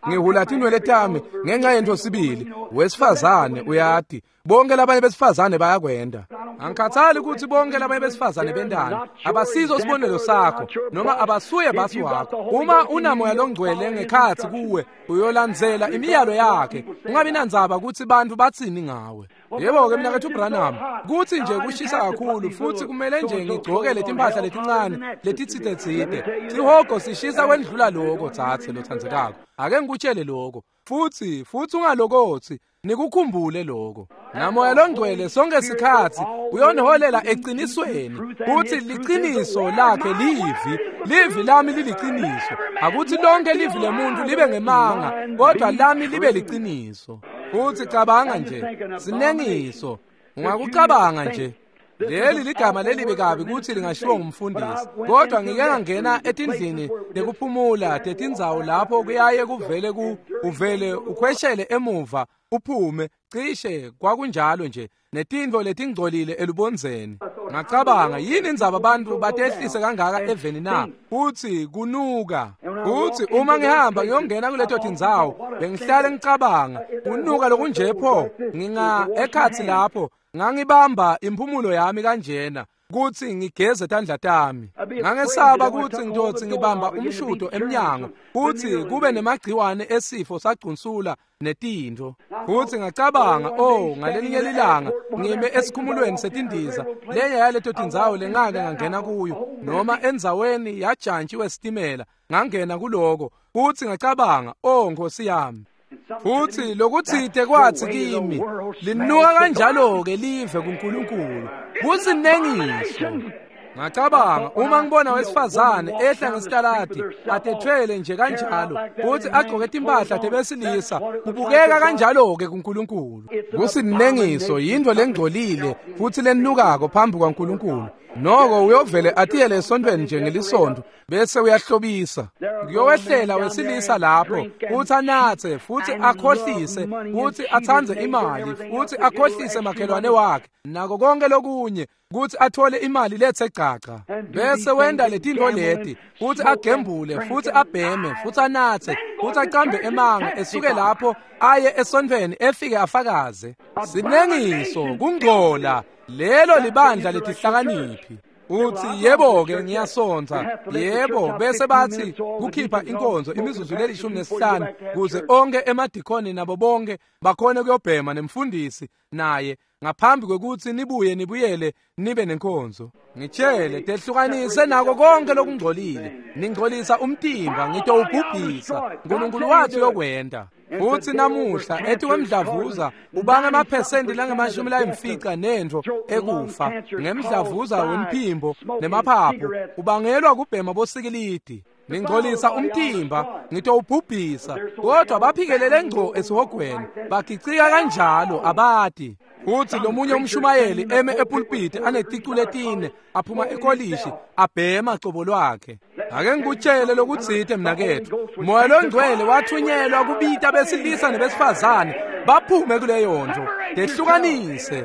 S1: ngihula tinwele tami ngenxa yento sibili. Wesifazane uyati, bonke labanye besifazane bayakwenda. Angikhathali ukuthi bonke labanye besifazane bendani, abasizo sibonelo sakho noma abasuye basi wakho. Uma unaMoya loNgcwele ngekhatsi kuwe, uyolandzela imiyalo yakhe. Ungabi nandzaba kutsi bantfu batsini ngawe. Yebo-ke mnaketfu Branham, kutsi nje kushisa kakhulu futsi kumele nje ngigcoke letimpahla letincane letitsite-tsite. Sihogo sishisa kwendlula lokho, dzadze lotsandzekako. Ake ngikutshele lokho. Futsi ungalokotsi, nikukhumbule lokho. NaMoya loNgcwele sonke sikhatsi uyoniholela eqinisweni, kutsi liciniso lakhe livi, livi lami liliciniso. Akuthi lonke livi lemuntu libe ngemanga, kodwa lami libe liciniso. Futsi cabanga nje, sinengiso, ungakucabanga nje. Leli ligama lelibi kabi kutsi lingashiwo ngumfundisi, kodwa ngike ngangena etindlini tekuphumula tetindzawo lapho kuyaye kuvele uvele ukhweshele emuva uphume, cishe kwakunjalo nje, netintfo letingcolile elubondzeni. Ngacabanga, yini indzaba abantu batehlise kangaka eveni na? Futsi kunuka. Futsi uma ngihamba ngiyongena kuleto tindzawo, bengihlale ngicabanga, kunuka lokunje pho, nginga ekhatsi lapho, ngangibamba imphumulo yami kanjena kutsi ngigeze tandla tami. Ngangesaba kutsi ngitotsi ngibamba umshudo emnyango kutsi kube nemagciwane esifo sagcunsula netintfo. Futsi ngacabanga, oh, ngalelinye lilanga ngime esikhumulweni setindiza, lenye yaleto tindzawo lengake ngangena kuyo, noma endzaweni yajantshi wesitimela, ngangena kuloko. Futsi ngacabanga, oh, Nkosi yami. Futsi lokutsite kwathi kimi, linuka kanjalo-ke live kuNkulunkulu, kusinengiso. Ngacabanga uma ngibona wesifazane ehla ngesitaladi atethwele nje kanjalo futhi agqoke timpahla tebesilisa, kubukeka kanjalo-ke kuNkulunkulu. Kusinengiso, yinto lengcolile futhi lenukako phambi kwaNkulunkulu. Noko uyovele atiyele esontweni nje ngelisonto bese uyahlobisa. Kuyowehlela wesilisa lapho futhi anathe futhi akhohlise futhi atsandze imali futhi akhohlise makhelwane wakhe nako konke lokunye kuthi athole imali lethe gcaca, bese wenda letinto leti futhi agembule futhi abheme futhi anathe futhi aqambe emanga, esuke lapho aye esontweni efike afakaze. Sinengiso, kungcola. Lelo libandla letihlakaniphi. Uthi yebo-ke ngiyasonta, yebo, bese bathi kukhipha inkonzo imizuzu le-15 kuze onke emadikoni nabo bonke bakhone kuyobhema nemfundisi naye ngaphambi kwekuthi nibuye nibuyele nibe nenkonzo. Ngitshele, tehlukanise nako konke lokungcolile. Ningcolisa umtimba, ngitowubhubhisa. uNkulunkulu wathi uyokwenta. Futhi namuhla ethi kwemdlavuza ubanga amaphesenti langama-50 nentfo ekufa ngemdlavuza wemphimbo nemaphaphu ubangelwa kubhema bosikilidi. Ningcolisa umtimba, ngitowubhubhisa. Kodwa baphikelele ngco esihogweni, bagicika kanjalo abati. Futhi lomunye umshumayeli eme epulpiti aneticu letine aphuma ekolishi abhema cobo lwakhe. Ake ngikutshele lokutsite mnakethu, Moya loNgcwele wathunyelwa kubita besilisa nebesifazane baphume kuleyo nto, tehlukanise.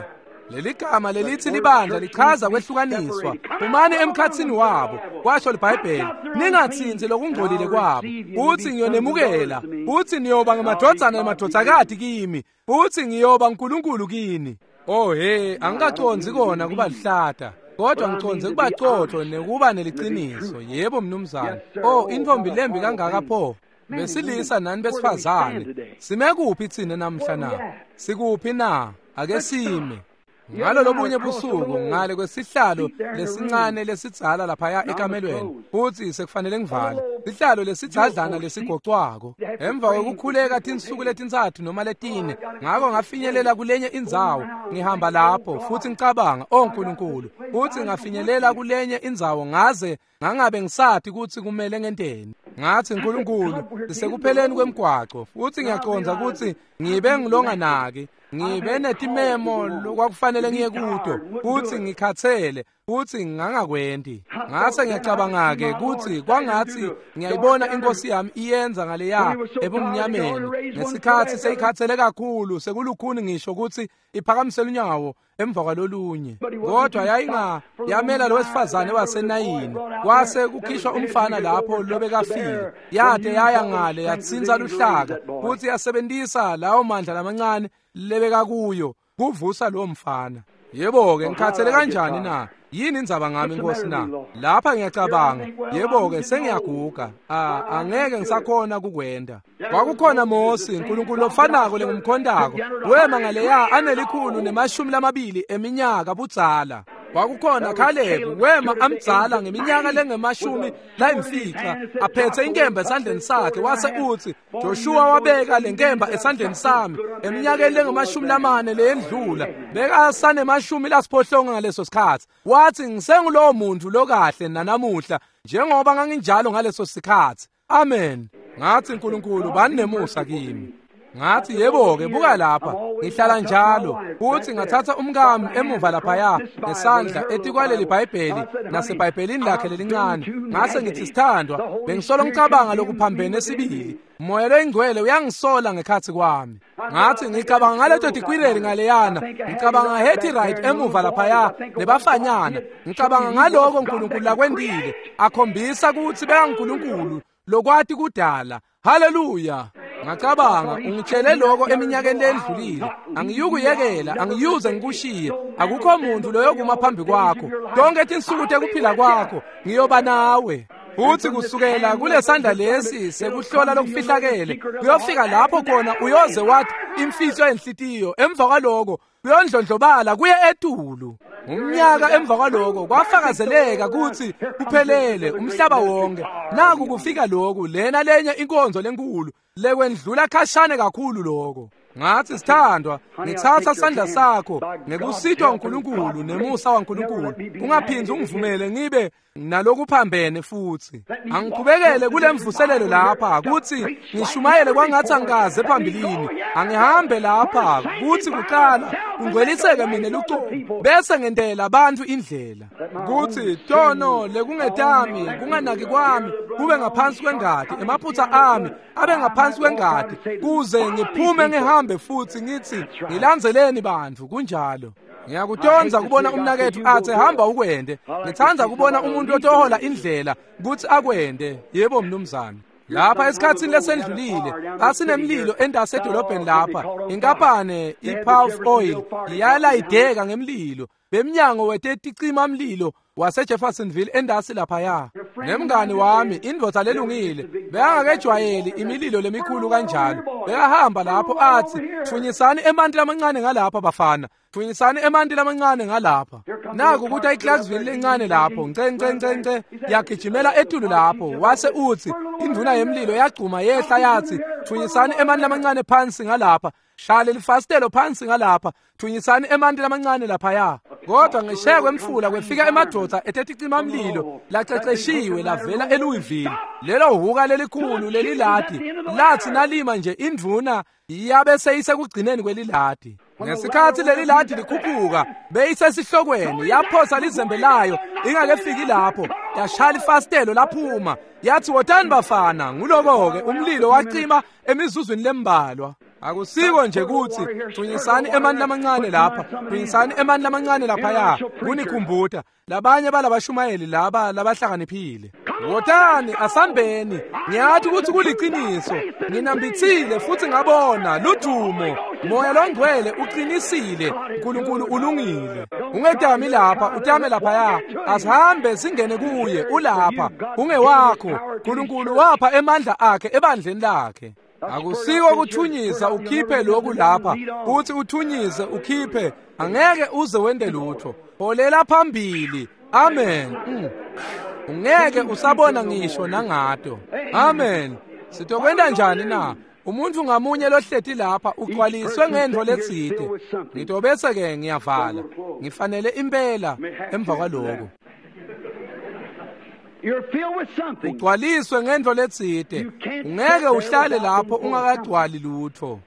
S1: Leli gama lelithi libandla lichaza kwehlukaniswa. Phumani emkhatsini wabo, kwasho liBhayibheli, ningatsinzi lokungcolile kwabo. Uthi ngiyonemukela, uthi niyoba ngamadvodzana nemadvodzakati kimi, uthi ngiyoba uNkulunkulu kini. Oh he, angikacondzi kona kuba lihlata, kodwa ngicondze kuba cotho nekuba neliciniso. Yebo mnumzane. Oh, intombi lembi kangaka pho. Besilisa nani besifazane, sime kuphi tsine namhla na? Sikuphi na? Ake sime. Ngalo lobunye busuku ngale kwesihlalo lesincane lesidzala laphaya ekamelweni, futhi sekufanele ngivale sihlalo lesidzadlana lesigocwako. Emva kwekukhuleka tinsuku letintsatfu noma letine, ngako ngafinyelela kulenye indzawo. Ngihamba lapho futhi ngicabanga, oh Nkulunkulu, futhi ngafinyelela kulenye indzawo ngaze ngangabe ngisathi kutsi kumele ngenteni. Ngathi Nkulunkulu, sisekupheleni kwemgwaco futhi ngiyacondza kutsi ngibe ngilonganaki, ngibe netimemo lokwakufanele ngiye kuto futhi ngikhathele futhi ngangakwenti. Ngase ngiyacabanga-ke kutsi kwangatsi ngiyayibona inkosi yami iyenza ngaleya ebumnyameni ngesikhatsi seyikhathele kakhulu sekulukhuni ngisho kutsi iphakamisele unyawo emva kwalolunye. Kodwa yayinga yamela lo wesifazane waseNayini, kwase kukhishwa umfana lapho lobekafile. Yade yaya ngale yatsintsa luhlaka futhi yasebentisa lawo mandla lamancane lebekakuyo kuvusa lowo mfana. Yebo-ke ngikhathele kanjani na? Yini indzaba ngami Nkosi na? Lapha ngiyacabanga, yebo-ke sengiyaguga, angeke ngisakhona kukwenda. Kwakukhona Mosi, uNkulunkulu lofanako lengimkhondako, wema ngaleya anel120 eminyaka budzala. Kwakukhona Caleb, wema amdzala ngeminyaka lengama-50 aphethe inkemba esandleni sakhe, wase uthi Joshua wabeka lenkemba esandleni sami eminyakeni lengama-40 leyendlula, bekasanema-80 ngaleso sikhatsi. Wathi ngisengulowo muntu lokahle nanamuhla njengoba nganginjalo ngaleso sikhatsi. Amen. Ngathi Nkulunkulu bani nemusa kimi. Ngathi yebo-ke buka lapha, ngihlala njalo futhi ngathatha umkami emuva laphaya ngesandla etikwaleli Bhayibheli naseBhayibhelini lakhe lelincane. Ngase ngithi sithandwa, bengisolo ngicabanga lokuphambene sibili. Moya loyingcwele uyangisola ngekhathi kwami. Ngathi ngicabanga ngaleto tikwireli ngaleyana, ngicabanga Hetty Wright emuva laphaya nebafanyana, ngicabanga ngaloko uNkulunkulu lakwentile, akhombisa kutsi bekaNkulunkulu lokwati kudala. Haleluya. Ngacabanga ungitshele lokho eminyakeni lendlulile, angiyukuyekela, angiyuze ngikushiye, akukho muntu loyokuma phambi kwakho tonke tinsuku tekuphila kwakho, ngiyoba nawe. Futhi kusukela kulesandla lesi sekuhlola lokufihlakele kuyofika lapho khona uyoze wathi imfihlo yenhlitiyo, emva kwaloko kuyondlondlobala kuye etulu. Umnyaka emva kwaloko kwafakazeleka kutsi kuphelele umhlaba wonke. Naku kufika lokhu, lena lenye inkonzo lenkulu lekwendlula khashane kakhulu lokho. Ngathi, sithandwa, ngitsatsa sandla sakho ngekusitwa uNkulunkulu nemusa waNkulunkulu. Ungaphindzi ungivumele ngibe nalokuphambene futhi. Angiqhubekele kule mvuselelo lapha kuthi ngishumayele kwangathi angikaze phambilini. Angihambe lapha kuthi kuqala kungcweliseke mina lucobo, bese ngentela abantu indlela. Kuthi tono lekungetami, kunganaki kwami kube ngaphansi kwengati, emaphutha ami abe ngaphansi kwengati, kuze ngiphume ngihambe futhi ngithi ngilandzeleni bantu. Kunjalo. Ngiyakutonza kubona umnakethu athi hamba ukwende. Ngithanda kubona umuntu otohola indlela kuthi akwende. Yebo mnumzane. Lapha esikhatsini lesendlulile basinemlilo endase edolobheni lapha, inkampane iPalf Oil yalayideka ngemlilo bemnyango weteticima mlilo waseJeffersonville endasi laphaya. Nemngani wami indvodza lelungile bekangakejwayeli imililo lemikhulu kanjalo, bekahamba lapho athi thunyisani emanti lamancane ngalapha bafana, thunyisani emanti lamancane ngalapha. Naku ukuthi iClarksville lencane lapho nce nce nce nce yagijimela etulu lapho, wase uthi induna yemlilo yagcuma yehla yathi thunyisani emanti lamancane phansi ngalapha, shale lifasitelo phansi ngalapha, thunyisani emanti lamancane laphaya. Kodwa ngisheya kwemfula kwefika emadoda eteticima mlilo laceceshiwe lavela eLouisville. Lelo huka lelikhulu leliladi lathi nalima nje indvuna yabe seyisekugcineni kweliladi. Ngesikhathi leliladi likhuphuka beyisesihlokweni, yaphosa lizembe layo ingakefiki lapho, yashaya ifasitelo laphuma, yathi wotani bafana. Nguloko-ke umlilo wacima emizuzwini lembalwa. Akusiko nje kuthi thunyisani emanti lamancane lapha, thunyisani emanti lamancane laphaya, kunikhumbuta labanye balabashumayeli laba labahlakaniphile. Wotani asambeni, ngiyathi ukuthi kuliqiniso, nginambithile futhi ngabona ludumo. Moya longcwele uqinisile, uNkulunkulu ulungile. Ungetami lapha, utame laphaya, asihambe singene kuye, ulapha, ungewakho. uNkulunkulu wapha emandla akhe ebandleni lakhe. Akusiko ukuthunyisa ukhiphe lokhu lapha, uthi uthunyise ukhiphe, angeke uze wende lutho. Holela phambili. Amen. Ungeke usabona ngisho nangato. Amen. Sitokwenda njani na? Umuntu ngamunye lohleti lapha ugcwaliswe ngento letsite. Ngitobese ke ngiyavala. Ngifanele impela emva kwaloko. Ugcwaliswe ngento letsite. Ungeke uhlale lapho ungakagcwali lutho.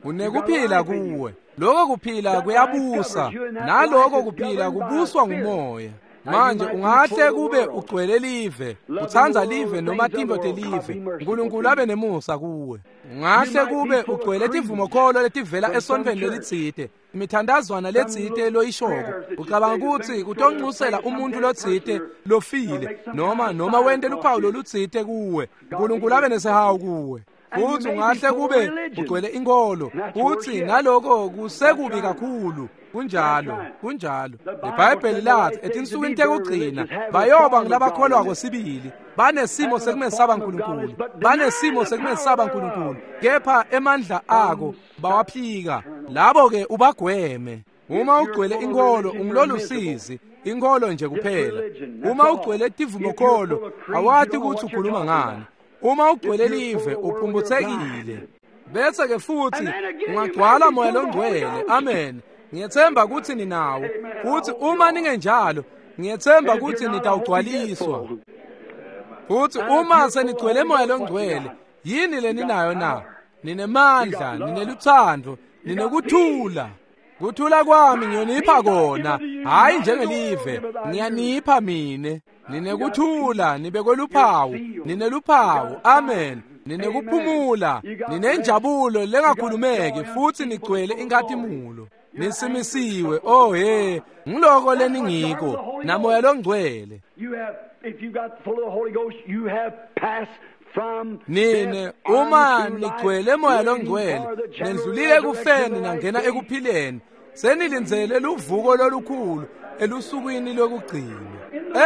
S1: Unekuphila kuwe. Lokho kuphila kuyabusa, naloko kuphila kubuswa ngumoya. Manje ungahle kube ugcwele live, utsandza live noma tintfo telive, uNkulunkulu abe nemusa kuwe. Ungahle kube ugcwele tivumokholo letivela esontfweni lelitsite, imithandazwana letsite loyishoko, ucabanga ukuthi utonxusela umuntu lotsite lofile, noma wente luphawu lolutsite kuwe, uNkulunkulu abe nesihawu kuwe. Futhi ungahle kube ugcwele inkolo, futhi naloko kusekubi kakhulu. Kunjalo, kunjalo. IBhayibheli lathi etinsukwini tekugcina bayoba ngilabakholwako sibili, banesimo sekumesaba uNkulunkulu, banesimo sekumesaba uNkulunkulu, kepha emandla ako bawaphika. Labo ke ubagweme. Uma ugcwele inkolo ungilolusizi, inkolo nje kuphela. Uma ugcwele tivumokholo awati ukuthi ukhuluma ngani. Uma ugcwele live uphumbuthekile. Bese ke futhi ungagcwala moya longcwele. Amen. Ngiyethemba ukuthi ninawo, futhi uma ningenjalo ngiyethemba ukuthi nitawugcwaliswa. Futhi uma senigcwele moya longcwele, yini leninayo na? Ninemandla, nineluthando, ninekuthula. Kuthula kwami ngiyonipha kona, hayi njengelive, ngiyanipha mine. Ninekuthula, nibekwe luphawu, nineluphawu. Amen. Ninekuphumula, ninenjabulo lengakhulumeki, futhi nigcwele inkhatimulo. Nisimisiwe. Oh he, ngiloko leningiko namoya longcwele. Nine uma nigcwele moya longcwele, nendlulile ekufeni nangena ekuphileni, senilindzele luvuko lolukhulu elusukwini lokugcina.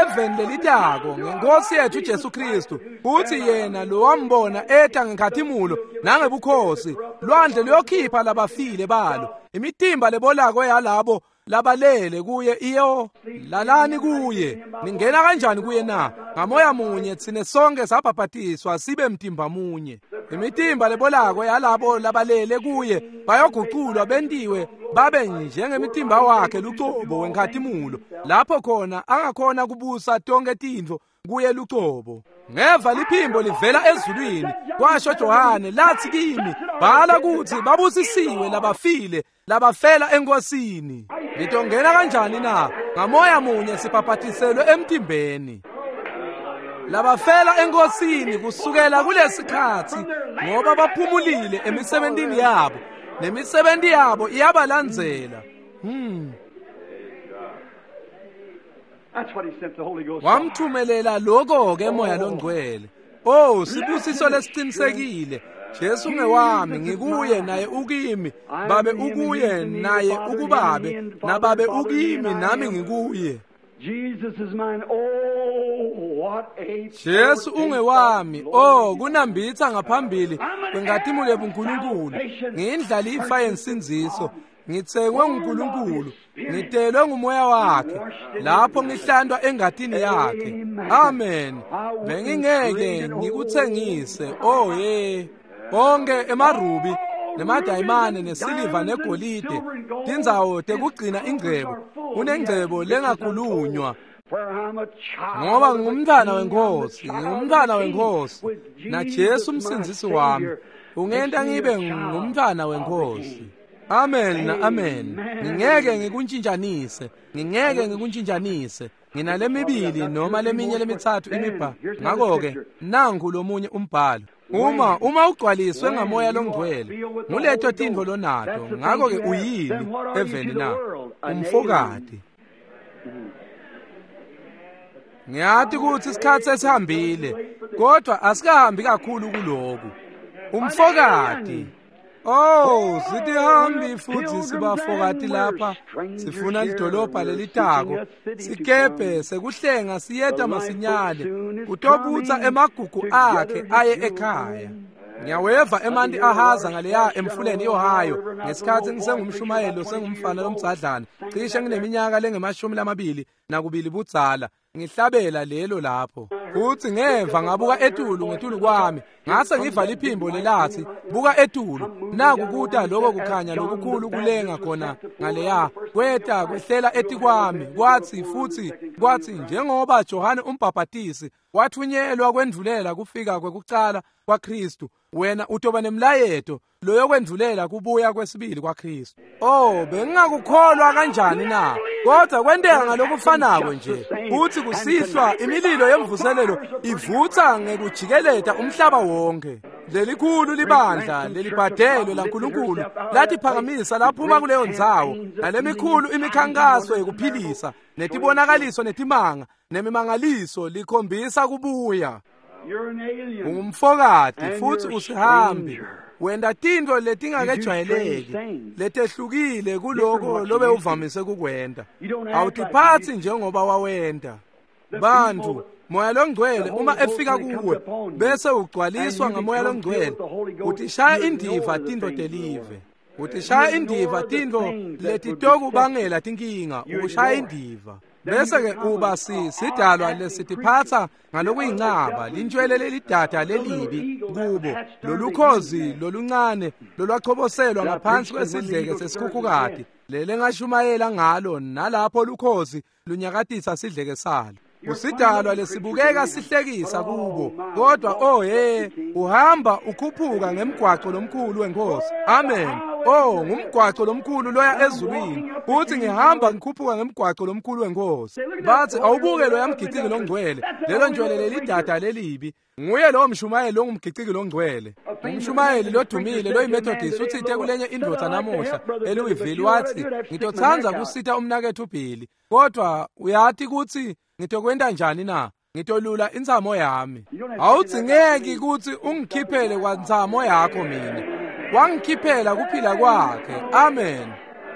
S1: Eveni lelitako ngenkosi yethu Jesu Kristu, futhi yena lo wambona eta ngenkhatimulo nangebukhosi, lwandle luyokhipha labafile balo, imitimba lebolako yalabo labalele kuye iyo lalani kuye. Ningena kanjani kuye na? Ngamoya munye thine sonke sabhabhatiswa sibe mtimba munye. Imitimba lebolako yalabo labalele kuye bayoguculwa bentiwe babe njengemitimba wakhe lucobo wenkhatimulo, lapho khona angakhona kubusa tonke tintfo kuye lucobo. Ngeva liphimbo livela ezulwini, kwasho Johane, lathi kimi, bhala kutsi babusisiwe labafile labafela enkosini. Ngitongena kanjani na? Ngamoya munye sibhabhatiselwe emtimbeni. Labafela enkosini kusukela kulesikhatsi, ngoba baphumulile emisebentini yabo, nemisebenti yabo iyabalandzela. Wamthumelela lokho-ke Moya loNgcwele. Oh, sibusiso lesicinisekile. Jesu ngewami, ngikuye naye ukimi, babe ukuye naye ukubabe, nababe ukimi nami ngikuye. Jesu ungewami. Oh, kunambitha ngaphambili kwenkatimule buNkulunkulu. Ngiyindlalifa yensindziso, ngitsengwe nguNkulunkulu, ngitelwe ngumoya wakhe, lapho ngihlandwa engatini yakhe. Amen. Bengingeke ngikuthengise. Oh ye, onke emarubi nemadayimane nesiliva negolide, tindzawo tekugcina ingcebo, unengcebo lengakhulunywa. Ngoba ngingumntwana wenkosi, ngingumntwana wenkosi, naJesu umsindzisi wami ungenta ngibe ngumntwana wenkosi. Amen, amen. Ngingeke ngikuntshintshanise, ngingeke ngikuntshintshanise. Nginalemibili noma leminye lemithathu imibhalo. Ngakho-ke nangu lomunye umbhalo. Uma ugcwaliswe ngamoya longcwele, nguleto tintfo lonato. Ngakho-ke uyini eveni na? Umfokati. Ngiyati kutsi isikhatsi sesihambile, kodwa asikahambi kakhulu kuloku. Umfokati. Oh, sitihambi futhi sibafokati lapha, sifuna lidolobha lelitako, sikebhe sekuhlenga siyeta masinyane, kutobutsa emagugu akhe aye ekhaya. Ngiyaweva emanti ahaza ngaleya emfuleni iOhio ngesikhatsi ngisengumshumayeli sengumfana lomdzadlana, cishe ngineminyaka lengemashumi 22 budzala, ngihlabela lelo lapho. Futhi ngeva ngabuka etulu ngetulu kwami, ngase ngiva liphimbo lelathi, buka etulu, naku kuta lokho kukhanya lokukhulu kulenga khona ngaleya, kweta kwehlela etikwami. Kwathi futhi kwathi njengoba Johane umbhabhatisi wathunyelwa kwendvulela kufika kwekucala kwaKristu, wena utoba nemlayeto loyokwendvulela kubuya kwesibili kwaKristu. Oh, bengingakukholwa kanjani na? Kodwa kwenteka ngalokufanako nje. Uthi kusihlwa imililo yemvuselelo ivutsa ngekujikeleta umhlaba wonke. Lelikhulu libandla lelibhadelwe laNkulunkulu latiphakamisa laphuma kuleyo ndzawo, nalemikhulu imikhankaso yekuphilisa netibonakaliso netimanga nemimangaliso likhombisa kubuya. Ungumfokati futhi usihambi, wenta tintfo letingakejwayeleki letehlukile kuloko lobe uvamise kukwenta. Awutiphatsi njengoba wawenta. Bantfu, Moya loNgcwele uma efika kuwe bese ugcwaliswa ngamoya loNgcwele, utishaya indiva tintfo telive, utishaya indiva tintfo letitokubangela tinkinga, ukushaya indiva. Bese-ke uba sidalwa lesitiphatsa ngalokuyincaba, lintshwele lelidada lelibi kubo, lolukhozi loluncane lolwachoboselwa ngaphansi kwesidleke sesikhukhukati, lelengashumayela ngalo, nalapho lukhozi lunyakatisa sidleke salo. Usidalwa lesibukeka sihlekisa kubo, kodwa oh he, uhamba ukhuphuka ngemgwaco lomkhulu wenkosi. Amen. Oh, ngumgwaco lomkhulu loya ezulwini. Uthi ngihamba ngikhuphuka ngemgwaco lomkhulu wenkosi. Bathi awubuke loya mgiciki longcwele, lelo ntshwele lelidada lelibi. Nguye lowo mshumayeli longumgiciki longcwele. Umshumayeli lodumile loyiMethodist uthite kulenye indvodza namuhla eLouisville, wathi ngitotsandza kusita umnaketfu Billy, kodwa uyati kutsi ngitokwenta njani na? Ngitolula intsamo yami. Awudzingeki kutsi ungikhiphele kwantsamo yakho mina. Wangikhiphela kuphila kwakhe. Amen.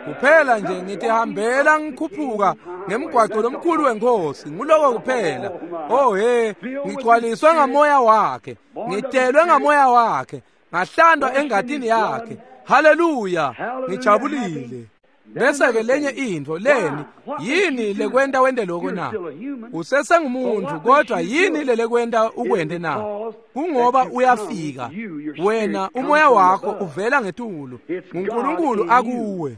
S1: Kuphela nje ngitihambela ngikhuphuka ngemgwaco lomkhulu wenkosi, nguloko kuphela. Oh he, ngigcwaliswe ngamoya wakhe, ngitelwe ngamoya wakhe, ngahlandwa engatini yakhe. Haleluya, ngijabulile. Bese-ke lenye intfo leni, yini lekwenta wente loko na? Usesengumuntfu, kodwa yini lelekwenta ukwente na? Kungoba uyafika wena, umoya wakho uvela ngetulu, nguNkulunkulu akuwe.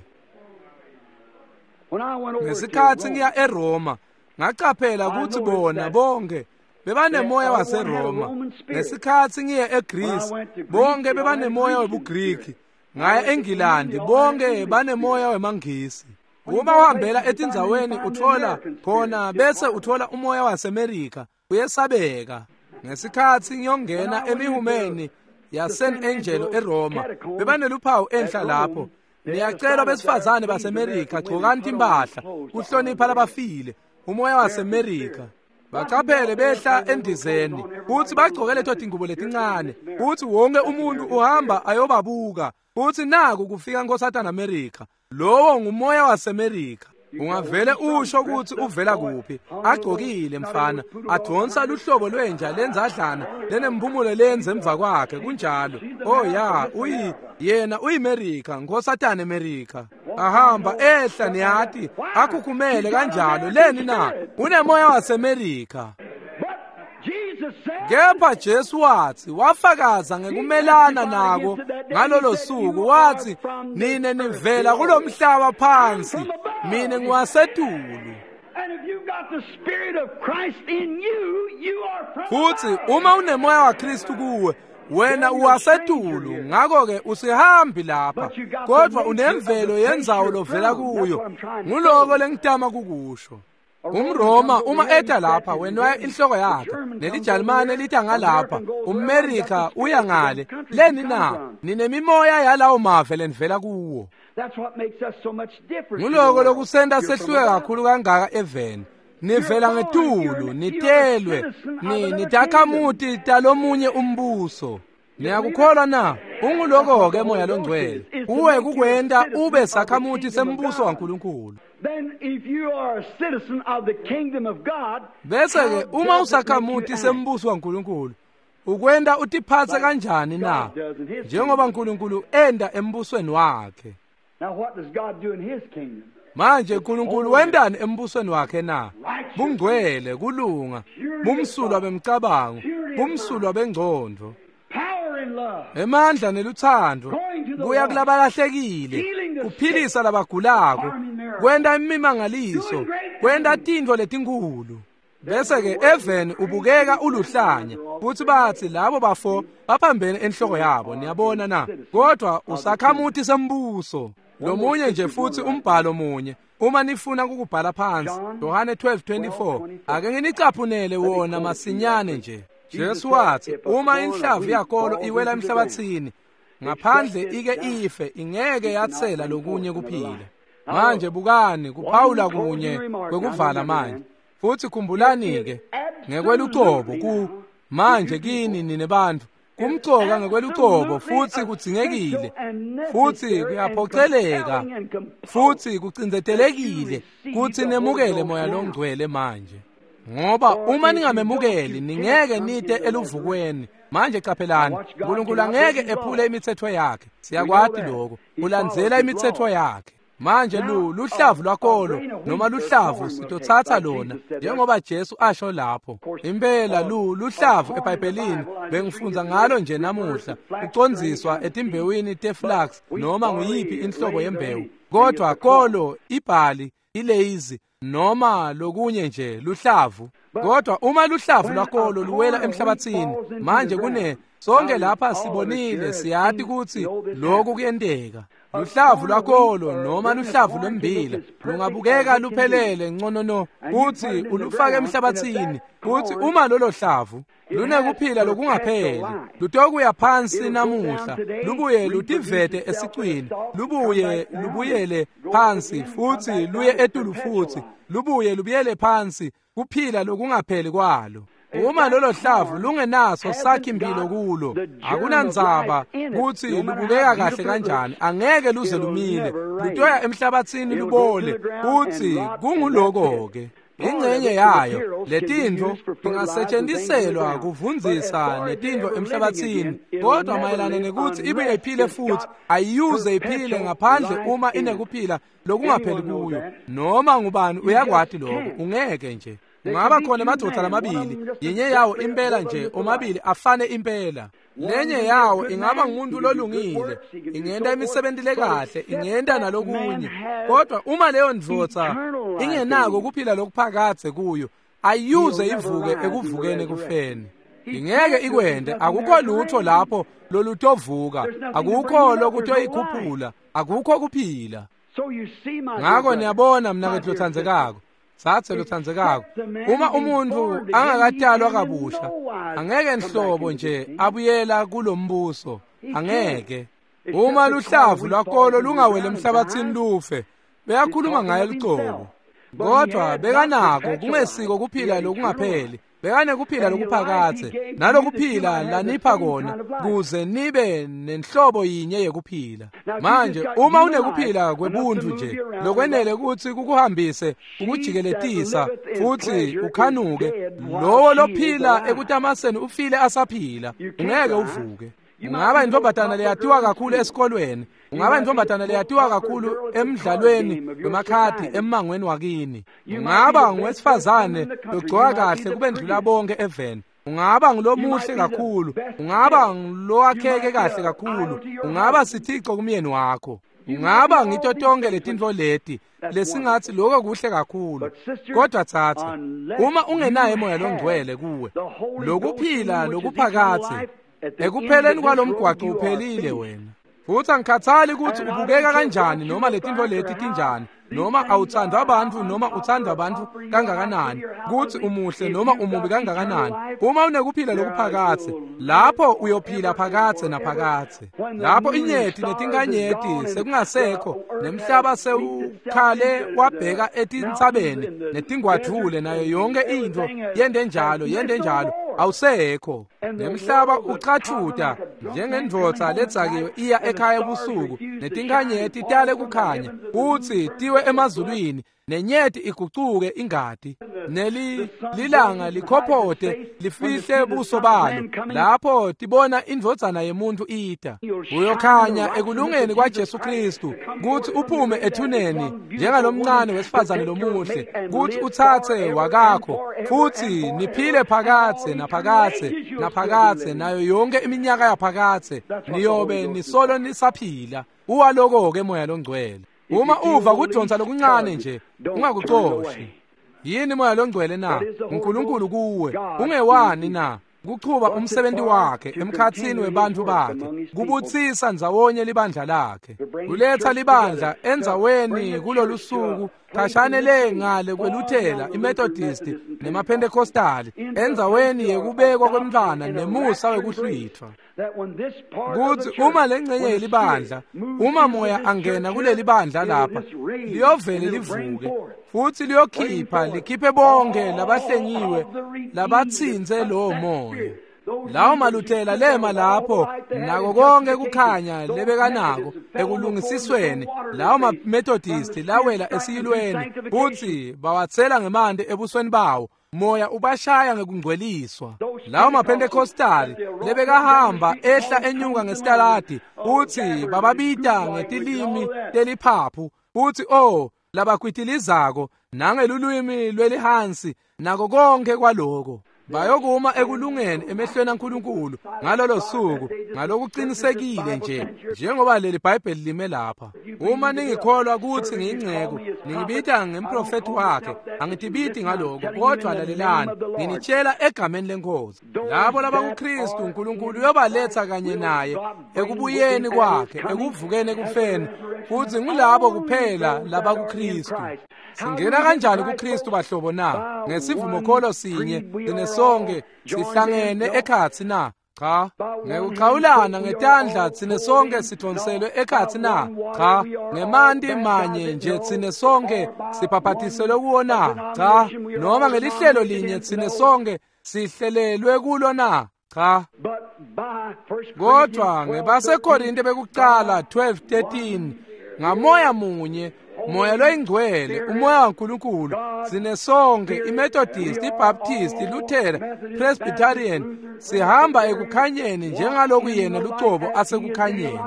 S1: Ngesikhatsi ngiya eRoma, ngacaphela kutsi bona bonke bebanemoya waseRoma. Ngesikhatsi ngiye eGreece, bonke bebanemoya webuGriki. Ngaya eNgilandi, bonke banemoya wemaNgisi. Uma uhambela etindzaweni uthola khona, bese uthola umoya waseMerika, uyesabeka. Ngesikhatsi ngiyongena emihumeni yaSan Angelo eRoma, bebaneluphawu enhla lapho. Niyacelwa besifazane baseMerika, gcokani timphahla kuhlonipha labafile, umoya waseMerika. Bacaphele behla endizeni futsi bagcoke leto tingubo letincane, futsi wonke umuntu uhamba ayobabuka, futsi naku kufika Nkosatana America. Lowo ngumoya waseMerika. Ungavele usho kutsi uvela kuphi. Agcokile mfana, adonsa luhlobo lwenja lenzadlana lenemphumulo lenze emva kwakhe, kunjalo. Oh ya, uyi yena uyiMerika, Nkosatana America. Ahamba ehla niyati, akhukhumele kanjalo. Leni na? Unemoya waseMerika. Kepha Jesu wathi, wafakaza ngekumelana nako ngalolo suku, wathi, nine nivela kulomhlaba phansi, mina ngiwasetulu. Futhi uma unemoya waKristu kuwe, wena uwasetulu, ngakho-ke usihambi lapha, kodwa unemvelo yendzawo lovela kuyo. Nguloko lengitama kukusho. UmRoma uma eta lapha wenwaya inhloko yakhe, neliJalimane lita ngalapha, umMerika uya ngale. Leni na? Ninemimoya yalawo mave lenivela kuwo. Nguloko lokusenta sehluke kakhulu kangaka eveni. Nivela ngetulu, nitelwe, nitakhamuti talomunye umbuso. Niyakukholwa na? Unguloko-ke moya longcwele. Uwe kukwenta ube sakhamuti sembuso waNkulunkulu. Bese-ke uma usakhamuti sembuso waNkulunkulu, ukwenta utiphatse kanjani na? Njengoba uNkulunkulu enda embusweni wakhe. Manje uNkulunkulu wendani embusweni wakhe na? Bungcwele, kulunga, bumsulwa bemcabango, bumsulwa bengcondvo, emandla neluthando, kuya kulabalahlekile, kuphilisa labagulako, kwenta imimangaliso, kwenta tintfo letinkulu. Bese-ke eveni ubukeka uluhlanya, futsi batsi labo bafo baphambene enhloko yabo, niyabona na? Kodwa usakhamuti sembuso. Lomunye nje futhi umbhalo munye, uma nifuna ukubhala phansi, Yohane 12:24. Ake nginicaphunele wona masinyane nje. Jesu wathi, uma inhlavu yakolo iwela emhlabathini, ngaphandle ike ife, ingeke yatsela lokunye kuphila. Manje bukani, kuphawula kunye kwekuvala manje. Futhi khumbulani-ke ngekwelucobo ku manje kini nine bantfu, kumcoka ngekwelucobo futhi kudzingekile, futhi kuyaphoceleka, futhi kucindzetelekile kutsi nemukele moya longcwele manje. Ngoba uma ningamemukeli ningeke nite eluvukweni. Manje caphelani, uNkulunkulu angeke ephule imithetho yakhe. Siyakwati lokho, ulandzela imithetho yakhe. Manje luhlavu lwakolo noma luhlavu sitothatha lona njengoba Jesu asho lapho. Impela luhlavu eBhayibhelini bengifundza ngalo nje namuhla, ucondziswa etimbewini teflax noma nguyiphi inhlobo yembewu. Kodwa kolo, ibhali, ileyizi noma lokunye nje luhlavu. Kodwa uma luhlavu lwakolo luwela emhlabathini, manje kune sonke lapha sibonile, siyati kutsi lokhu kuyenteka. Luhlavu lwakolo noma luhlavu lwembila lungabukeka luphelele nconono, kutsi ulufake emhlabathini, kutsi uma lolo hlavu lunekuphila lokungapheli, lutokuya phansi namuhla, lubuye lutivete esicwini, lubuye lubuyele phansi futsi luye etulu futsi, lubuye lubuyele phansi, kuphila lokungapheli kwalo. Uma lolo hlavu lungenaso sakhi impilo kulo, akunandzaba kutsi lubukeka kahle kanjani, angeke luze lumile, lutoya emhlabathini lubole, futsi kunguloko-ke. Ingcenye yayo letintfo ingasetshenziselwa kuvundzisa netintfo emhlabatsini, kodwa mayelana nekutsi ibuye iphile futhi ayiyuze iphile ngaphandle uma inekuphila lokungapheli kuyo. Noma ngubani uyakwati lokho, ungeke nje. Kungaba khona emadvodza lamabili, yinye yawo impela nje, omabili afane impela. Lenye yawo ingaba ngumuntu lolungile, ingenta imisebenti lekahle, ingenta nalokunye, kodwa uma leyo ndvodza ingenako kuphila lokuphakadze kuyo, ayiyuze ivuke ekuvukeni ekufeni. Ingeke ikwente, akukho lutho lapho lolutovuka, akukho lokutoyikhuphula, akukho kuphila. Ngako niyabona mnaketfu lotsandzekako, tsatse lotsandzekako, uma umuntfu angakatalwa kabusha, angeke nhlobo nje abuyela kulombuso, angeke. Uma luhlavu lwakolo lungawele emhlabatsini lufe, beyakhuluma ngaye lucobo, kodwa bekanako kungesiko kuphila lokungapheli, bekanekuphila lokuphakadze, nalokuphila lanipha kona kuze nibe nenhlobo yinye yekuphila. Manje uma unekuphila kwebuntfu nje lokwenele kutsi kukuhambise ukujikeletisa futhi ukhanuke, lowo lophila ekutamaseni ufile asaphila, ungeke uvuke. Ungaba intombatana leyatiwa kakhulu esikolweni, ungaba intombatana leyatiwa kakhulu emdlalweni wemakhadi emmangweni wakini, ungaba ngowesifazane logcoka kahle kubendlula bonke eveni, ungaba ngulomuhle kakhulu, ungaba ngulowakheke kahle kakhulu, ungaba sithico kumyeni wakho, ungaba ngito tonke letintfo leti lesingatsi lokho kuhle kakhulu. Kodwa tsatsa, uma ungenaye moya longcwele kuwe, lokuphila lokuphakadze ekupheleni kwalomgwaco uphelile wena. Futhi angikhathali ukuthi ubukeka kanjani noma letintfo leti tinjani, noma awuthandwa abantu noma uthandwa abantu kangakanani, kutsi umuhle noma umubi kangakanani, uma unekuphila lokuphakadze, lapho uyophila phakadze naphakadze. Lapho inyeti netinkanyeti sekungasekho, nemhlaba sewukhale wabheka etintsabeni netingwadvule nayo yonke intfo yente njalo yente njalo, awusekho. Nemhlaba ucathuta njengendvodza ledzakiwe iya ekhaya ebusuku, netinkanyeti tale kukhanya kutsi tiwe emazulwini, nenyeti igucuke ingati, lilanga likhophote lifihle buso balo lapho tibona indvodzana yemuntu ita. Uyokhanya ekulungeni kwaJesu Kristu kutsi uphume ethuneni njengalomncane wesifazane lomuhle, kutsi utsatse wakakho futhi niphile phakadze naphakadze naphakadze nayo yonke iminyaka yaphakadze, niyobe nisolo nisaphila. Uwaloko-ke moya longcwele. Uma uva kudonsa lokuncane nje, ungakucoshi. Yini moya longcwele na? uNkulunkulu kuwe. Ungewani na? Kuchuba umsebenzi wakhe emkhatsini webantfu bakhe, kubutsisa ndzawonye libandla lakhe, kuletsa libandla endzaweni kulolusuku khashane le ngale kweluthela iMethodist nemaPentecostali, endzaweni yekubekwa kwemntfwana nemusa wekuhlwithwa. Kutsi uma lengcenye yelibandla, uma moya angena kuleli bandla lapha, liyovele livuke futhi liyokhipha likhiphe bonke labahlengiwe labatsintse lowo moya. Lawo maluthela lema lapho nako konke kukhanya lebekanako ekulungisisweni, lawo maMethodist lawela esiyilweni futhi bawatsela ngemanti ebusweni bawo, moya ubashaya ngekungcweliswa. Lawo maPentecostali lebekahamba ehla enyuka ngesitaladi futhi bababita ngetilimi teliphaphu futhi oh labakwitilizako nangelulwimi lwelihansi nako konke kwaloko, bayokuma ekulungeni emehlweni aNkulunkulu ngalolo suku ngalokuqinisekile nje njengoba leli Bhayibheli lime lapha. Uma ningikholwa kutsi ngiyinceku, ningibita ngemprofethi wakhe, angitibiti ngaloko, kodwa lalelani, nginitshela egameni leNkosi. Labo labakuKristu uNkulunkulu uyobaletha kanye naye ekubuyeni kwakhe, ekuvukeni ekufeni, futhi ngulabo kuphela labakuKristu. Singena kanjani kuKristu bahlobo na? Ngesivumokholo sinye sinesonke sihlangene ekhatsi na? Cha. Ngekuchawulana ngetandla tsine sonke sidonselwe ekhatsi na? Cha. Ngemanti manye nje tsine sonke sibhabhatiselwe kuwo na? Cha. Noma ngelihlelo linye tsine sonke sihlelelwe kulo na? Cha. Kodwa ngebaseKorinte bekucala 12:13, ngamoya munye Moya loyingcwele, umoya waNkulunkulu, sinesonke iMethodist, iBaptist, iLuthera, Presbyterian, sihamba ekukhanyeni njengaloku yena lucobo asekukhanyeni.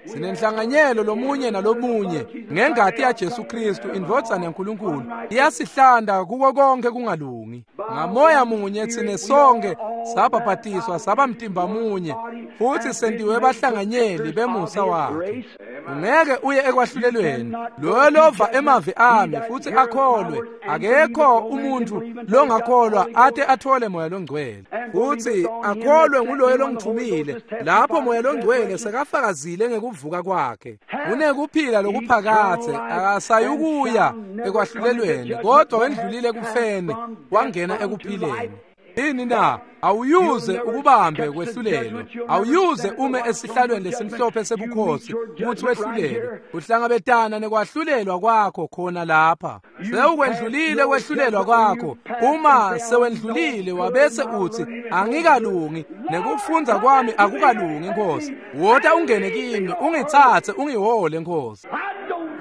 S1: Sinenhlanganyelo lomunye nalomunye ngengati yaJesu Kristu indvodzana yaNkulunkulu iyasihlanda kuko konke kungalungi. Ngamoya munye tsine sonke sabhabhatiswa saba mtimba munye futhi sentiwe bahlanganyeli bemusa wakhe. Ungeke uye ekwahlulelweni. Loyo lova emavi ami futhi akholwe, akekho umuntu longakholwa ate athole moya longcwele. Futhi akholwe nguloyo longithumile, lapho moya longcwele sekafakazile ngekuvuka kwakhe. Unekuphila lokuphakadze, akasayukuya ekwahlulelweni, kodwa wendlulile ekufeni wangena ekuphileni. Yini na? Awuyuze ukubambe kwehlulelwa. Awuyuze ume esihlalweni lesimhlophe sebukhosi ukuthi wehlulelwe. Uhlangabetana nekwahlulelwa kwakho khona lapha. Sewukwendlulile kwehlulelwa kwakho. Uma sewendlulile wabese uthi angikalungi nekufundza kwami akukalungi Nkosi. Wota ungene kimi, ungitsatse ungihole Nkosi.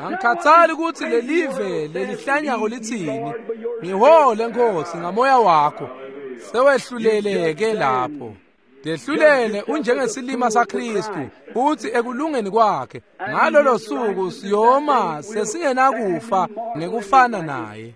S1: Angikhathali ukuthi lelive lelihlanyako lithini. Ngihole Nkosi ngamoya wakho. Sewehluleleke lapho. Dehlulele unjengesilima saKristu futhi ekulungeni kwakhe. Ngalolo suku siyoma sesingenakufa ngekufana naye.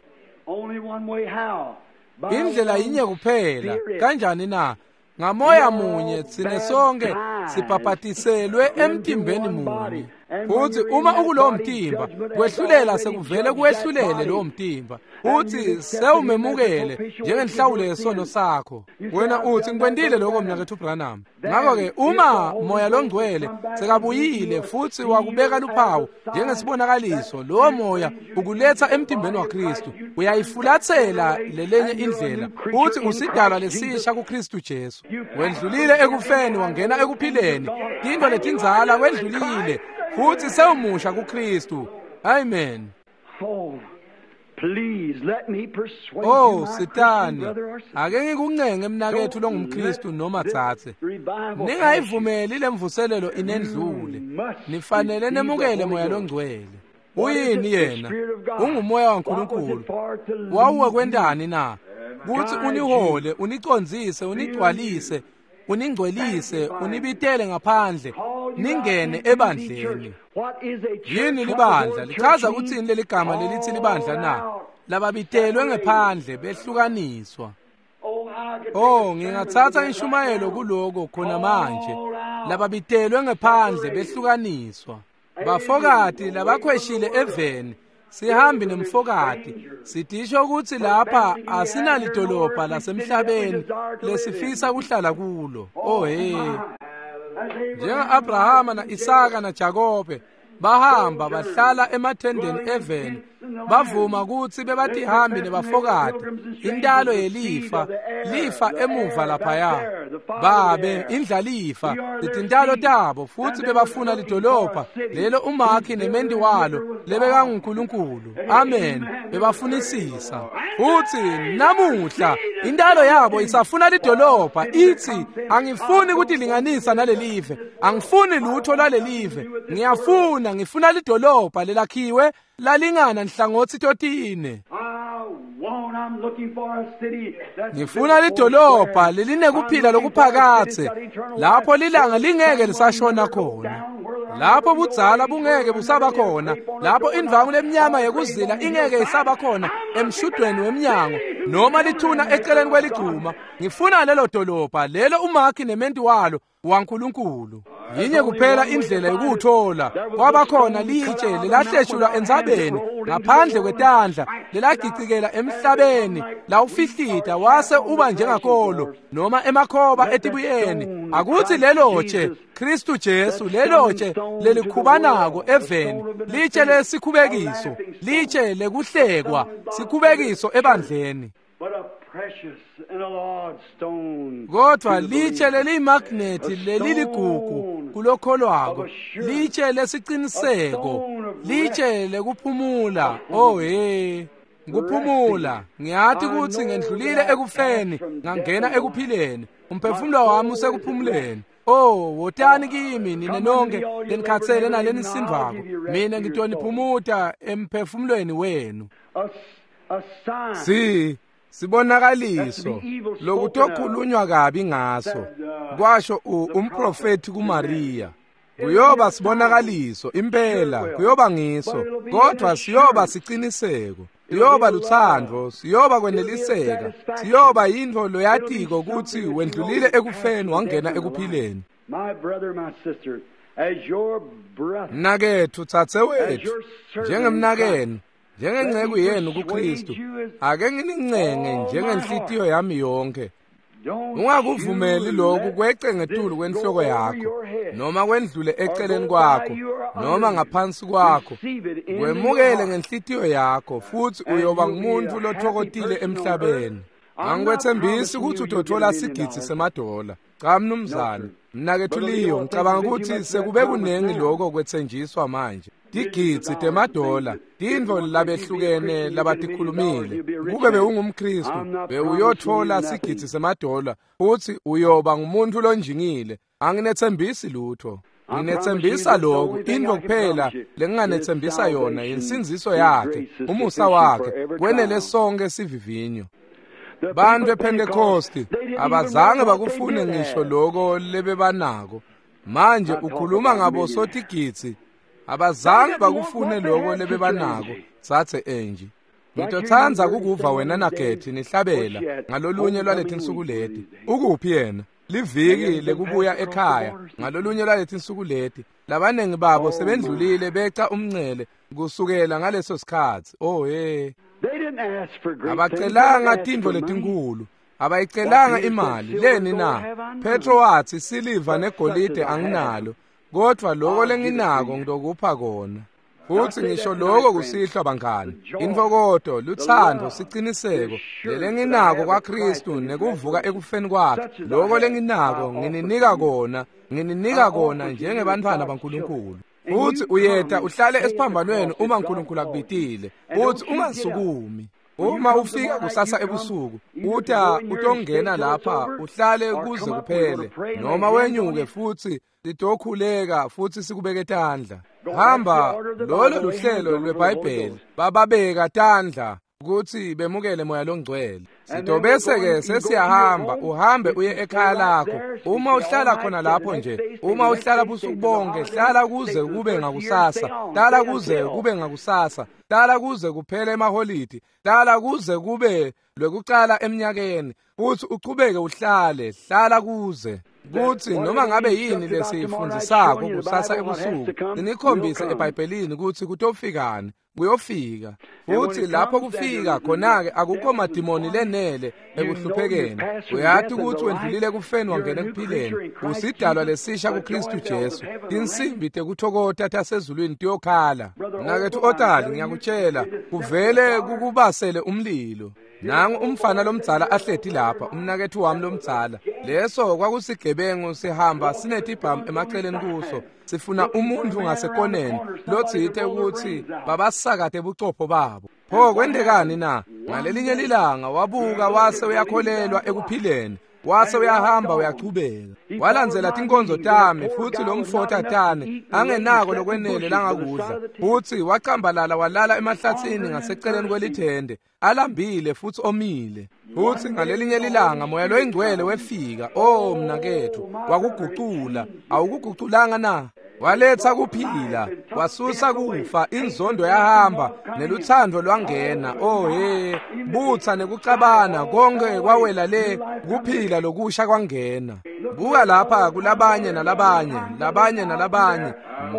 S1: Indlela yinye kuphela. Kanjani na? Ngamoya munye tsine sonke sibhabhatiselwe emtimbeni munye. Futhi uma ukulowo mtimba, kwehlulela sekuvele kuwehlulele lowo mtimba. Uthi sewumemukele njengenhlawulo yesono sakho. Wena uthi ngikwentile lokho mnakethu Branham. Ngakho-ke uma moya longcwele sekabuyile futhi wakubeka luphawu njengesibonakaliso, lowo moya ukuletha emtimbeni waKristu. Uyayifulathela lelenye indlela uthi usidalwa lesisha kuKristu Jesu. Wendlulile ekufeni wangena ekuphileni. Tintfo letindzala kwendlulile futhi sewumusha kuKristu. Amen. Oh Sitani, ake ngikuncenge mnakethu longumKristu noma dzadze. Ningayivumeli lemvuselelo inendlule. Nifanele nemukele moya longcwele. Uyini yena? Ungumoya waNkulunkulu. Wawuwe kwentani na? Kuthi unihole, unicondzise, unigcwalise, uningcwelise, unibitele ngaphandle, ningene ebandleni. Yini libandla? Lichaza ukuthini leli gama lelithi libandla na? Lababitelwe ngephandle behlukaniswa. Oh, ngingathatha inshumayelo kuloko khona manje. Lababitelwe ngephandle behlukaniswa. Bafokati labakhweshile eveni, sihambi nemfokati. Sidisho ukuthi lapha asinalidolobha lasemhlabeni lesifisa kuhlala kulo. Oh hey. Njenga-Abrahama na-Isaka naJakobe bahamba bahlala emathendeni eveni, bavuma ukuthi bebatihambi nebafokati, intalo yelifa, lifa emuva laphaya. Babe indlalifa letintalo tabo futhi bebafuna lidolobha lelo umakhi nemendi walo lebekanguNkulunkulu. Amen. Bebafunisisa. Futhi namuhla intalo yabo isafuna lidolobha, ithi angifuni ukutilinganisa nalelive, angifuni lutho lwalelive, ngiyafuna ngifuna lidolobha lelakhiwe lalingana nhlangothi totine. Ngifuna lidolobha lelinekuphila lokuphakathe, lapho lilanga lingeke lisashona khona, lapho budzala bungeke busaba khona, lapho indvangu lemnyama yekuzila ingeke isaba khona emshudweni wemnyango noma lithuna eceleni kweligcuma. Ngifuna lelo dolobha lelo umakhi nementi walo waNkulunkulu. Yinye kuphela indlela yokuwuthola. Kwabakhona litshe lelahleshulwa entsabeni ngaphandle kwetandla, lelagicikela emhlabeni, lawufihlita wase uba njengakolo noma emakhoba etibuyeni. Akuthi lelo tshe Kristu Jesu, lelo tshe lelikhubanako eveni, litshe lesikhubekiso, litshe lekuhlekwa, sikhubekiso ebandleni. Kodwa litshe leliyimagnethi leliligugu kulokholwako, litshe lesiciniseko, litshe lekuphumula. Oh hey, kuphumula. Ngiyathi ukuthi ngendlulile ekufeni ngangena ekuphileni. Umphefumulo wami usekuphumuleni. Oh, wotani kimi nine nonke lenikhatsele nalenisindvako, mina ngitoniphumuta emphefumulweni wenu. Si sibonakaliso lokutokhulunywa kabi ngaso, kwasho umprofeti kuMaria. Kuyoba sibonakaliso impela, kuyoba ngiso, kodwa siyoba siciniseko, siyoba lutsandvo, siyoba kweneliseka, siyoba yintfo loyatiko kutsi wendlulile ekufeni wangena ekuphileni. Mnaketfu, dzadzewetfu, njengemnakenu, njengenceku yenu kuKristu, ake nginincenge njengenhlitiyo yami yonke. Ungakuvumeli lokhu kwece ngetulu kwenhloko yakho, noma kwendlule eceleni kwakho, noma ngaphansi kwakho. Kwemukele ngenhlitiyo yakho, futsi uyoba ngumuntu lothokotile emhlabeni. Angikwetsembisi ukuthi utothola sigidzi semadola. Cha mnumzane, mnaketfu Leo, ngicabanga ukuthi sekube kunengi lokho kwetsenjiswa manje. Tigidzi temadola, tintfo labehlukene labatikhulumile. Kube bewungumKristu, bewuyothola sigidzi semadola, futsi uyoba ngumuntu lonjingile. Anginetsembisi lutho. Nginetsembisa lokhu, intfo kuphela lenginganetsembisa yona yinsindziso yakhe, umusa wakhe, kwenele sonke sivivinyo. Bantu ePhentekosti abazange bakufune ngisho lokho lebebanako. Manje ukhuluma ngabo sotigidzi, abazange bakufune lokho lebebanako. Sathe Angie, ngitotsandza kukuva wena naGetty nihlabela ngalolunye lwaletinsuku leti. Ukuphi yena? Liviki lekubuya ekhaya ngalolunye lwaletinsuku leti. Labanengi babo sebendlulile beca umncele kusukela ngaleso sikhatsi. Oh hey. Abacelanga tintfo letinkulu, abayicelanga imali. Leni na? Petro watsi, siliva negolide anginalo, kodvwa loko lenginako ngitokupha kona. Futsi ngisho loko kusihlwa bangani, intfokoto, lutsandvo, siciniseko lelenginako kwaKristu nekuvuka ekufeni kwakhe, loko lenginako ngininika kona, ngininika kona njengebantfwana baNkulunkulu. Futsi uyeta uhlale esiphambanweni uma uNkulunkulu akubitile, futsi ungasukumi. Uma ufika kusasa ebusuku, uta utongena lapha uhlale kuze kuphele, noma wenyuke futsi sitokhuleka futsi sikubeke tandla. Hamba, lolo luhlelo lweBhayibheli, bababeka tandla kutsi bemukele moya longcwele. Sitobese-ke sesiyahamba, uhambe uye ekhaya lakho. Uma uhlala khona lapho nje, uma uhlala busuku bonke, hlala kuze kube ngakusasa, hlala kuze kube ngakusasa, hlala kuze kuphele emaholidi, hlala kuze kube lwekucala eminyakeni, futsi uchubeke uhlale, hlala kuze kutsi noma ngabe yini lesiyifundzisako kusasa ebusuku, sinikhombise eBhayibhelini kutsi kutofikani, kuyofika. Futsi lapho kufika khona-ke akukho madimoni lenele ekuhluphekeni. Uyati kutsi wendlulile ekufeni wangena ekuphileni, usidalwa lesisha kuKristu Jesu. Tinsimbi tekuthokota tasezulwini tiyokhala. Mnaketfu Otali, ngiyakutshela, kuvele kukubasele umlilo. Nangu umfana lomdzala ahleti lapha, umnaketfu wami lomdzala. Leso kwakusigebengu sihamba sinetibhamu emaceleni kuso, sifuna umuntu ngasekoneni lotsite ukuthi babasakate bucopho babo. Pho kwendekani na? Ngalelinye lilanga wabuka wase uyakholelwa ekuphileni, wase uyahamba uyachubeka. Walandzela tinkonzo tami futsi lomfota tane angenako lokwenele langakudla, futsi wacambalala walala emahlatsini ngaseceleni kwelithende, alambile futsi omile. Futsi ngalelinye lilanga moya loyingcwele wefika. Oh mnaketfu, wakugucula. Awukuguculanga na? Waletha kuphila, wasusa kufa, inzondo yahamba, nelutsandvo lwangena. Oh he, butsa nekucabana konke kwawela le, kuphila lokusha kwangena. Buka lapha kulabanye nalabanye, labanye nalabanye,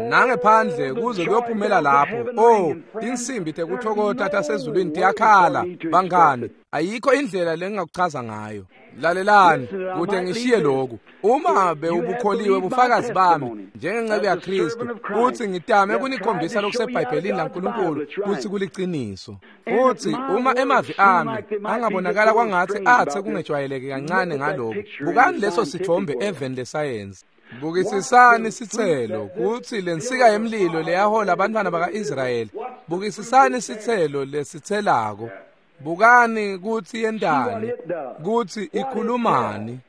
S1: nangephandle kuze kuyophumela lapho. Oh, tinsimbi tekuthokota tasezulwini tiyakhala bangani. Ayikho indlela lengingakuchaza ngayo. Lalelani, kude ngishiye lokhu. Uma bewubukholiwe bufakazi bami njengenceku yaKristu, futhi ngitame kunikhombisa lokuseBhayibhelini laNkulunkulu kutsi kuliciniso. Futhi uma emavi ami angabonakala kwangathi athe kungejwayeleke kancane ngalokhu, bukani leso sithombe eveni lesayensi. Bukisisani sitselo kutsi lensika yemlilo leyahola abantwana baka-Israyeli. Bukisisani sitselo lesitselako. Bukani kutsi yentani, kutsi ikhulumani.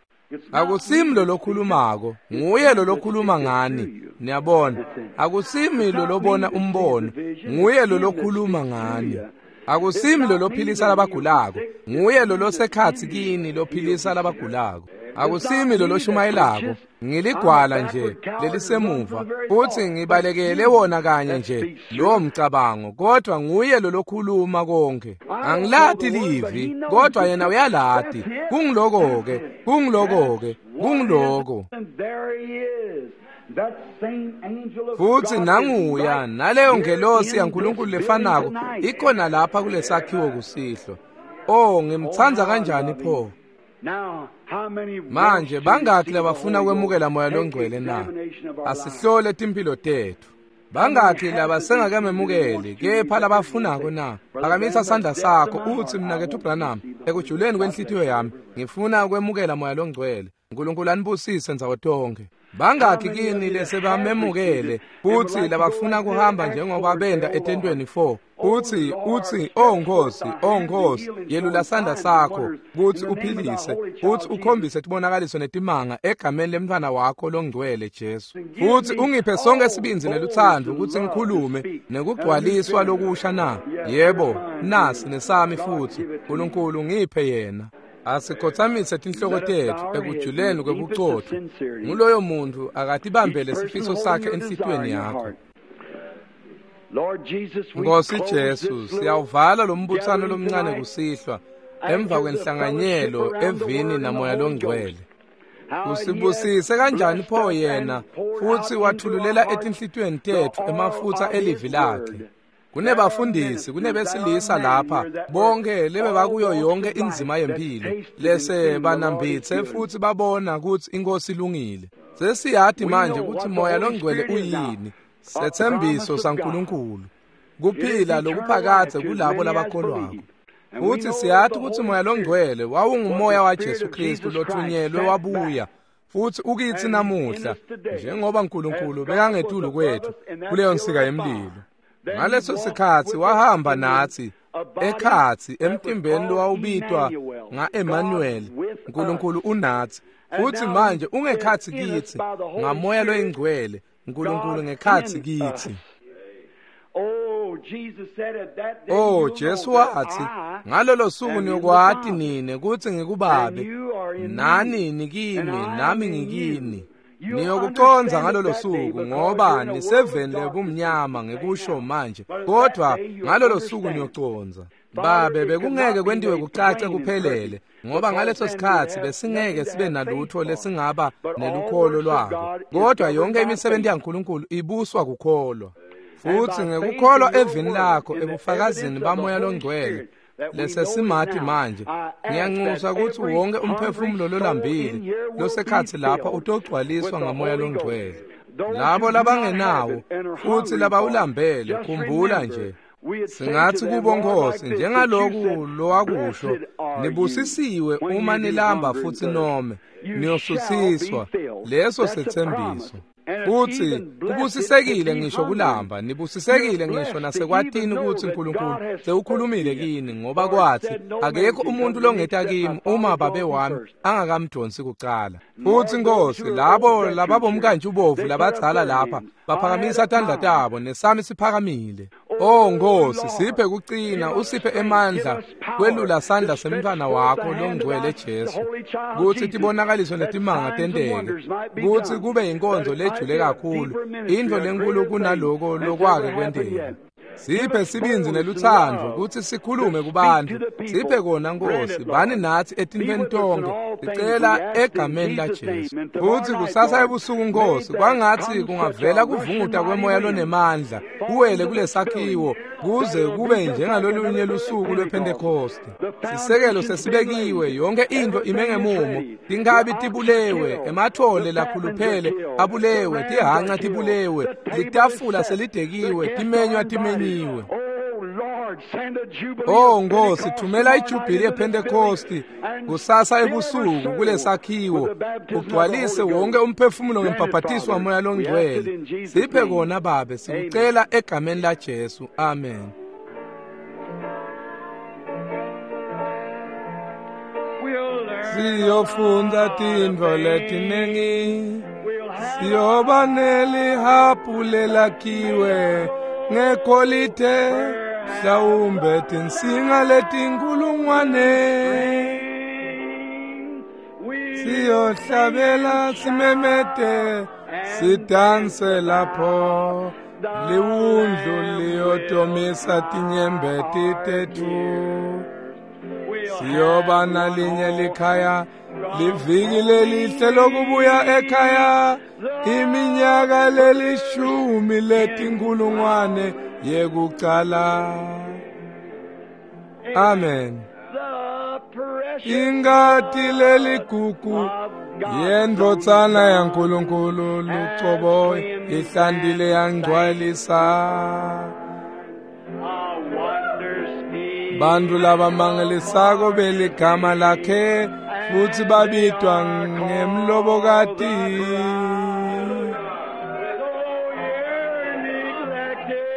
S1: Akusimi lo lokhulumako, nguye lo lokhuluma ngani. Niyabona, akusimi lo lobona umbono, nguye lo lokhuluma ngani. Akusimi lo lophilisa labagulako, nguye lo losekhatsi kini lophilisa labagulako. Akusimi lo loshumayelako, ngiligwala nje lelisemuva, futhi ngibalekele wona kanye nje lowo mcabango, kodwa nguye lo lokhuluma konke. Angilati livi, kodwa yena uyalati. Kungiloko-ke, kungiloko-ke, kungiloko. Futhi nanguya naleyo ngelosi yaNkulunkulu lefanako ikhona lapha kulesakhiwo kusihlwa. Oh, ngimtsandza kanjani pho! Manje bangaki labafuna kwemukela Moya Longcwele na? Asihlole timphilo tetfu. Bangaki labasengakememukeli kepha labafunako na? Phakamisa sandla sakho utsi, mnaketfu Branham, ekujuleni kwenhlitiyo yami ngifuna kwemukela Moya Longcwele. Nkulunkulu anibusise ndzawo tonkhe. Bangaki kini lesebamemukele futsi labafuna kuhamba njengoba benda etentweni 4? Utsi, oh Nkosi, oh Nkosi, yelula sandla sakho kutsi uphilise, futsi ukhombise tibonakaliso netimanga egameni lemntfwana wakho longcwele Jesu. Futsi ungiphe sonke sibindzi nelutsandvo kutsi ngikhulume nekugcwaliswa lokusha na? Yebo, nasi nesami futsi. Nkulunkulu ngiphe yena. Asikhotsamise tinhloko tetfu ekujuleni kwebucotfo. Nguloyo muntu akatibambele sifiso sakhe enhlitiyweni yakho. Nkosi Jesu, siyawuvala lo mbutsano lomncane kusihlwa emva kwenhlanganyelo evini naMoya Longcwele. Usibusise kanjani pho yena, futhi wathululela etinhlitiyweni tetfu emafutsa elivi lakhe. Kunebafundisi, kunebesilisa lapha, bonke lebebakuyo yonke inzima yempilo, lese banambitse futhi babona kutsi inkosi ilungile. Sesiyati manje kutsi Moya Longcwele uyini, setsembiso saNkulunkulu, kuphila lokuphakadze kulabo labakholwako. Futhi siyati kutsi Moya Longcwele wawungumoya waJesu Kristu lothunyelwe wabuya, futhi ukitsi namuhla, njengoba Nkulunkulu bekangetulu kwetfu kuleyo nsika yemlilo. Ngaleso sikhatsi wahamba natsi ekhatsi emtimbeni lowawubitwa nga-Emmanuel, Nkulunkulu unatsi. Futhi manje ungekhatsi kitsi ngaMoya Loyingcwele, Nkulunkulu ngekhatsi kitsi. Oh, Jesu watsi, ngalolo suku niyokwati nine kutsi ngikuBabe, nani nikimi, nami ngikini. Niyokucondza ngalolo suku ngoba niseveni lebumnyama ngekusho manje, kodwa ngalolo suku niyocondza. Babe, bekungeke kwentiwe kucace kuphelele, ngoba ngaleso sikhatsi besingeke sibe nalutho lesingaba nelukholo lwako, kodwa yonke imisebenzi yaNkulunkulu ibuswa kukholwa. Futhi ngekukholwa evini lakho ebufakazini baMoya Longcwele lesesimati manje, ngiyanxusa kutsi wonke umphefumulo lolambile losekhatsi lapha utogcwaliswa ngaMoya Longcwele. Labo labangenawo futhi labawulambele, khumbula nje, singathi kubo Nkosi, njengaloku lowakusho, nibusisiwe uma nilamba futhi nome, niyosutsiswa. Leso setsembiso. Futhi kubusisekile ngisho kulamba, nibusisekile ngisho nasekwatini kutsi Nkulunkulu sewukhulumile kini, ngoba kwathi akekho umuntu longeta kimi uma Babe wami angakamdonsi kucala. Futhi Nkosi, labo lababomkantshi ubovu labadzala lapha baphakamisa tandla tabo, nesami siphakamile. Oh Nkosi, siphe kucina, usiphe emandla kwelula sandla semntfwana wakho longcwele Jesu, kutsi tibonakaliso netimanga tenteke, kutsi kube yinkonzo lejule kakhulu, intfo lenkulu kunaloko lokwake kwenteka. Siphe sibindzi nelutsandvo kutsi sikhulume kubantfu. Siphe kona Nkosi, bani natsi etintfweni tonkhe, sicela egameni laJesu. Futsi kusasa ebusuku Nkosi, kwangatsi kungavela kuvunguta kwemoya lonemandla kuwele kulesakhiwo, kuze kube njengalolunye lusuku lwePhentekoste. Sisekelo sesibekiwe, yonke intfo ime ngemumo, tinkhabi tibulewe, emathole lakhuluphele abulewe, tihanca tibulewe, litafula selidekiwe, timenywa timenyiwe. Oh Nkosi, thumela ijubhili yePhentekosti kusasa ebusuku kulesakhiwo, ugcwalise wonke umphefumulo ngembhabhatiso waMoya Longcwele. Siphe kona Babe, sikucela egameni laJesu. Amen. Siyofundza tintfo letiningi, siyoba nelihabhu lelakhiwe ngegolide, mhlawumbe tinsinga letinkulungwane. Siyohlabela simemete, sidanse lapho, liwundlu liyotomisa tinyembeti tetfu. Siyoba nalinye likhaya, liviki lelihle lokubuya ekhaya, iminyaka lelishumi letinkulungwane yekucala. Amen. Ingati leligugu yendvodzana yaNkulunkulu lucobo ihlandile yangcwalisa. Bantu labamangalisako beligama lakhe futsi babitwa ngemlobokati.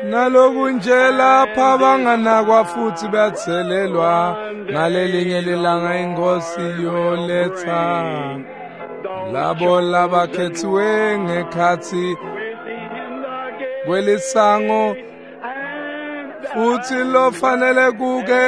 S1: Nalokunje lapha banganakwa futsi batselelwa, ngalelinye lilanga inkosi yoletsa labo labakhetsiwe ngekhatsi kwelisango, futsi lofanele kuke